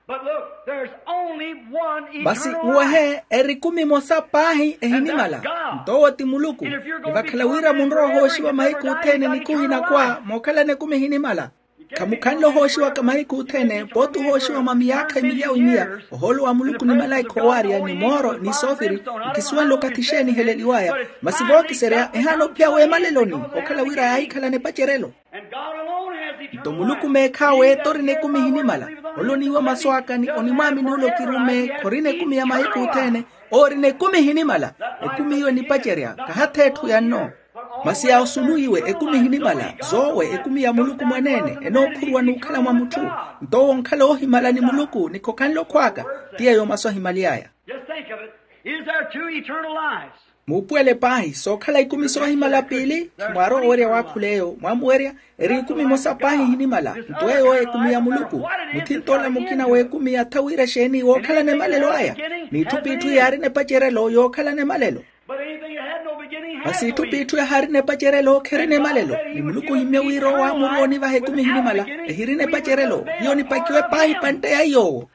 Masi nwehe eri ekumi emosa paahi ehinimala. Nto owo ti muluku. Ni vakhala wira munrowa ohooxiwa mahiku othene ni khuhinakhwa mookhalana ekumi ehinimala. Khamukhanle ohooxiwaka mahiku othene pooti ohooxiwa mwa miyaakha emilya wimiya. Ohoolo wa muluku ni malaikha owaarya ni mooro ni soofiri. Nkisuwenle okathi xeeni eheleliw'aya. Masi vookiserya ehaana ophiya weemaleloni okhala wira yaahikhalana epacerelo. Nto muluku meekhaawe torina ekumi ehinimala. Ole oniiwa masu aka ni onimwaamini ole okirumme khorina ekumi ya mahiku othene. Oorina ekumi ehinimala. Ekumi iyo enipacerya kahatha etthu ya nno. Masi yaosulu iwe ekumi ehinimala zoowe ekumi ya muluku mwaneene enookhuruwa n'ukhala mwa mutthu. Nto owo onkhala oohimala ni muluku ni khokhanle okhw'aka. Ti yeeyo masu ahimaly'aya. Just think of it. Is there two eternal lives? Muupuwele paahi sookhala ikumi soohimala piili. Khimwaarowa owerya waakhula eyo mwaamuwerya. Eri ikumi emosa paahi ehinimala. Nto eyo ekumi ya muluku. Muthint'ola mukina w'ekumi yatha wira exeeni wookhalana emalelo aya. N'itthu p'itthu yaarina epacerelo yookhalana emalelo. Masi itthu p'itthu yahaarina epacerelo kherina emalelo. Ni muluku ohimmye wira owo aamuruwa onivaha ekumi ehinimala. Ehirina epacerelo hiyo nipakiwe paahi pantte ya iy'owo.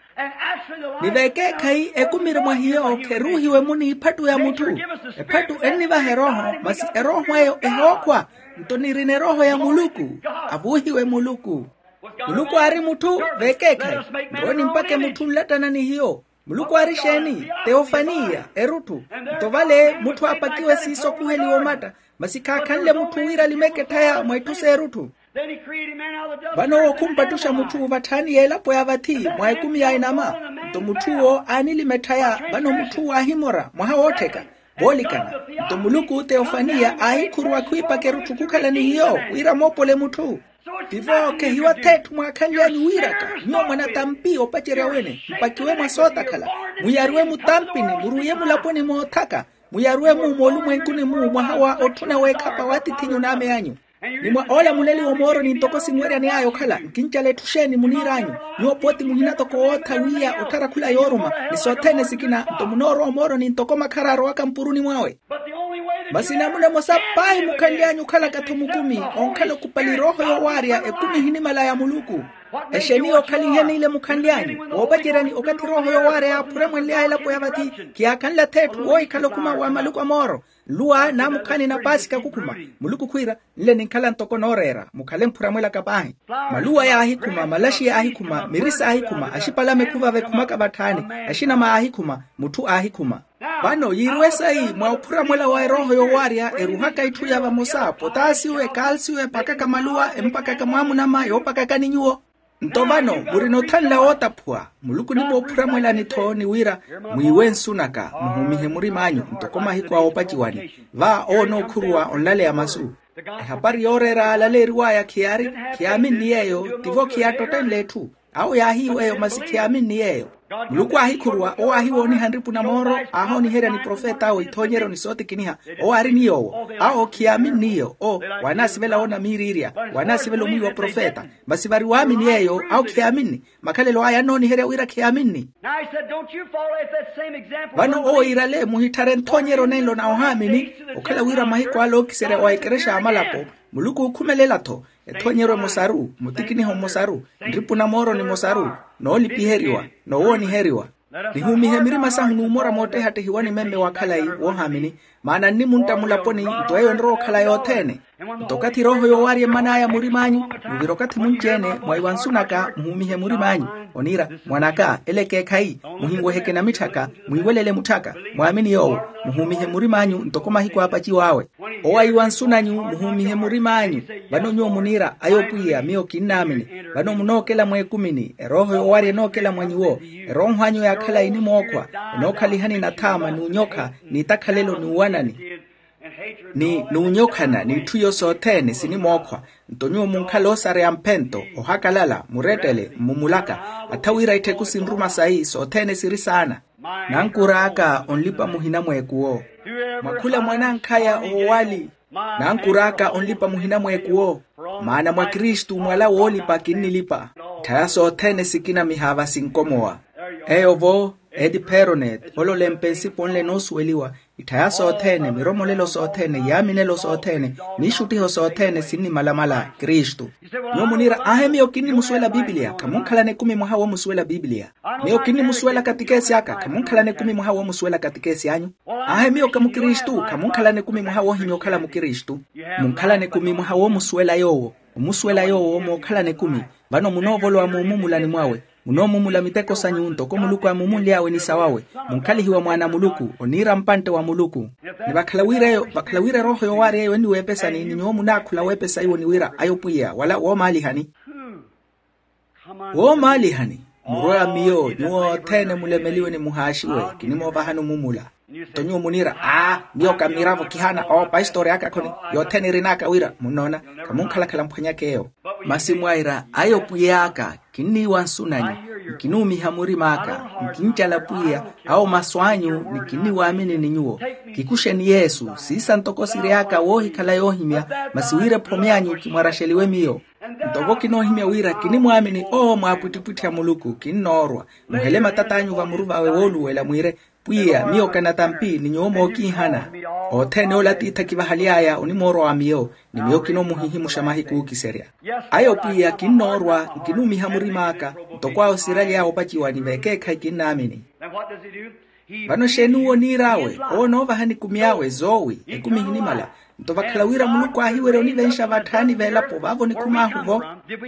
Ni vekeekhayi ekumi eri mwa hiyo kheruuhiwe-mu n'iphattu ya mutthu. Ephattu ennivaha erooho masi erooho eyo ehookhwa. Nto nirina erooho ya muluku. Avuuhiwe muluku. Muluku aari mutthu vekeekhayi. Nrowe nimpake mutthu nlattana ni hiyo. Muluku aari exeeni? Teofaniya erutthu. Nto vale mutthu aapakiwe siiso khuheliwa omatta. Masi khaakhanle mutthu wira alimeke etthaya mwa itthu s'erutthu. Vano owo khumpattuxa mutthu vatthaani y'elapo ya vathi mwa ekumi ya enama. Nto mutth'uwo aanilima etthaya vano mutth'uwo aahimora mwaha woottheka. Voolikana nto muluku teofaniya aahikhuruwa khwiipaka erutthu khukhala ni hiyo wira moopole mutthu. Tivo khehiwa th'etthu mwaakhanly'anyu wiiraka. Nyuwo mwanatampi opacerya wene mpakiwe mwa sootakhala. Mwiyaruwe mutampini muruuye mulaponi moothaka. Mwiyaruwe-mu moolumwenkuni-mu mwaha wa otthuna weekhapa w'atith'inyu n'ame anyu. Ni mwa oolamuleliwa omooroni ntoko sinweryani aya okhala nkincala etthu xeeni muniir'anyu. Nyuwo pooti muhina toko wootha wiiya otthara khula yooruma. Ni sothene sikina nto munoorowa omooroni ntoko makhara arowaka mpuruni mwawe. Masi namuna emosa paahi mukhanly'anyu okhalaka-tho mukumi onkhala okupali erooho yowaarya ekumi ehinimala ya muluku. Exeeni yookhaliheni ile mukhanly'anyu woopaceryani okathi erooho yowaarya yaaphuramwenly'aya elapo ya vathi? Khiyaakhanla th'etthu woohikhala okhuma wa maluku a mooro. Nluwa naamukhaani na paasika khukhuma. Muluku khwiira nle ninkhala ntoko nooreera mukhale mphuramwelaka paahi. Maluwa yaahikhuma malaxi yaahikhuma mirisa aahikhuma axipalame khuvava ekhumaka vatthaani. Axinama aahikhuma mutthu aahikhuma. Vano yiiriwe sayi mwa ophuramwela wa erooho yowaarya eruhaka itthu ya vamosa potaasiyo ekaalsiyo epakaka maluwa empakaka mwaamunama yoopakakani nyuwo. Nto vano murina othanla wootaphuwa. Muluku onipoophura mwelani-tho ni wira, mwiiwe nsu naka, muhumihe murim'anyu ntoko mahiku a opaciwani. Va owo onookhuruwa onlaleya masu. Ehapari yooreera yaalaleeriw'aya khiyaaminni yeeyo. Tivo khiyaattotthenle etthu. Awo yaahiiwa eyo masi khiyaaminni yeeyo. Muluku aahikhuruwa owo aahiwooniha nripu na mooro, aahooniherya ni profet'awe ithoonyeryo ni sootikiniha. Owo aari ni yoowo. Awo khiyaaminni iyo o, waanaasivela woona miiriirya, waanaasivela omwiiwa profeta. Masi vari waamini yeeyo awo khiyaaminni. Makhalelo aya annooniherya wira khiyaaminni. Vano owo iirale muhitthare nthoonyeryo nenlo na ohaamini. Okhala wira mahiku ale ookiserya wa ekerexa ya malapo, muluku ookhumelela-tho. Ethoonyeryo emosaru, mutikiniho mmosaru, nripu na mooro ni mmosaru, noolipiheriwa, noowooniheriwa. Nihumihe mirima sahu n'umora moottehattehiwa ni memme wa khalayi woohaamini. Maana nnimuntta mulaponi, nto eyo enrowa okhala yothene. Nto okathi erooho yoowaarya emman'aya murim'anyu, nuvira okathi munci-ene mwa iwansu naka muhumihe murim'anyu. Oniira, mwan'aka ele ekeekhayi, muhinweheke namitthaka, mwiiwelele mutthaka, mwaamini yoowo, muhumihe murim'anyu ntoko mahiku aapaciw'awe. Owo aiwansu nanyu muhumihe murim'anyu. Vano nyuwo muniira ayo pwiya miyo kinnaamini. Vano munookela mweekumini erooho yoowarya enookela mwa nyuwo. Erooho anyu ya khalayi enimookhwa, enookhalihani nathaama n'unyokha, n'itakhalelo n'uwanani, ni n'unyokhana n'itthu iyo sothene sinimookhwa. Nto nyuwo munkhala oosareya mphento, ohakalala, murettele mmumulaka. Atha wira ittheku sinruma sayi sothene siri saana. Nankur'aka onlipa muhina mweekuwo. Mwa khula mwanankhaya oowali. Nankur'aka onlipa muhina mweekuwo. Maana mwa kristu mwala woolipa kinnilipa. Itthaya sothene sikinamiha va sinkomowa. Eyo-vo, etiperonet ololempe nsipo nle noosuweliwa. Itthaya sothene miromolelo sothene yaaminelo sothene, n'ixuttiho sothene sinnimalamala kristu. Nyuwo muniira aahe miyo kinnimusuwela bibiliya khamunkhalana ekumi mwaha woomusuwela bibiliya. Miyo kinnimusuwela katikesi aka khamunkhalana ekumi mwaha woomusuwela katikesi anyu. Aahe miyo ka mukristu khamunkhalana ekumi mwaha woohimya okhala mukristu. Munkhalana ekumi mwaha woomusuwela yoowo. Omusuwela yoowo mookhalana ekumi. Vano munoovolowa moomumulani mwawe. Munoomumula miteko sanyu ntoko muluku aamumunly'awe ni sawawe. Munkhalihiwa mwaana a muluku oniira mpantte wa muluku. Ni vakhala wira eyo vakhala wira erooho yoowaari eyo enniweepesani ni nyuwo munaakhula weepesa iwo ni wira ayo pwiya wala woomaalihani. Woomaalihani. Murwe wa miyo nyuwo othene mulemeliwe ni muhaaxiwe. Kinimoovahani omumula. Nto nyuwo muniira aa, miyo ka mmiravo kihaana oopastori aka khoni. Yothene erin'aka wira munnoona, khamunkhalakhala mphwanyaka eyo. Masi mwaira ayo pwiy'aka kinniiwa nsu nanyu, nkinuumiha murim'aka, nkincala pwiya awo masu anyu ni kinniwaamini ni nyuwo. Kikuxeni yesu siisa ntoko siry'aka woohikhala yoohimya. Masi wira ephome anyu kimwaraxeliwe miyo. Nto vo kinoohimya wira kinimwaamini owo mwaapwittipwitthi a muluku kinnoorwa. Muhele matat'anyu vamuruvawe wooluwela mwiire, pwiya miyo kanatampi ni nyuwo mookiihana. Othene ole atiithi akivahaly'aya onimoorwa wa miyo, ni miyo kinoomuhihimuxa mahiku ookiserya. Ayo pwiya kinnoorwa nkinuumiha murim'aka. Ntoko awo siraly'awe opaciwa ni vekeekhayi kinnaamini. Vano exeeni uwo oniir'awe? Owo onoovahani ekumi awe zoowi ekumi ehinimala. Nto vakhala wira muluku aahiwerya onivenxa vatthaani v'elapo vaavo onikhum'ahu-vo.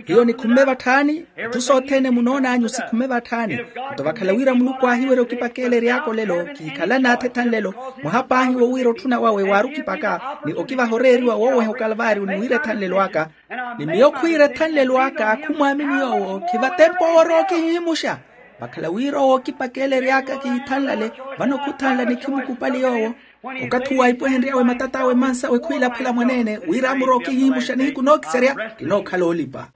Hiyo nikhumme vatthaani. Itthu sothene munoon'anyu sikhumme vatthaani. Nto vakhala wira muluku aahiwerya okipakeela ery'aka olelo kihikhala naathi ethanlelo. Mwaha paahi wo wira otthuna wawe waari okipaka ni okivaha oreeriwa wooweha okalvaariyo ni wira ethanlelo aka. Ni miyo khwiira ethanlelo aka khumwaamini yoowo khivatempa owo orookihihimuxa. Vakhala wira owo okipakeela ery'aka kihithanlale. Vano khuthanla ni khimukupali yoowo. Okathi uwo aipwehenry'awe matat'awe mansawe khwiilaphela mwaneene wira amurookihihimuxa nihiku nookiserya. Kinookhala oolipa.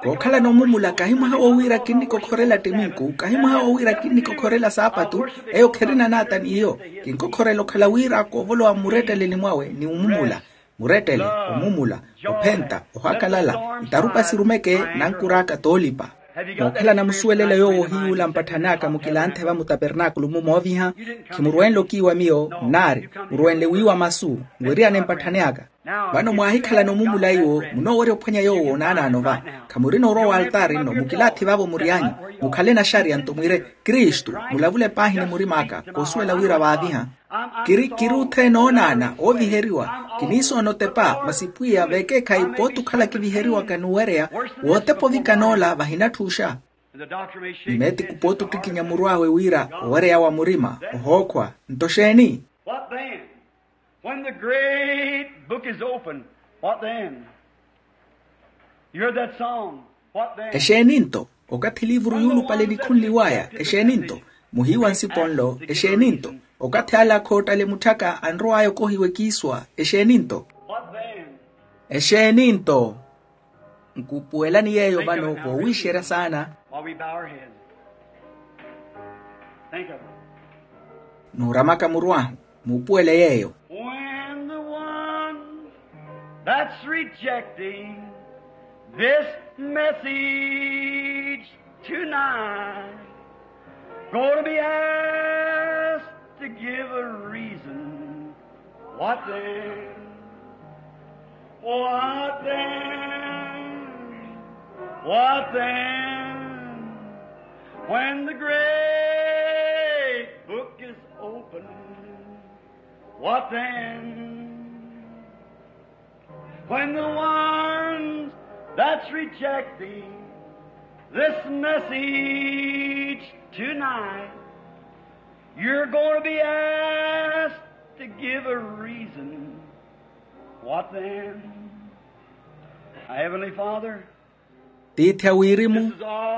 Kookhalana omumula kahi mwaha wo wira kinnikokhorela ttiminku kahi mwaha wo wira kinnikokhorela saapatu. Eyo kherina naata n'iyo. Kinkokhorela okhala wira koovolowa mmuretteleni mwawe ni omumula. Murettele, omumula, ophenta, ohakalala, itarupa sirumeke. Nankur'aka t'olipa. Mookhalana musuwelela yoowo ohiyuula mpatthan'aka mukilanthe va mutapernaakulu-mu mooviha. Khimurwenle okiiwa miyo nnaari murwenle wiiwa masu. Nweriyane mpatthani aka. Vano mwaahikhalana omumula iwo munoowerya ophwanya yoowo naanaano va. Khamurina orwa w'altaari nno mukilaathi vaavo mury'anyu. Mukhale naxariya nto mwiire kristu. Mulavule paahi ni murim'aka koosuwela wira vaaviha. Kiri kiri othene oonaana ooviheriwa. Kiniisoona otepa masi pwiya vekeekhayi pooti okhala kiviheriwaka n'uwereya. Wootepa ovikana ola vahinatthuuxa. Ni meetiku pooti ottikinya muru awe wira owereya wa murima ohookhwa. Nto xeeni? What then? When the great book is open, what then? You heard that song. Exeeni-nto? Okathi eliivuru yuulupale nikhunliw'aya, exeeni-nto? Muhiiwa nsipo nlo, exeeni-nto? Okathi ale akhoottale mutthaka anrow'aya okohiwa ekiiswa, exeeni-nto? Exeeni-nto? Nkupuwelani yeeyo vano voowiixerya saana. Nuuramaka muru ahu, muupuwele yeeyo. When the one that's rejecting this message tonight gonna be asked to give a reason, what then? What then? What then? When the great book is open, what then? When the ones that's rejecting this message tonight, you're going to be asked to give a reason. What then? Heavenly Father, tiithi a wirimu,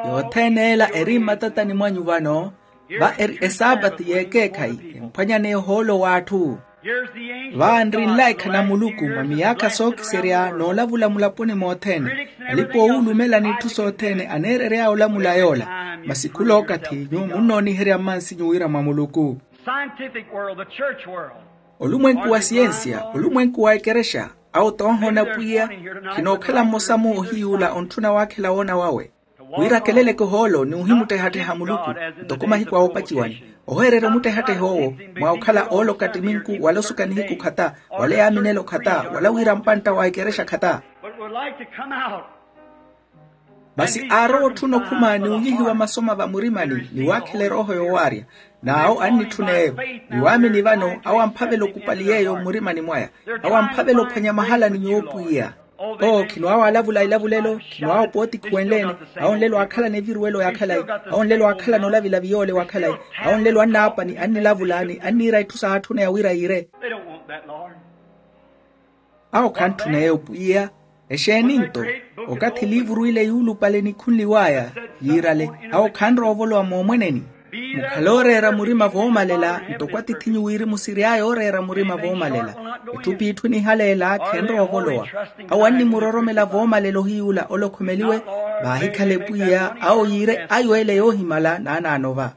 yothene ela eri mmatatani mwanyu vano, va eri esaapati y'ekeekhayi emphwanyaneya ohoolo w'atthu. Vaanri nlaikha na muluku mwa miyaakha sookiserya noolavula mulaponi mothene, alipoowulumelani itthu sothene aneerery'aya olamula yoola. Masi khulookathi nyuwo munnooniherya mmansinyu wira mwa muluku. Scientific world, the church world. Olumwenku wa siyensiya, olumwenku wa ekerexa, awo toohoona pwiya, khinookhala mmosa-mu ohiy'ula ontthuna waakhela woona wawe, wira akeleleke ohoolo ni ohimuttehatteha muluku, ntoko mahiku a woopaciwani. Oweererya omuttehatteha owo mwa okhala ooloka ttiminku wala osuka nihiku khata, wala eyaaminelo khata, wala wira mpantta wa ekerexa khata. Masi aarowa otthuna okhuma ni unyihiwa masoma vamurimani ni waakhela erooho yoowaarya. N'awo annitthuna eyo, ni waamini vano awo amphavela okupali yeeyo mmurimani mwaya. Awo amphavela ophwanya mahala ni nyuwo pwiya. Oo khinwaawa alavula ilavulelo, khinwaawa opootikhuwenle-ene. Awo nlelo aakhalana eviruwelo ya khalayi. Awo nlelo aakhalana olavilavi yoole wa khalayi. Awo nlelo annaapa ni annilavula ni anniira itthu saatthuna ya wira yiire. Awo khantthuna eyo pwiya. Exeeni-nto? Okathi eliivuru ile yuulupale nikhunliw'aya yiirale, awo khanrowa ovolowa moomweneni. Mukhale ooreera murima voomalela ntoko atithinyu wirimu siry'aya ooreera murima voomalela. Etthu p'itthu enihaleela khenrowa ovolowa. Awo annimuroromela voomalela ohiy'ula ole okhomeliwe. Vaahikhale pwiya awo yiire ayo ele yoohimala naanaano va.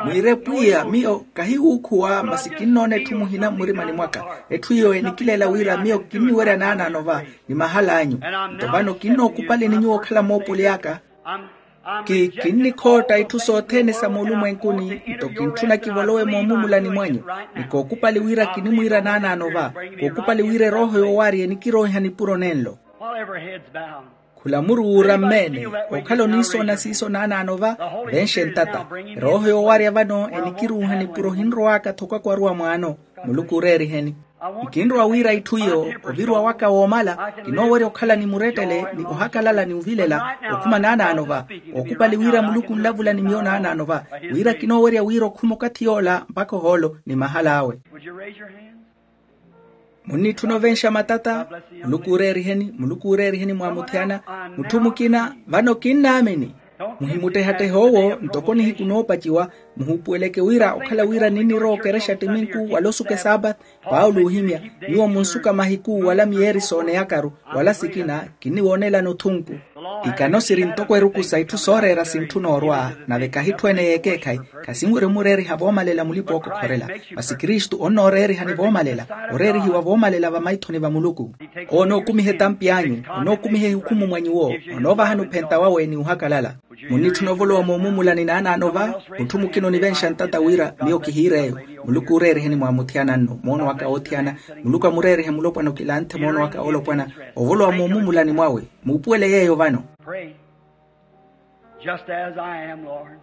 Mwiire pwiya miyo kahiwuukhuwa masi kinnoona etthu muhina mmurimani mwaka. Etthu iyo enikileela wira miyo kinniwerya naanaano va ni mahal'anyu. Nto vano kinnookupaleni nyuwo okhala moopoli aka. Ki kinnikhootta itthu sothene sa moolumwenkuni nto kintthuna kivolowe moomumulani mwanyu. Ni kookupali wira kinimwiira naanaano va. Kookupali wira erooho yoowaarya enikiroiha nipuro nenlo. Khula muruwuura mmeene. Okhala oniisoona siiso naanaano va. Venxe ntata. Erooho yoowaarya vano enikiruuha nipuro ohinrow'aka tho kwakwaruwa mwaano. Muluku ooreeriheni. Nkinrowa wira itthu iyo oviruwa waka woomala. Kinoowerya okhala ni murettele ni ohakalala ni ovilela okhuma naanaano va. Ookupali wira muluku onlavula ni miyo naanaano va. Wira kinoowerya wira okhuma okathi yoola mpakha ohoolo ni mahal'awe. Munnitthuna ovenxa matata. Muluku ooreeriheni muluku ooreeriheni mwaamuthiyana. Mutthu mukina vano kinnaamini. Muhimuttehattehe owo ntoko nihiku noopaciwa. Muhuupuweleke wira okhala wira ninnirowa okerexa ttiminku wala osuka esaapati. Paulo oohimya. Nyuwo munsuka mahiku wala miyeeri sooneyakaru wala sikina. Kinniwoonelani othunku. Ikano siri ntoko eruku sa itthu sooreera sintthuna orwa. Nave kahitthu ene y'ekeekhayi. Khasinwerya omureeriha voomalela mulipa ookokhorela. Masi kristu onnooreerihani voomalela. Oreerihiwa voomalela vamaithoni va muluku. Onookumiha etampi anyu. Onookumiha ehukhumu mwa nyuwo. Onoovahani ophenta wawe ni ohakalala. Munnitthuna ovolowa moomumulani naanaano va. Mutthu mukina onivenxa ntata wira miyo kihiir'eyo. Muluku ooreeriheni mwaamuthiyana nno moono aka oothiyana. Muluku amureerihe mulopwana okilanthe moono aka oolopwana. Ovolowa moomumulani mwawe. Muupuwele yeeyo vano. Just as I am, Lord.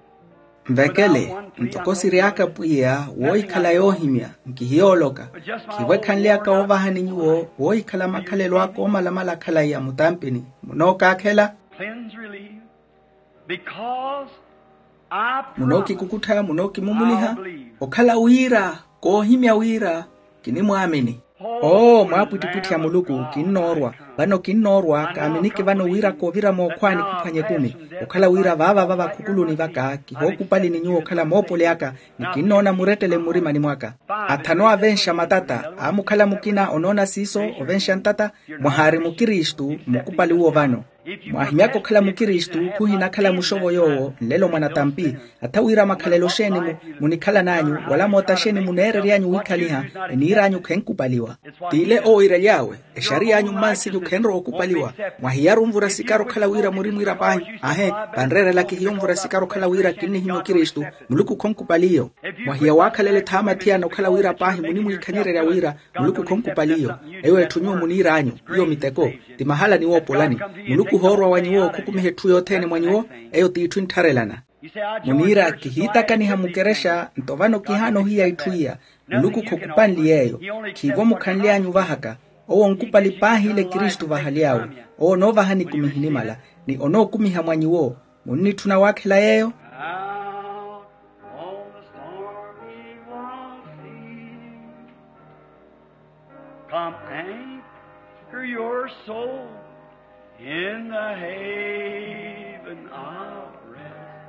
Nvekele ntoko siry'aka pwiya woohikhala yoohimya. Nkihiyooloka. Khivo ekhanly'aka woovahani nyuwo woohikhala makhalelo aka oomalamala khalayi a mutampini. Munookakhela. Cleanse, relieve. Because I promise. Munookikukuttha munookimumuliha. Okhala wira koohimya wira kinimwaamini. Oo mwaapwittipwitthi a muluku kinnoorwa. Vano kinnoorwa kaaminiki vano wira koovira mookhwaani khuphwanya ekumi, okhala wira vaavava vakhukuluni vaka kihookupali ni nyuwo okhala moopoli aka, ni kinnoona murettele mmurimani mwaka. Athanu aavenxa matata aamukhala mukina onoona siiso, ovenxa ntata. Mwahaari mukristu mmukupali uwo vano. Mwahimyaka okhala mukristu khuhinakhala muxovo yoowo nlelo mwanatampi. Atha wira makhalelo xeeni munikhalan'anyu wala moota xeeni muneerery'anyu wiikhaliha, eniir'anyu khenkupaliwa. T'ile owiiraly'awe, exariy'anyu mmansinyu khenrowa okupaliwa. Mwahiyaru onvura sikari okhala wira murimwiira paahi, aahe, vanreerela kihiyo onvura sikari okhala wira kinnihinya okristu. Muluku khonkupaliyo. Mwahiya waakhalela ethaama thiyana okhala wira paahi munimwiikhanyererya wira muluku khonkupaliyo. Eyo etthu nyuwo muniir'anyu, iyo miteko, ti mahala niwoopolani. Muluku ohoorwa wa nyuwo okhukumiha etthu yothene mwa nyuwo. Eyo t'itthu enttharelana. Muniira kihiitakaniha mukerexa nto vano kihaana ohiya itthu iya. Muluku khokupanli yeeyo. Khiivo mukhanly'anyu vahaka. Owo onkupali paahi ile kristu vahaly'awe. Owo onoovahani ekumi ehinimala, ni onookumiha mwa nyuwo. Munnitthuna waakhela yeeyo? Out on the stormy sea, come anchor your soul in the haven of rest,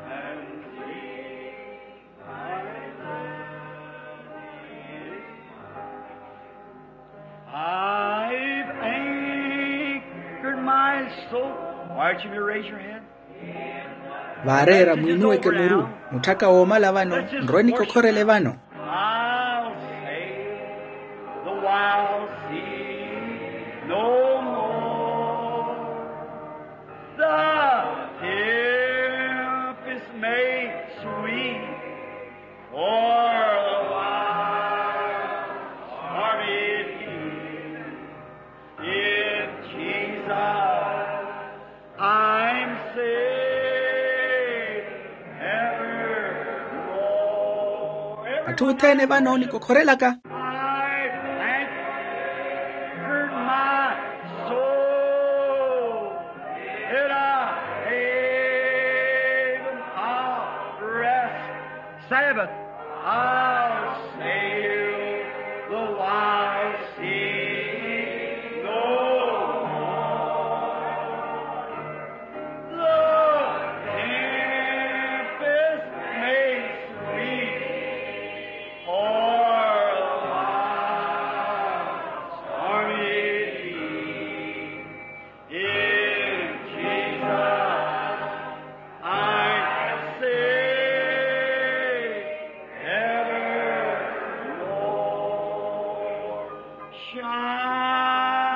and leave thy land. I've anchored my soul. Why don't you raise your hand? Vaareera mwiinuweke muru. Mutthaka woomala vano, nrwe nikokhorele vano. I'll sail the wild sea no more. The tempest may sweep o'er the wild stormy deep. In Jesus I'm safe evermore. Atthu othene vano onikokhorelaka. I've anchored my soul in a haven of rest. Sabbath. I'll sail the wide sea no more. The tempest may sweep o'er the wild stormy deep. In Jesus I'm safe evermore. Shine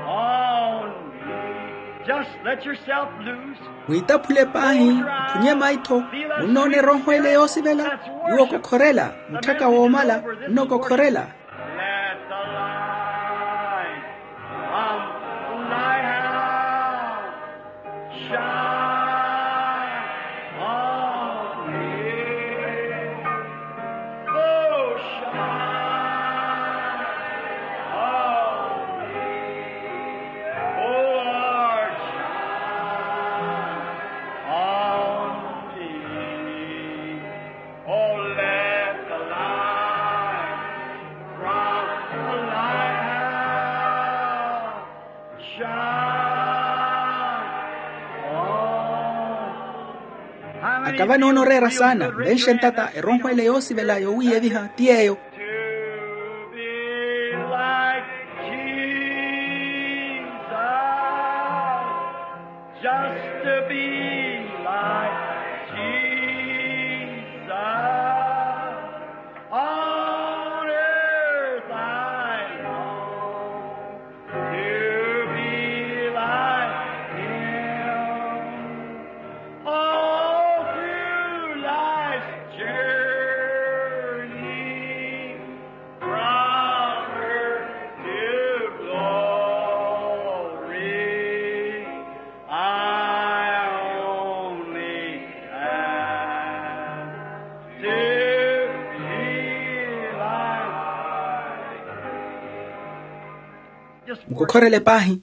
on me. Just let yourself loose. Mwiitaphule paahi, mphunye maitho. Munnoona erooho ele yoosivela. Nyuwo kokhorela, mutthaka woomala, nnokokhorela. Let the light from thy house shine on me. Oh, shine on me. Oh, Lord, shine on me. Oh, let the light from the lighthouse shine on me. Akava noona oreera saana, nvenxe ntata erooho ele yoosivela yoowiiyeviha ti yeeyo. To be like Jesus. Just to be like Jesus. On earth I long to be like him. All through life's journey, from earth to glory, I only ask to be like him. Mukokhorele paahi.